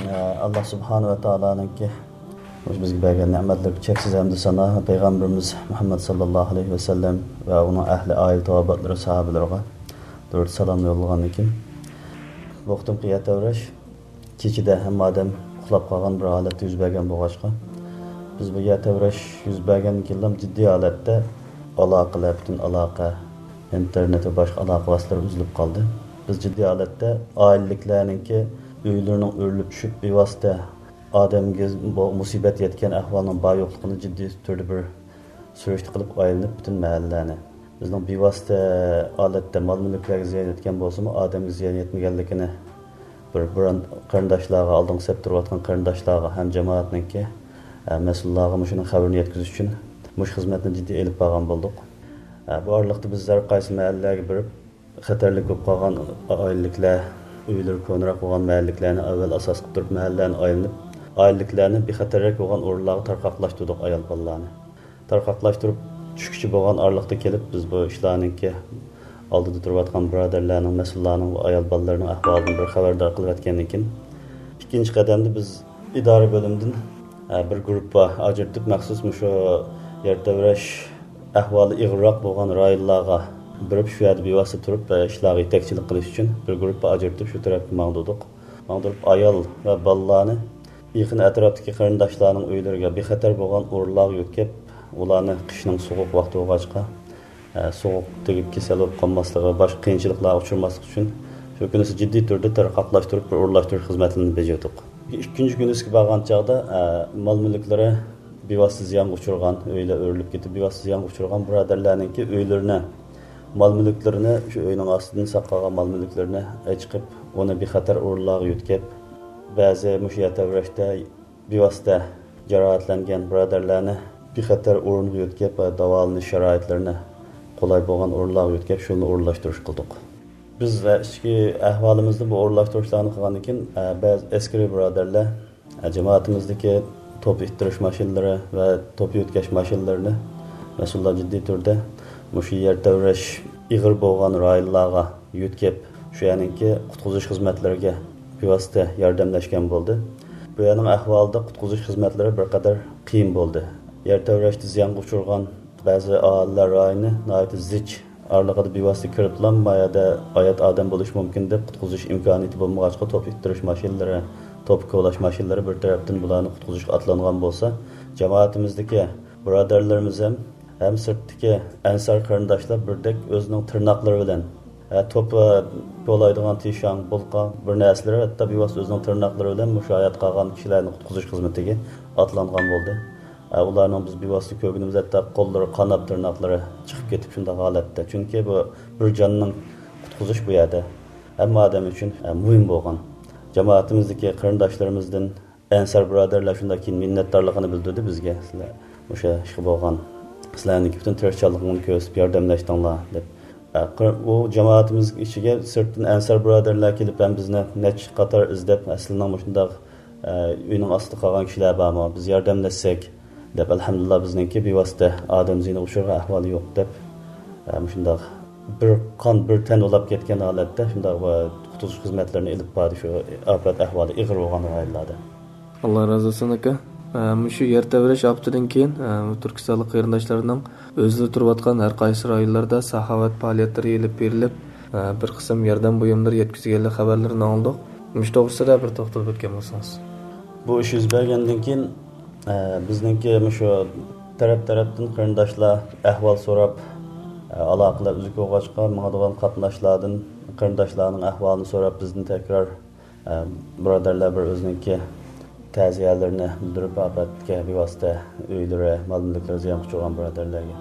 ئە، ئاللا سۇبھانە ۋە تائالانىڭكى مۇشۇ بىزگە بەرگەن نېمەتلىرىگە چەكسىز ھەمدۇ سانا، پەيغەمبىرىمىز مۇھەممەد ساللاللاھۇ ئەلەيھى ۋەسەللەم ۋە ئۇنىڭ ئەھلى، ئائىلە تاۋابىئاتلىرى، ساھابىلىرىغا دۇرۇت سالام يوللىغاندىن كېيىن، بۇ قېتىمقى يەر تەۋرەش كېچىدە ھەممە ئادەم ئۇخلاپ قالغان بىر ھالەتتە يۈز بەرگەن بولغاچقا، بىز بۇ يەر تەۋرەش يۈز بەرگەندىن كېيىنلا جىددىي ھالەتتە ئالاقىلەر، پۈتۈن ئالاقە، ئىنتېرنېت ۋە باشقا ئالاقە ۋاسىتىلىرى ئۈزۈلۈپ قالدى. بىز جىددىي ھالەتتە ئائىلىلىكلەرنىڭكى ئۆيلىرىنىڭ ئۆرۈلۈپ چۈشۈپ، بىۋاسىتە ئادەمگە بۇ مۇسىبەت يەتكەن ئەھۋالنىڭ بار يوقلۇقىنى جىددىي تۈردە بىر سۈرۈشتە قىلىپ ئايلىنىپ، پۈتۈن مەھەللىلەرنى، بىزنىڭ بىۋاسىتە ھالەتتە مال-مۈلۈكلەرگە زىيان يەتكەن بولسىمۇ، ئادەمگە زىيان يەتمىگەنلىكىنى بىر بۇران قېرىنداشلارغا، ئالدىنقى سەپتە تۇرۇۋاتقان قېرىنداشلارغا ھەم جامائەتنىڭكى، ئە، مەسئۇللارغا مۇشۇنىڭ خەۋىرىنى يەتكۈزۈش ئۈچۈن مۇشۇ خىزمەتنى جىددىي ئېلىپ بارغان بولدۇق. ئە، بۇ ئارىلىقتا بىز ھەر قايسى مەھەللىلەرگە بېرىپ، خەتەرلىك بولۇپ قالغان ئائىلىلىكلەر، ئۆيلىرى كونىراق بولغان مەھەللىلىكلەرنى ئەۋۋەل ئاساس قىلىپ تۇرۇپ، مەھەللىلەرنى ئايلىنىپ، ئائىلىلىكلەرنى بىخەتەررەك بولغان ئورۇنلارغا تارقاقلاشتۇردۇق، ئايال بالىلارنى. تارقاقلاشتۇرۇپ چۈشكۈچە بولغان ئارىلىقتا كېلىپ، بىز بۇ ئىشلارنىڭكى ئالدىدا تۇرۇۋاتقان بۇرادەرلەرنىڭ، مەسئۇللارنىڭ ۋە ئايال بالىلىرىنىڭ ئەھۋالىدىن بىر خەۋەردار قىلىۋەتكەندىن كېيىن، ئىككىنچى قەدەمدە بىز ئىدارە بۆلۈمىدىن، ئە، بىر گۇرۇپپا ئاجرىتىپ، مەخسۇس مۇشۇ يەر تەۋرەش ئەھۋالى ئېغىرراق بولغان رايونلارغا بېرىپ، شۇ يەردە بىۋاسىتە تۇرۇپ، ئە، ئىشلارغا يېتەكچىلىك قىلىش ئۈچۈن بىر گۇرۇپپا ئاجرىتىپ، شۇ تەرەپكە ماڭدۇردۇق. ماڭدۇرۇپ، ئايال ۋە بالىلارنى يېقىن ئەتراپتىكى قېرىنداشلارنىڭ ئۆيلىرىگە بىخەتەر بولغان ئورۇنلارغا يۆتكەپ، ئۇلارنى قىشنىڭ سوغۇق ۋاقتى بولغاچقا، ئە، سوغۇق تېگىپ كېسەل بولۇپ قالماسلىقى ۋە باشقا قىيىنچىلىقلارغا ئۇچرىماسلىقى ئۈچۈن شۇ كۈنىسى جىددىي تۈردە تارقاقلاشتۇرۇپ، بىر ئورۇنلاشتۇرۇش خىزمەتلىرىنى بېجىردۇق. ئىككىنچى كۈنىسىگە بارغان چاغدا، ئە، مال-مۈلۈكلىرى بىۋاسىتە زىيانغا ئۇچرىغان، ئۆيلەر ئۆرۈلۈپ كېتىپ، بىۋاسىتە زىيانغا ئۇچرىغان بۇرادەرلەرنىڭكى ئۆيلىرىنى، مال-مۈلۈكلىرىنى، شۇ ئۆينىڭ ئاستىدىن ساقلىغان مال-مۈلۈكلىرىنى ئەچىقىپ، ئۇنى بىخەتەر ئورۇنلارغا يۆتكەپ، بەزى مۇشۇ يەر تەۋرەشتە بىۋاسىتە جاراھەتلەنگەن بۇرادەرلەرنى بىخەتەر ئورۇنغا يۆتكەپ، داۋالىنىش شارائىتلىرىنى قولاي بولغان ئورۇنلارغا يۆتكەپ، شۇنى ئورۇنلاشتۇرۇش قىلدۇق. بىز ئىچكى ئەھۋالىمىزدا بۇ ئورۇنلاشتۇرۇشلارنى قىلغاندىن كېيىن، بەزى ئەسكىرىي بۇرادەرلەر، جامائىتىمىزدىكى توپا ئىتتىرىش ماشىنىلىرى ۋە توپا يۆتكەش ماشىنىلىرىنى مەسئۇللار جىددىي تۈردە مۇشۇ يەر تەۋرەش ئېغىر بولغان رايونلارغا يۆتكەپ، شۇ يەرنىڭكى قۇتقۇزۇش خىزمەتلىرىگە بىۋاسىتە ياردەملەشكەن بولدى. بۇ يەرنىڭ ئەھۋالىدا قۇتقۇزۇش خىزمەتلىرى بىر قەدەر قىيىن بولدى. يەر تەۋرەشتە زىيانغا ئۇچرىغان بەزى ئاھالىلەر رايونى ناھايىتى زىچ ئارىلىقىدا بىۋاسىتە كىرىپلا، ما يەردە ھايات ئادەم بولۇشى مۇمكىن دەپ قۇتقۇزۇش ئىمكانىيىتى بولمىغاچقا، توپا ئىتتىرىش ماشىنىلىرى، توپا كولاش ماشىنىلىرى بىر تەرەپتىن بۇلارنى قۇتقۇزۇشقا ئاتلانغان بولسا، جامائىتىمىزدىكى بۇرادەرلىرىمىز ھەم ھەم سىرتتىكى ئەنسار قېرىنداشلار بىردەك ئۆزىنىڭ تىرناقلىرى بىلەن، ھە، توپا كولايدىغان تىشاڭ، بۇلقا، بىر نەرسىلىرى، ھەتتا بىۋاسىتە ئۆزىنىڭ تىرناقلىرى بىلەن مۇشۇ ھايات قالغان كىشىلەرنى قۇتقۇزۇش خىزمىتىگە ئاتلانغان بولدى. ھە، ئۇلارنىڭ بىز بىۋاسىتە كۆرگىنىمىز، ھەتتا قوللىرى، قانات تىرناقلىرى چىقىپ كېتىپ شۇنداق ھالەتتە. چۈنكى بۇ بىر جاننىڭ قۇتقۇزۇش بۇ يەردە ھەممە ئادەم ئۈچۈن، ھە، مۇھىم بولغان. جامائىتىمىزدىكى قېرىنداشلىرىمىزدىن ئەنسار بۇرادەرلەر شۇنداق كېيىن مىننەتدارلىقىنى بىلدۈردى بىزگە. سىلەر مۇشۇ ئىشقا بولغان، سىلەرنىڭكى پۈتۈن تىرىشچانلىقىڭلارنى كۆرسىتىپ ياردەملەشتىڭلار دەپ. ئە، قىر-، ئۇ جامائىتىمىز ئىچىگە سىرتتىن ئەنسار بۇرادەرلەر كېلىپ ھەم بىزنى نەچچە قاتار ئىزدەپ، ئە، سىلىنىڭ مۇشۇنداق، ئە، ئۆينىڭ ئاستىدا قالغان كىشىلەر بارمۇ؟ بىز ياردەملەشسەك دەپ، ئەلھەمدۇلىللا بىزنىڭكى بىۋاسىتە ئادەم زىيىنىغا ئۇچرىغان ئەھۋالى يوق دەپ، مۇشۇنداق بىر قان، بىر تەن بولاپ كەتكەن ھالەتتە شۇنداق قۇتقۇزۇش خىزمەتلىرىنى ئېلىپ باردى، شۇ ئاپەت ئەھۋالى ئېغىر بولغان رايونلاردا. ئاللا رازى بولسۇن، ئاكا. ئە، مۇشۇ يەر تەۋرەش ئاپىتىدىن كېيىن، ئە، تۈركىستانلىق قېرىنداشلارنىڭ ئۆزلىرى تۇرۇۋاتقان ھەر قايسى رايونلاردا ساخاۋەت پائالىيەتلىرى ئېلىپ بېرىلىپ، ئە، بىر قىسىم ياردەم بۇيۇملىرى يەتكۈزگەنلىك خەۋەرلىرىنى ئاڭلىدۇق. مۇشۇ توغرىسىدا بىر توختىلىپ ئۆتكەن بولسىڭىز. بۇ ئىش يۈز بەرگەندىن كېيىن، ئە، بىزنىڭكى مۇشۇ تەرەپ-تەرەپتىن قېرىنداشلار ئەھۋال سوراپ، ئە، ئالاقىلەر ئۈزۈك بولغاچقا، ماڭىدىغان قاتناشلاردىن قېرىنداشلارنىڭ ئەھۋالىنى سوراپ، بىزدىن تەكرار، ئە، بۇرادەرلەر بىر ئۆزىنىڭكى تەزىيەلىرىنى بىلدۈرۈپ، ئاپەتكە بىۋاسىتە ئۆيلىرى، مال-مۈلۈكلىرى زىيانغا ئۇچرىغان بۇرادەرلەرگە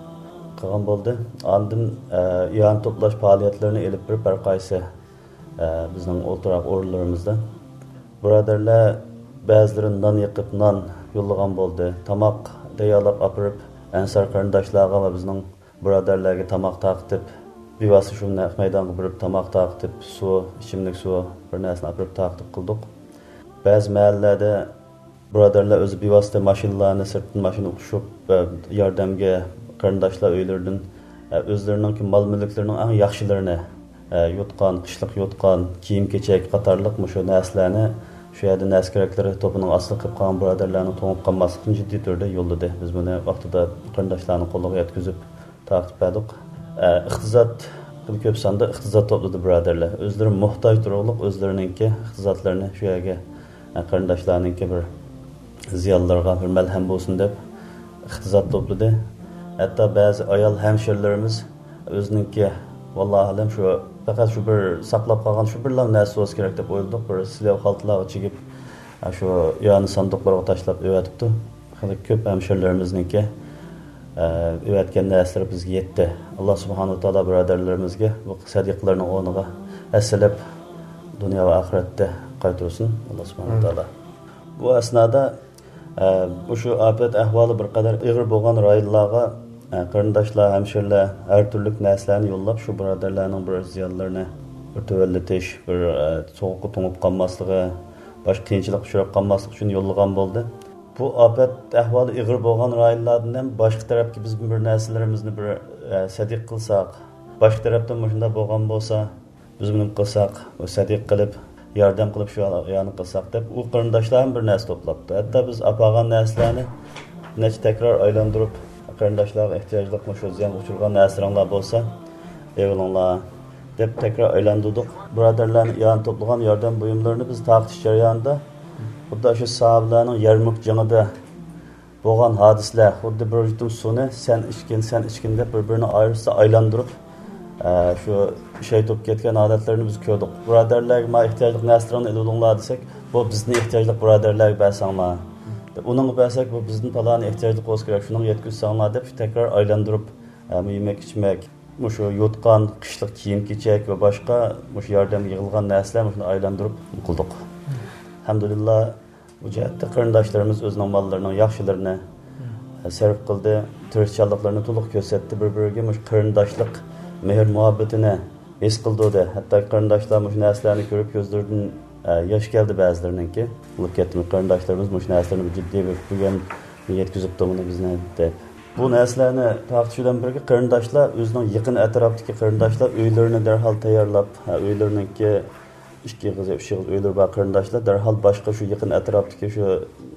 قىلغان بولدى. ئاندىن، ئە، ئىئانە توپلاش پائالىيەتلىرىنى ئېلىپ بېرىپ، ھەر قايسى، ئە، بىزنىڭ ئولتۇراق ئورۇنلىرىمىزدا بۇرادەرلەر بەزىلىرى نان يېقىپ، نان يوللىغان بولدى. تاماق تەييارلاپ ئاپىرىپ، ئەنسار قېرىنداشلارغا ۋە بىزنىڭ بۇرادەرلەرگە تاماق تارقىتىپ، بىۋاسىتە شۇ نەق مەيدانغا بېرىپ تاماق تارقىتىپ، سۇ، ئىچىملىك سۇ، بىر نەرسىنى ئاپىرىپ تارقىتىپ قىلدۇق. بەزى مەھەللىلەردە بۇرادەرلەر ئۆزى بىۋاسىتە ماشىنىلارنى، سىرتتىن ماشىنا ئۇقۇشۇپ، ياردەمگە قېرىنداشلار ئۆيلىرىدىن ئۆزلىرىنىڭكى مال-مۈلۈكلىرىنىڭ ئەڭ ياخشىلىرىنى، يوتقان، قىشلىق يوتقان، كىيىم-كېچەك قاتارلىق مۇشۇ نەرسىلەرنى شۇ يەردە نەرسە-كېرەكلىرى توپىنىڭ ئاستىغا قېلىپ قالغان بۇرادەرلەرنىڭ توڭۇپ قالماسلىقىنى جىددىي تۈردە يوللىدى. بىز بۇنى ۋاقتىدا قېرىنداشلارنىڭ قولىغا يەتكۈزۈپ تارقىتىپ بەردۇق. ئە، ئىقتىساد، كۆپ ساندا ئىقتىساد توپلىدى بۇرادەرلەر. ئۆزلىرى موھتاج تۇرۇقلۇق ئۆزلىرىنىڭكى ئىقتىسادلىرىنى شۇ يەرگە، ئە، قېرىنداشلارنىڭكى بىر زىيانلىرىغا بىر مەلھەم بولسۇن دەپ ئىقتىساد توپلىدى. ھەتتا بەزى ئايال ھەمشىرىلىرىمىز ئۆزىنىڭكى، ۋاللاھۇ ئەلەم، شۇ پەقەت شۇ بىر ساقلاپ قالغان شۇ بىرلا نەرسە بولسا كېرەك دەپ ئويلىدۇق. بىر سىلىۋ خالتىلارغا چىگىپ، شۇ ئىئانە ساندۇقلىرىغا تاشلاپ ئۆۋەتىپتۇ. خېلى كۆپ ھەمشىرىلىرىمىزنىڭكى، ئە، ئۆۋەتكەن نەرسىلىرى بىزگە يەتتى. ئاللا سۇبھانەھۇ ۋە تائالا بۇرادەرلىرىمىزگە بۇ سەدىقىلەرنىڭ ئورنىغا ھەسسىلەپ دۇنيا ۋە ئاخىرەتتە قايتۇرسۇن، ئاللا سۇبھانەھۇ ۋە تائالا. بۇ ئەسنادا، ئە، مۇشۇ ئاپەت ئەھۋالى بىر قەدەر ئېغىر بولغان رايونلارغا، ئە، قېرىنداشلار، ھەمشىرىلەر ھەر تۈرلۈك نەرسىلەرنى يوللاپ، شۇ بۇرادەرلەرنىڭ بىر زىيانلىرىنى بىر تۆۋەنلىتىش، بىر، ئە، سوغۇققا توڭۇپ قالماسلىقى، باشقا قىيىنچىلىققا ئۇچراپ قالماسلىقى ئۈچۈن يوللىغان بولدى. بۇ ئاپەت ئەھۋالى ئېغىر بولغان رايونلاردىن ھەم باشقا تەرەپكە بىز بىر نەرسىلىرىمىزنى بىر، ئە، سەدىقە قىلساق، باشقا تەرەپتىن مۇشۇنداق بولغان بولسا، بىز بۇنى قىلساق، بۇ سەدىقە قىلىپ، ياردەم قىلىپ شۇ ئايالنى قىلساق دەپ، ئۇ قېرىنداشلار ھەم بىر نەرسە توپلاپتۇ. ھەتتا بىز ئاپارغان نەرسىلەرنى نەچچە تەكرار ئايلاندۇرۇپ، قېرىنداشلارغا ئېھتىياجلىق مۇشۇ زىيانغا ئۇچرىغان نەرسىلىرىڭلار بولسا، ئېلىۋېلىڭلار دەپ تەكرار ئايلاندۇردۇق. بۇرادەرلەرنى ئىئانە توپلىغان ياردەم بۇيۇملىرىنى بىز تارقىتىش جەريانىدا خۇددى شۇ ساھابىلەرنىڭ يەرمۇك جېڭىدە بولغان ھادىسىلەر، خۇددى بىر يۇتۇم سۇنى سەن ئىچكىن، سەن ئىچكىن دەپ بىر-بىرىنى ئايرىشسا ئايلاندۇرۇپ، ئە، شۇ شەھىت بولۇپ كەتكەن ھالەتلىرىنى بىز كۆردۇق. بۇرادەرلەرگە ما ئېھتىياجلىق نەرسىلىرىڭنى ئېلىۋېلىڭلار دېسەك، بۇ بىزدىن ئېھتىياجلىق بۇرادەرلەرگە بەرسەڭلار دەپ، ئۇنىڭغا بەرسەك، بۇ بىزدىن پالانى ئېھتىياجلىق بولسا كېرەك، شۇنىڭغا يەتكۈزسەڭلار دەپ، شۇ تەكرار ئايلاندۇرۇپ، ئە، يېمەك-ئىچمەك، مۇشۇ يوتقان، قىشلىق كىيىم-كېچەك ۋە باشقا مۇشۇ ياردەمگە يىغىلغان نەرسىلەر مۇشۇنى ئايلاندۇرۇپ قىلدۇق. ئەلھەمدۇلىللا، بۇ جەھەتتە قېرىنداشلىرىمىز ئۆزىنىڭ ماللىرىنىڭ ياخشىلىرىنى، ئە، سەرپ قىلدى، تىرىشچانلىقلىرىنى تولۇق كۆرسەتتى، بىر-بىرىگە مۇشۇ قېرىنداشلىق مېھىر-مۇھەببىتىنى ھېس قىلدۇردى. ھەتتا قېرىنداشلار مۇشۇ نەرسىلەرنى كۆرۈپ كۆزلىرىدىن، ئە، ياش كەلدى بەزىلىرىنىڭكى. بولۇپ كەتتىمۇ، قېرىنداشلىرىمىز مۇشۇ نەرسىلەرنى بىر جىددىي بىر بۈگۈن يەتكۈزۈپتۇ مۇنى بىزنى دەپ. بۇ نەرسىلەرنى تارقىتىش بىلەن بىرگە قېرىنداشلار ئۆزىنىڭ يېقىن ئەتراپتىكى قېرىنداشلار ئۆيلىرىنى دەرھال تەييارلاپ، ھە، ئۆيلىرىنىڭكى ئىككى ئېغىز يا ئۈچ ئېغىز ئۆيلىرى بار قېرىنداشلار دەرھال باشقا شۇ يېقىن ئەتراپتىكى شۇ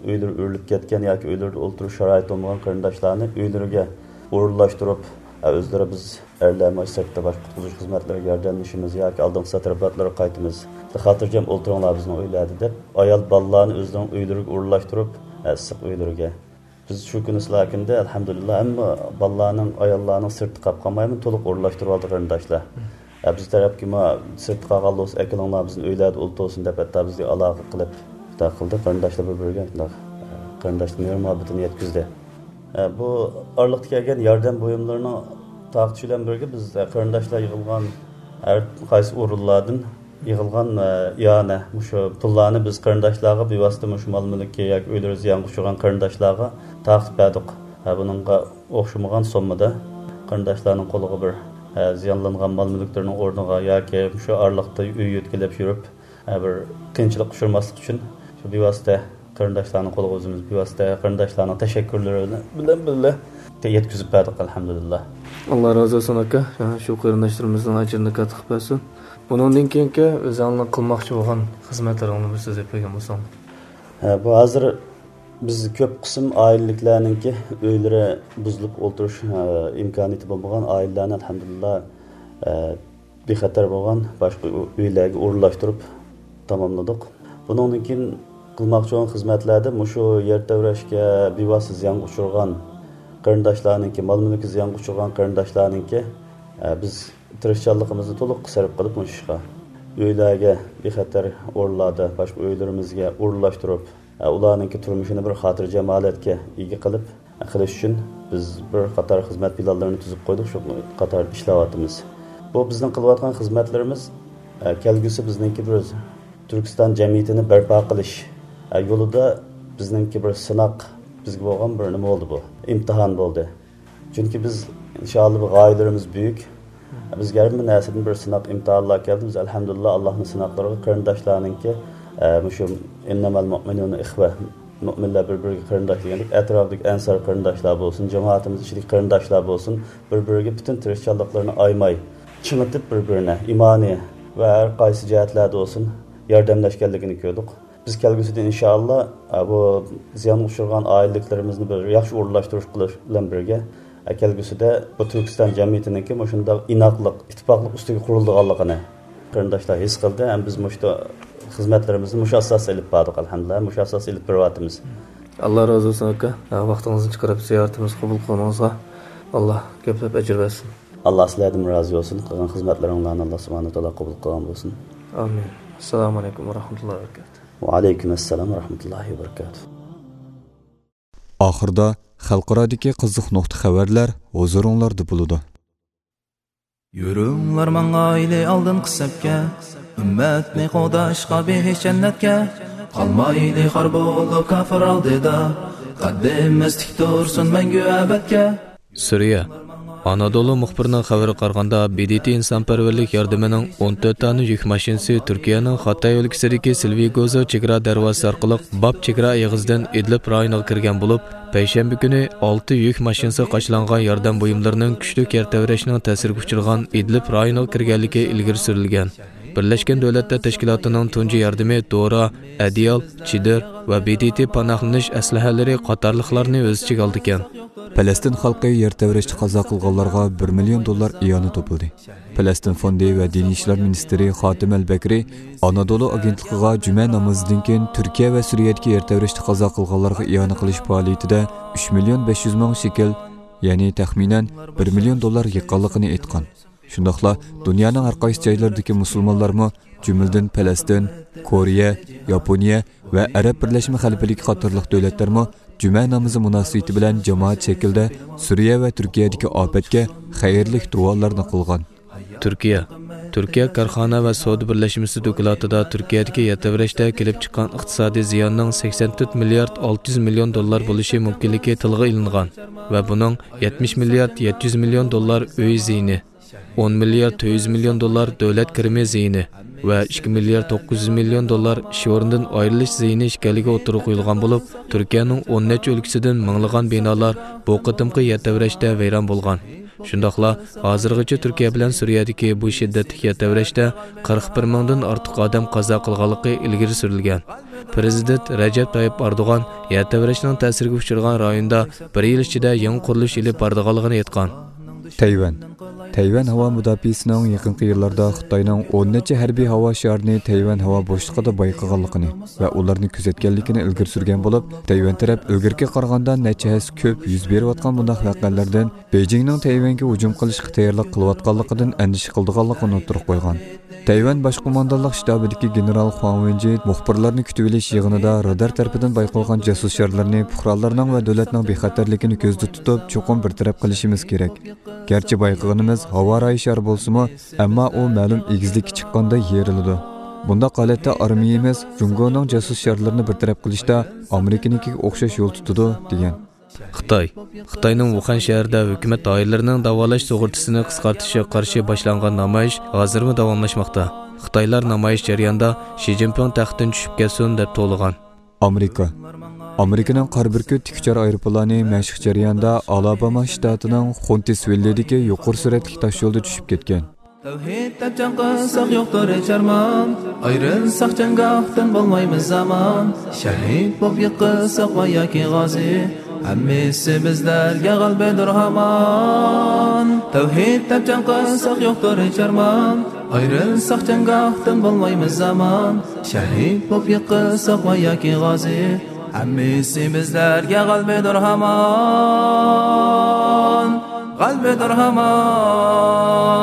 ئۆيلىرى ئۆرۈلۈپ كەتكەن ياكى ئۆيلىرىدە ئۆلتۈرۈش شارائىتى بولمىغان قېرىنداشلارنى ئۆيلىرىگە ئورۇنلاشتۇرۇپ، ھە، ئۆزلىرى بىز ئەرلەر مانا سىرتتا باشقا قۇتقۇزۇش خىزمەتلىرىگە ياردەملىشىمىز ياكى ئالدىنقى سەترىباتلارغا قايتىمىز. خاتىرجەم ئولتۇرۇڭلار بىزنىڭ ئۆيلەردە دەپ، ئايال بالىلارنى ئۆزلىرىنىڭ ئۆيلىرىگە ئورۇنلاشتۇرۇپ، ھە، ئىسسىق ئۆيلىرىگە. بىز شۇ كۈنى سىلاكىندە، ئەلھەمدۇلىللا، ھەممە بالىلارنىڭ، ئاياللارنىڭ سىرتتا قاپ قالمايمۇ، تولۇق ئورۇنلاشتۇرۇۋالدى قېرىنداشلار. ئە، بىز تەرەپكىمۇ سىرتتا قالغان بولسا، ئەكېلىڭلار، بىزنىڭ ئۆيلەردە ئولتۇرسۇن دەپ، ھەتتا بىزگە ئالاقە قىلىپ، شۇنداق قىلدى. قېرىنداشلار بىر-بىرىگە شۇنداق، ئە، قېرىنداشلىق مېھىر-مۇھەببىتىنى يەتكۈزدى. ئە، بۇ ئارىلىقتا كەلگەن ياردەم بۇيۇملىرىنىڭ تارقىتىشى بىلەن بىرگە، بىز، ئە، قېرىنداشلار يىغىلغان ھەر قايسى ئورۇنلاردىن يىغىلغان، ئە، ئىئانە، مۇشۇ پۇللارنى بىز قېرىنداشلارغا بىۋاسىتە مۇشۇ مال-مۈلكى ياكى ئۆيلىرى زىيانغا ئۇچرىغان قېرىنداشلارغا تارقىتىپ بەردۇق. ھە، بۇنىڭغا ئوخشىمىغان سوممىدا قېرىنداشلارنىڭ قولىغا بىر، ھە، زىيانلانغان مال-مۈلۈكلىرىنىڭ ئورنىغا ياكى مۇشۇ ئارىلىقتا ئۆي يۆتكىلەپ يۈرۈپ، ھە، بىر قىيىنچىلىققا ئۇچرىماسلىق ئۈچۈن شۇ بىۋاسىتە قېرىنداشلارنىڭ قولىغا ئۆزىمىز بىۋاسىتە قېرىنداشلارنىڭ تەشەككۈرلىرى بىلەن بىللە يەتكۈزۈپ بەردۇق، ئەلھەمدۇلىللا. ئاللا رازى بولسۇن ئاكا، شۇ قېرىنداشلىرىمىزنىڭ ئەجرىنى كاتتا قىلىپ بەرسۇن. بۇنىڭدىن كېيىنكى ئۆزۈڭلارنىڭ قىلماقچى بولغان خىزمەتلىرىڭنى بىر سۆزلەپ بەرگەن بولساڭ. ھە، بۇ ھازىر بىز كۆپ قىسىم ئائىلىلىكلەرنىڭكى ئۆيلىرى بۇزۇلۇپ ئولتۇرۇش، ئە، ئىمكانىيىتى بولمىغان ئائىلىلەرنى، ئەلھەمدۇلىللا، ئە، بىخەتەر بولغان باشقا ئۆ-، ئۆيلەرگە ئورۇنلاشتۇرۇپ تاماملىدۇق. بۇنىڭدىن كېيىن قىلماقچى بولغان خىزمەتلەردە مۇشۇ يەر تەۋرەشكە بىۋاسىتە زىيانغا ئۇچرىغان قېرىنداشلارنىڭكى، مال-مۈلكى زىيانغا ئۇچرىغان قېرىنداشلارنىڭكى، ئە، بىز تىرىشچانلىقىمىزنى تولۇق سەرپ قىلىپ مۇشۇ ئىشقا، ئۆيلەرگە بىخەتەر ئورۇنلاردا، باشقا ئۆيلىرىمىزگە ئورۇنلاشتۇرۇپ، ئە، ئۇلارنىڭكى تۇرمۇشىنى بىر خاتىرجەم ھالەتكە ئىگە قىلىپ، قىلىش ئۈچۈن بىز بىر قاتار خىزمەت پىلانلىرىنى تۈزۈپ قويدۇق، شۇ قاتاردا ئىشلەۋاتىمىز. بۇ بىزنىڭ قىلىۋاتقان خىزمەتلىرىمىز، ئە، كەلگۈسى بىزنىڭكى بىر تۈركىستان جەمئىيىتىنى بەرپا قىلىش، ئە، يولىدا بىزنىڭكى بىر سىناق، بىزگە بولغان بىر نېمە بولدى بۇ، ئىمتىھان بولدى. چۈنكى بىز ئىنشائاللا بۇ غايىلىرىمىز بۈيۈك. بىزگە ھەممە نەرسىدىن بىر سىناق ئىمتىھانلار كەلدى. بىز ئەلھەمدۇلىللا ئاللاھنىڭ سىناقلىرىغا قېرىنداشلارنىڭكى، ئە، مۇشۇ ئىننەمەل مۇئمىنۇنە ئىخۋە، مۇئمىنلار بىر-بىرىگە قېرىنداش دېگەندەك، ئەتراپىدىكى ئەنسار قېرىنداشلار بولسۇن، جامائىتىمىز ئىچىدىكى قېرىنداشلار بولسۇن، بىر-بىرىگە پۈتۈن تىرىشچانلىقلىرىنى ئايىماي، چىڭىتىپ بىر-بىرىنى ئىمانىي ۋە ھەر قايسى جەھەتلەردە بولسۇن ياردەملەشكەنلىكىنى كۆردۇق. بىز كەلگۈسىدە ئىنشائاللا، ئە، بۇ زىيانغا ئۇچرىغان ئائىلىلىكلىرىمىزنى بىر ياخشى ئورۇنلاشتۇرۇش قىلىش بىلەن بىرگە، ئە، كەلگۈسىدە بۇ تۈركىستان جەمئىيىتىنىڭكى مۇشۇنداق ئىناقلىق، ئىتتىپاقلىق ئۈستىگە قۇرۇلىدىغانلىقىنى قېرىنداشلار ھېس قىلدى. ھەم بىز مۇشۇ خىزمەتلىرىمىزنى مۇشۇ ئاساستا ئېلىپ باردۇق، ئەلھەمدۇلىللا، مۇشۇ ئاساستا ئېلىپ بېرىۋاتىمىز. ئاللا رازى بولسۇن ئاكا، ۋاقتىڭىزنى چىقىرىپ زىيارىتىمىزنى قوبۇل قىلغىنىڭىزغا ئاللا كۆپلەپ ئەجىر بەرسۇن. ئاللا سىلەردىن رازى بولسۇن، قىلغان خىزمەتلىرىڭلارنى ئاللا سۇبھانەھۇ تائالا قوبۇل قىلغان بولسۇن. ئامىن. ئەسسالامۇ ئەلەيكۇم ۋە رەھمەتۇللاھى ۋە بەرىكاتۇھ. ۋەئەلەيكۇم ئەسسالام ۋە رەھمەتۇللاھى ۋە بەرىكاتۇھ. ئاخىرىدا خەلقئارادىكى قىزىق نۇقتا خەۋەرلەر ھۇزۇرۇڭلاردا بولىدۇ. يۈرۈڭلار ماڭايلى ئالدىنقى سەپكە، ئۈممەتنى قوغداشقا بېھىش جەننەتكە. قالمايلى خار بولۇپ كاپىر ئالدىدا، قەددىمىز تىك تۇرسۇن مەڭگۈ ئەبەدكە. سۈرىيە. ئانادولۇ مۇخبىرىنىڭ خەۋىرىگە قارىغاندا، ب د ت ئىنسانپەرۋەرلىك ياردىمىنىڭ ئون تۆت دانە يۈك ماشىنىسى تۈركىيەنىڭ خاتاي ئۆلكىسىدىكى سىلۋىگوزو چېگرا دەرۋازىسى ئارقىلىق باب چېگرا ئېغىزىدىن ئىدلىب رايونىغا كىرگەن بولۇپ، پەيشەمبە كۈنى ئالتە يۈك ماشىنىسى قاچىلانغان ياردەم بۇيۇملىرىنىڭ كۈچلۈك يەر تەۋرەشنىڭ تەسىرىگە ئۇچرىغان ئىدلىب رايونىغا كىرگەنلىكى ئىلگىرى سۈرۈلگەن. بىرلەشكەن دۆلەتلەر تەشكىلاتىنىڭ تۇنجى ياردىمى دورا، ئەدىيال، چېدىر ۋە ب د ت پاناھلىنىش ئەسلىھەلىرى قاتارلىقلارنى ئۆز ئىچىگە ئالىدىكەن. پەلەستىن خەلقى يەر تەۋرەشتە قازا قىلغانلارغا بىر مىليون دوللار ئىئانە توپلىدى. پەلەستىن فوندى ۋە دىنىي ئىشلار مىنىستىرى خاتىم ئەل بەكرى ئانادولۇ ئاگېنتلىقىغا جۈمە نامىزىدىن كېيىن تۈركىيە ۋە سۈرىيەدىكى يەر تەۋرەشتە قازا قىلغانلارغا ئىئانە قىلىش پائالىيىتىدە ئۈچ مىليون بەش يۈز مىڭ شېكىل، يەنى تەخمىنەن بىر مىليون دوللار يىغقانلىقىنى ئېيتقان. شۇنداقلا دۇنيانىڭ ھەر قايسى جايلىرىدىكى مۇسۇلمانلارمۇ، جۈملىدىن پەلەستىن، كورېيە، ياپونىيە ۋە ئەرەب بىرلەشمە خەلىپىلىكى قاتارلىق دۆلەتلەرمۇ جۈمە نامىزى مۇناسىۋىتى بىلەن جامائەت شەكلىدە سۈرىيە ۋە تۈركىيەدىكى ئاپەتكە خەيرلىك دۇئالارنى قىلغان. تۈركىيە. تۈركىيە كارخانا ۋە سودا بىرلەشمىسى دوكلاتىدا تۈركىيەدىكى يەر تەۋرەشتە كېلىپ چىققان ئىقتىسادىي زىياننىڭ سەكسەن تۆت مىليارد ئالتە يۈز مىليون دوللار بولۇشى مۇمكىنلىكى تىلغا ئېلىنغان ۋە بۇنىڭ يەتمىش مىليارد يەتتە يۈز مىليون دوللار ئۆي زىيىنى، ئون مىليارد تۆت يۈز مىليون دوللار دۆلەت كىرىمى زىيىنى ۋە ئىككى مىليارد توققۇز يۈز مىليون دوللار ئىش ئورنىدىن ئايرىلىش زىيىنى ئىكەنلىكى ئوتتۇرىغا قويۇلغان بولۇپ، تۈركىيەنىڭ ئون نەچچە ئۆلكىسىدىن مىڭلىغان بىنالار بۇ قېتىمقى يەر تەۋرەشتە ۋەيران بولغان. شۇنداقلا ھازىرغىچە تۈركىيە بىلەن سۈرىيەدىكى بۇ شىددەتلىك يەر تەۋرەشتە قىرىق بىر مىڭدىن ئارتۇق ئادەم قازا قىلغانلىقى ئىلگىرى سۈرۈلگەن. پىرېزىدېنت رەجەپ تايىپ ئەردوغان يەر تەۋرەشنىڭ تەسىرىگە ئۇچرىغان رايوندا بىر يىل ئىچىدە يېڭى قۇرۇلۇش ئېلىپ بارىدىغانلىقىنى ئېيتقان. تەيۋەن. تەيۋەن ھاۋا مۇداپىئەسىنىڭ يېقىنقى يىللاردا خىتاينىڭ ئون نەچچە ھەربىي ھاۋا شارىنى تەيۋەن ھاۋا بوشلۇقىدا بايقىغانلىقىنى ۋە ئۇلارنى كۆزەتكەنلىكىنى ئىلگىرى سۈرگەن بولۇپ، تەيۋەن تەرەپ ئىلگىرىكىگە قارىغاندا نەچچە ھەسسە كۆپ يۈز بېرىۋاتقان بۇنداق ۋەقەلەردىن بېيجىڭنىڭ تەيۋەنگە ھۇجۇم قىلىشقا تەييارلىق قىلىۋاتقانلىقىدىن ئەندىشە قىلىدىغانلىقىنى ئوتتۇرىغا قويغان. تەيۋەن باش قوماندانلىق شتابىدىكى گېنېرال خۇاڭ ۋېنجى مۇخبىرلارنى كۈتۈۋېلىش يىغىنىدا رادار تەرىپىدىن بايقالغان جاسۇس شارلىرىنى پۇقرالارنىڭ ۋە دۆلەتنىڭ بىخەتەرلىكىنى كۆزدە تۇتۇپ، چوقۇم بىر تەرەپ قىلىشىمىز كېرەك. گەرچە بايقىغىنىمىز ھاۋا رايى شارى بولسىمۇ، ئەمما ئۇ مەلۇم ئېگىزلىككە چىققاندا يېرىلىدۇ. بۇنداق ھالەتتە ئارمىيىمىز جۇڭگونىڭ جاسۇس شارلىرىنى بىر تەرەپ قىلىشتا ئامېرىكىنىڭكىگە ئوخشاش يول تۇتىدۇ، دېگەن. خىتاي. خىتاينىڭ ۋۇخەن شەھىرىدە ھۆكۈمەت دائىرىلىرىنىڭ داۋالاش سۇغۇرتىسىنى قىسقارتىشىغا قارشى باشلانغان نامايىش ھازىرمۇ داۋاملاشماقتا. خىتايلار نامايىش جەريانىدا شى جىنپىڭ تەختتىن چۈشۈپ كەتسۇن دەپ توۋلىغان. ئامېرىكا. ئامېرىكىنىڭ قارا بۈركۈت تىك ئۇچار ئايروپىلانى مەشىق جەريانىدا ئالاباما شتاتىنىڭ خونتىسۋىللىدىكى يۇقىرى سۈرئەتلىك تاشيولدا چۈشۈپ كەتكەن. تەۋھىد دەپ جەڭ قىلساق يوقتۇر ھېچ ئارمان، ئايرىلساق جەڭگاھتىن بولمايمىز ئامان، شەھىد بولۇپ يىقىلساق ۋە ياكى غازى، ھەممىسى بىزلەرگە غەلىبىدۇر ھامان. تەۋھىد دەپ جەڭ قىلساق يوقتۇر ھېچ ئارمان، ئايرىلساق جەڭگاھتىن بولمايمىز ئامان، شەھىد بولۇپ يىقىلساق ۋە ياكى غازى، ھەممىسى بىزلەرگە غەلىبىدۇر ھامان، غەلىبىدۇر ھامان.